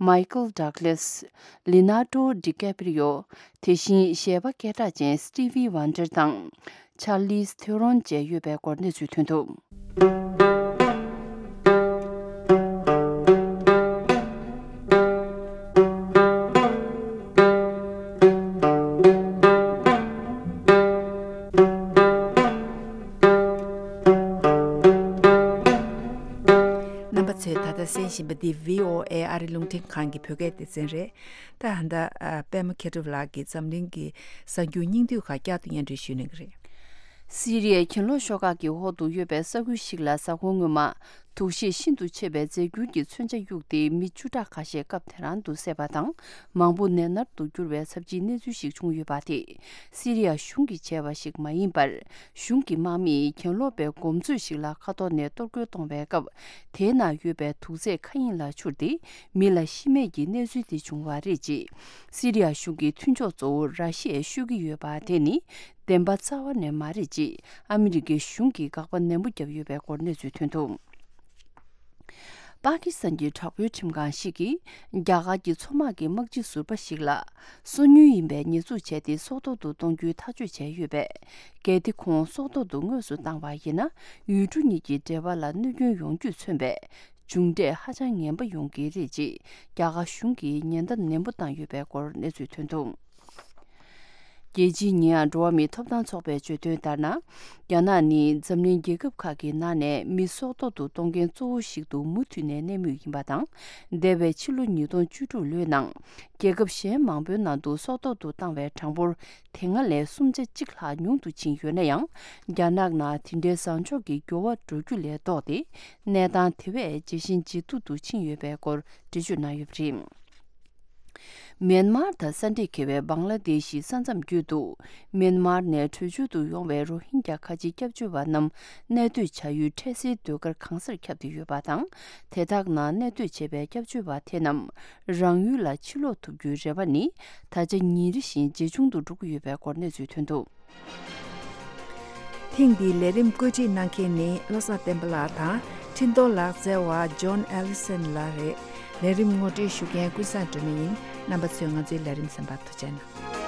མའི་ཀལ་ཌག་ལེས། ལི་ན་ཌོ་ཌི་ཀེ་པི་རི་ཡོ། དེ་བཞིན་གཞས་པ་སྐད་གྲགས་ཅན་སི་ཊི་ཝི་ཝན་ཌར་དང་། ཆར་ལིས་ཐེ་རོན་བཅས་ཡོད་པའི་སྐོར་གནས་ཚུལ་ཐོན་འདུག་རྣམ་པ་ཚོས་ད་ལྟ་གསན་བཞིན་པ་འདི་བྷི་ཨོ་ཨེ་ཨ་རི་རླུང་འཕྲིན་ཁང་གི་བོད་སྐད་སྡེ་ཚན་རེད། ད་ད་ལྟ་ཨ། པད་མ་མཁས་གྲུབ་ལགས་ཀྱིས་འཛམ་གླིང་གི་གསར་འགྱུར་སྙིང་བསྡུས་ཁག་བསྐྱར་དུ་སྙན་སྒྲོན་ཞུ་གནང་གི་རེད། སི་རི་ཡའི་གྱེན་ལོག་ཤོག་ཁག་གི་འོག་ཏུ་ཡོད་པའི་ས་ཁུལ་ཞིག་ལ་གཟའ་འཁོར་སྔོན་མ། དུག་ཤེད་ཤིན་ཏུ་ཆེ་བའི་རྫས་འགྱུར་གྱི་མཚོན་ཆ་གཡུགས་ཏེ་མི་བཅུ་ཕྲག་ཁ་ཤས་སྐབས་དེ་རང་དུ་བསད་པ་དང་། མང་པོ་ནད་མནར་དུ་གྱུར་བའི་ཚབས་ཆེའི་གནས་ཚུལ་ཞིག་བྱུང་ཡོད་པ་དེ། སི་རི་ཡ་གཞུང་གིས་བྱས་པ་ཞིག་མ་ཡིན་པར། གཞུང་གི་དམག་མིས་གྱེན་ལོག་པའི་གོམས་སྲོལ་ཞིག་ལ་ཁ་ཐོར་ནས་གཏོར་རྒོལ་གཏོང་བའི་སྐབས། དེའི་ནང་ཡོད་པའི་དུག་རྫས་མཁའ་དབྱིངས་ལ་འཕྱུར་ཏེ། མི་ལ་ཤི་རྨས་ཀྱི་གནས་ཚུལ་དེ་བྱུང་བ་རེད། ཅེས་སི་རི་ཡ་གཞུང་གི་མཐུན་ཕྱོགས་གཙོ་བོ་ར་ཤི་ཡས་ཤོད་ཀྱི་ཡོད་པ་དེ་ནི། བདེན་པ་རྩ་བ་ནས་མ་རེད། ཅེས་ཨ་མི་རི་ཀའི་གཞུང་གིས་དགག་པ་ནན་པོ་བརྒྱབ་ཡོད་པའི་སྐོར་གནས་ཚུལ་ཐོན་འདུག་པ་ཀི་སི་ཐན་གྱི་དྲག་པོའི་ཁྲིམས་ཁང་ཞིག་གིས། རྒྱ་གར་གྱི་མཚོ་དམག་གི་དམག་སྤྱི་ཟུར་པ་ཞིག་ལ། སོ་ཉུལ་ཡིན་པའི་ཉེས་འཛུགས་བྱས་ཏེ། སྲོག་ཐོག་ཏུ་གཏོང་རྒྱུའི་ཐག་གཅོད་བྱས་ཡོད་པས། གལ་ཏེ་ཁོང་སྲོག་ཐོག་ཏུ་དངོས་སུ་བཏང་བ་ཡིན་ན། ཡུལ་གྲུ་གཉིས་ཀྱི་འབྲེལ་བ་ལ་གནོད་སྐྱོན་ཡོང་རྒྱུས་མཚོན་པའི་མཇུག་འབྲས་ཧ་ཅང་ངན་པ་ཡོང་གི་རེད། ཅེས་རྒྱ་གར་གཞུང་གིས་ཉེན་བརྡ་ནན་པོ་བཏང་ཡོད་པའི་སྐོར་གནས་ཚུལ་ཐོན་འདུག་རྒྱལ་སྤྱིའི་ཉེ་ཡངས་འགྲོ་བ་མིའི་ཐོབ་ཐང་ཚོགས་པས་བརྗོད་དོན་ལྟར་ན། རྒྱ་ནག་ནི་འཛམ་གླིང་རྒྱལ་ཁབ་ཁག་གི་ནང་ནས་མི་སྲོག་ཐོག་ཏུ་གཏོང་མཁན་གཙོ་བོ་ཞིག་ཏུ་མུ་མཐུད་ནས་གནས་མུས་ཡིན་པ་དང་། འདས་པའི་ཕྱི་ལོ་ཉིས་སྟོང་བཅུ་དྲུག་ལོའི་ནང་། རྒྱལ་ཁབ་གཞན་མང་པོའི་ནང་དུ་སྲོག་ཐོག་ཏུ་བཏང་བའི་གྲངས་འབོར་དེ་སྔ་ལས་སུམ་ཆ་གཅིག་ལྷག་ཉུང་དུ་ཕྱིན་ཡོད་ན་ཡང་། རྒྱ་ནག་ནང་དེ་འདྲའི་བཟང་ཕྱོགས་ཀྱི་འགྱུར་བ་འགྲོ་རྒྱུ་ལས་ལྡོག་སྟེ། གནས་སྟངས་དེ་བས་ཇེ་ཞན་ཇེ་སྡུག་ཏུ་ཕྱིན་ཡོད་པའི་སྐོར་འགྲེལ་བརྗོད་གནང་ཡོད་པ་རེད། མེན་མར་དང་ས་འདྲེས་འཁེལ་བའི་བང་ལ་དེ་ཤི་ས་མཚམས་བརྒྱུད་དུ། མེན་མར་ནས་བྲོས་བྱོལ་དུ་ཡོང་བའི་རོ་ཧིན་རྒྱ་ཁ་ཆེའི་སྐྱབས་བཅོལ་བ་རྣམས་གནས་སྡོད་བྱ་ཡུལ་འཕྲལ་སེལ་སྡོད་སྒར་གང་སར་ཁྱབ་སྟེ་ཡོད་པ་དང་། དེ་དག་ནང་གནས་སྡོད་བྱས་པའི་སྐྱབས་བཅོལ་བ་དེ་རྣམས་རང་ཡུལ་ལ་ཕྱིར་ལོག་ཐུབ་རྒྱུའི་རེ་བ་ནི་ད་ཆ་ཉིན་རེ་བཞིན་ཇེ་ཆུང་དུ་འགྲོ་གི་ཡོད་པའི་སྐོར་གནས་ཚུལ་ཐོན་འདུག་ཐེངས་འདིའི་ལས་རིམ་བཀོད་སྒྲིག་གནང་མཁན་ནི་བློ་བཟང་བསྟན་པ་ལགས་དང་། འཕྲིན་གཏོང་ལག་རྩལ་བ་ཇོན་ཨེ་ལི་སན་ལགས་རེད། ལས་རིམ་ངོ་སྤྲོད་ཞུ་མཁན་ཀུན་བཟང་སྒྲོལ་མ་ཡིན། རྣམ་པ་ཚོས་ང་ཚོའི་ལས་རིམ་གསན་པར་ཐུགས་རྗེ་གནང་།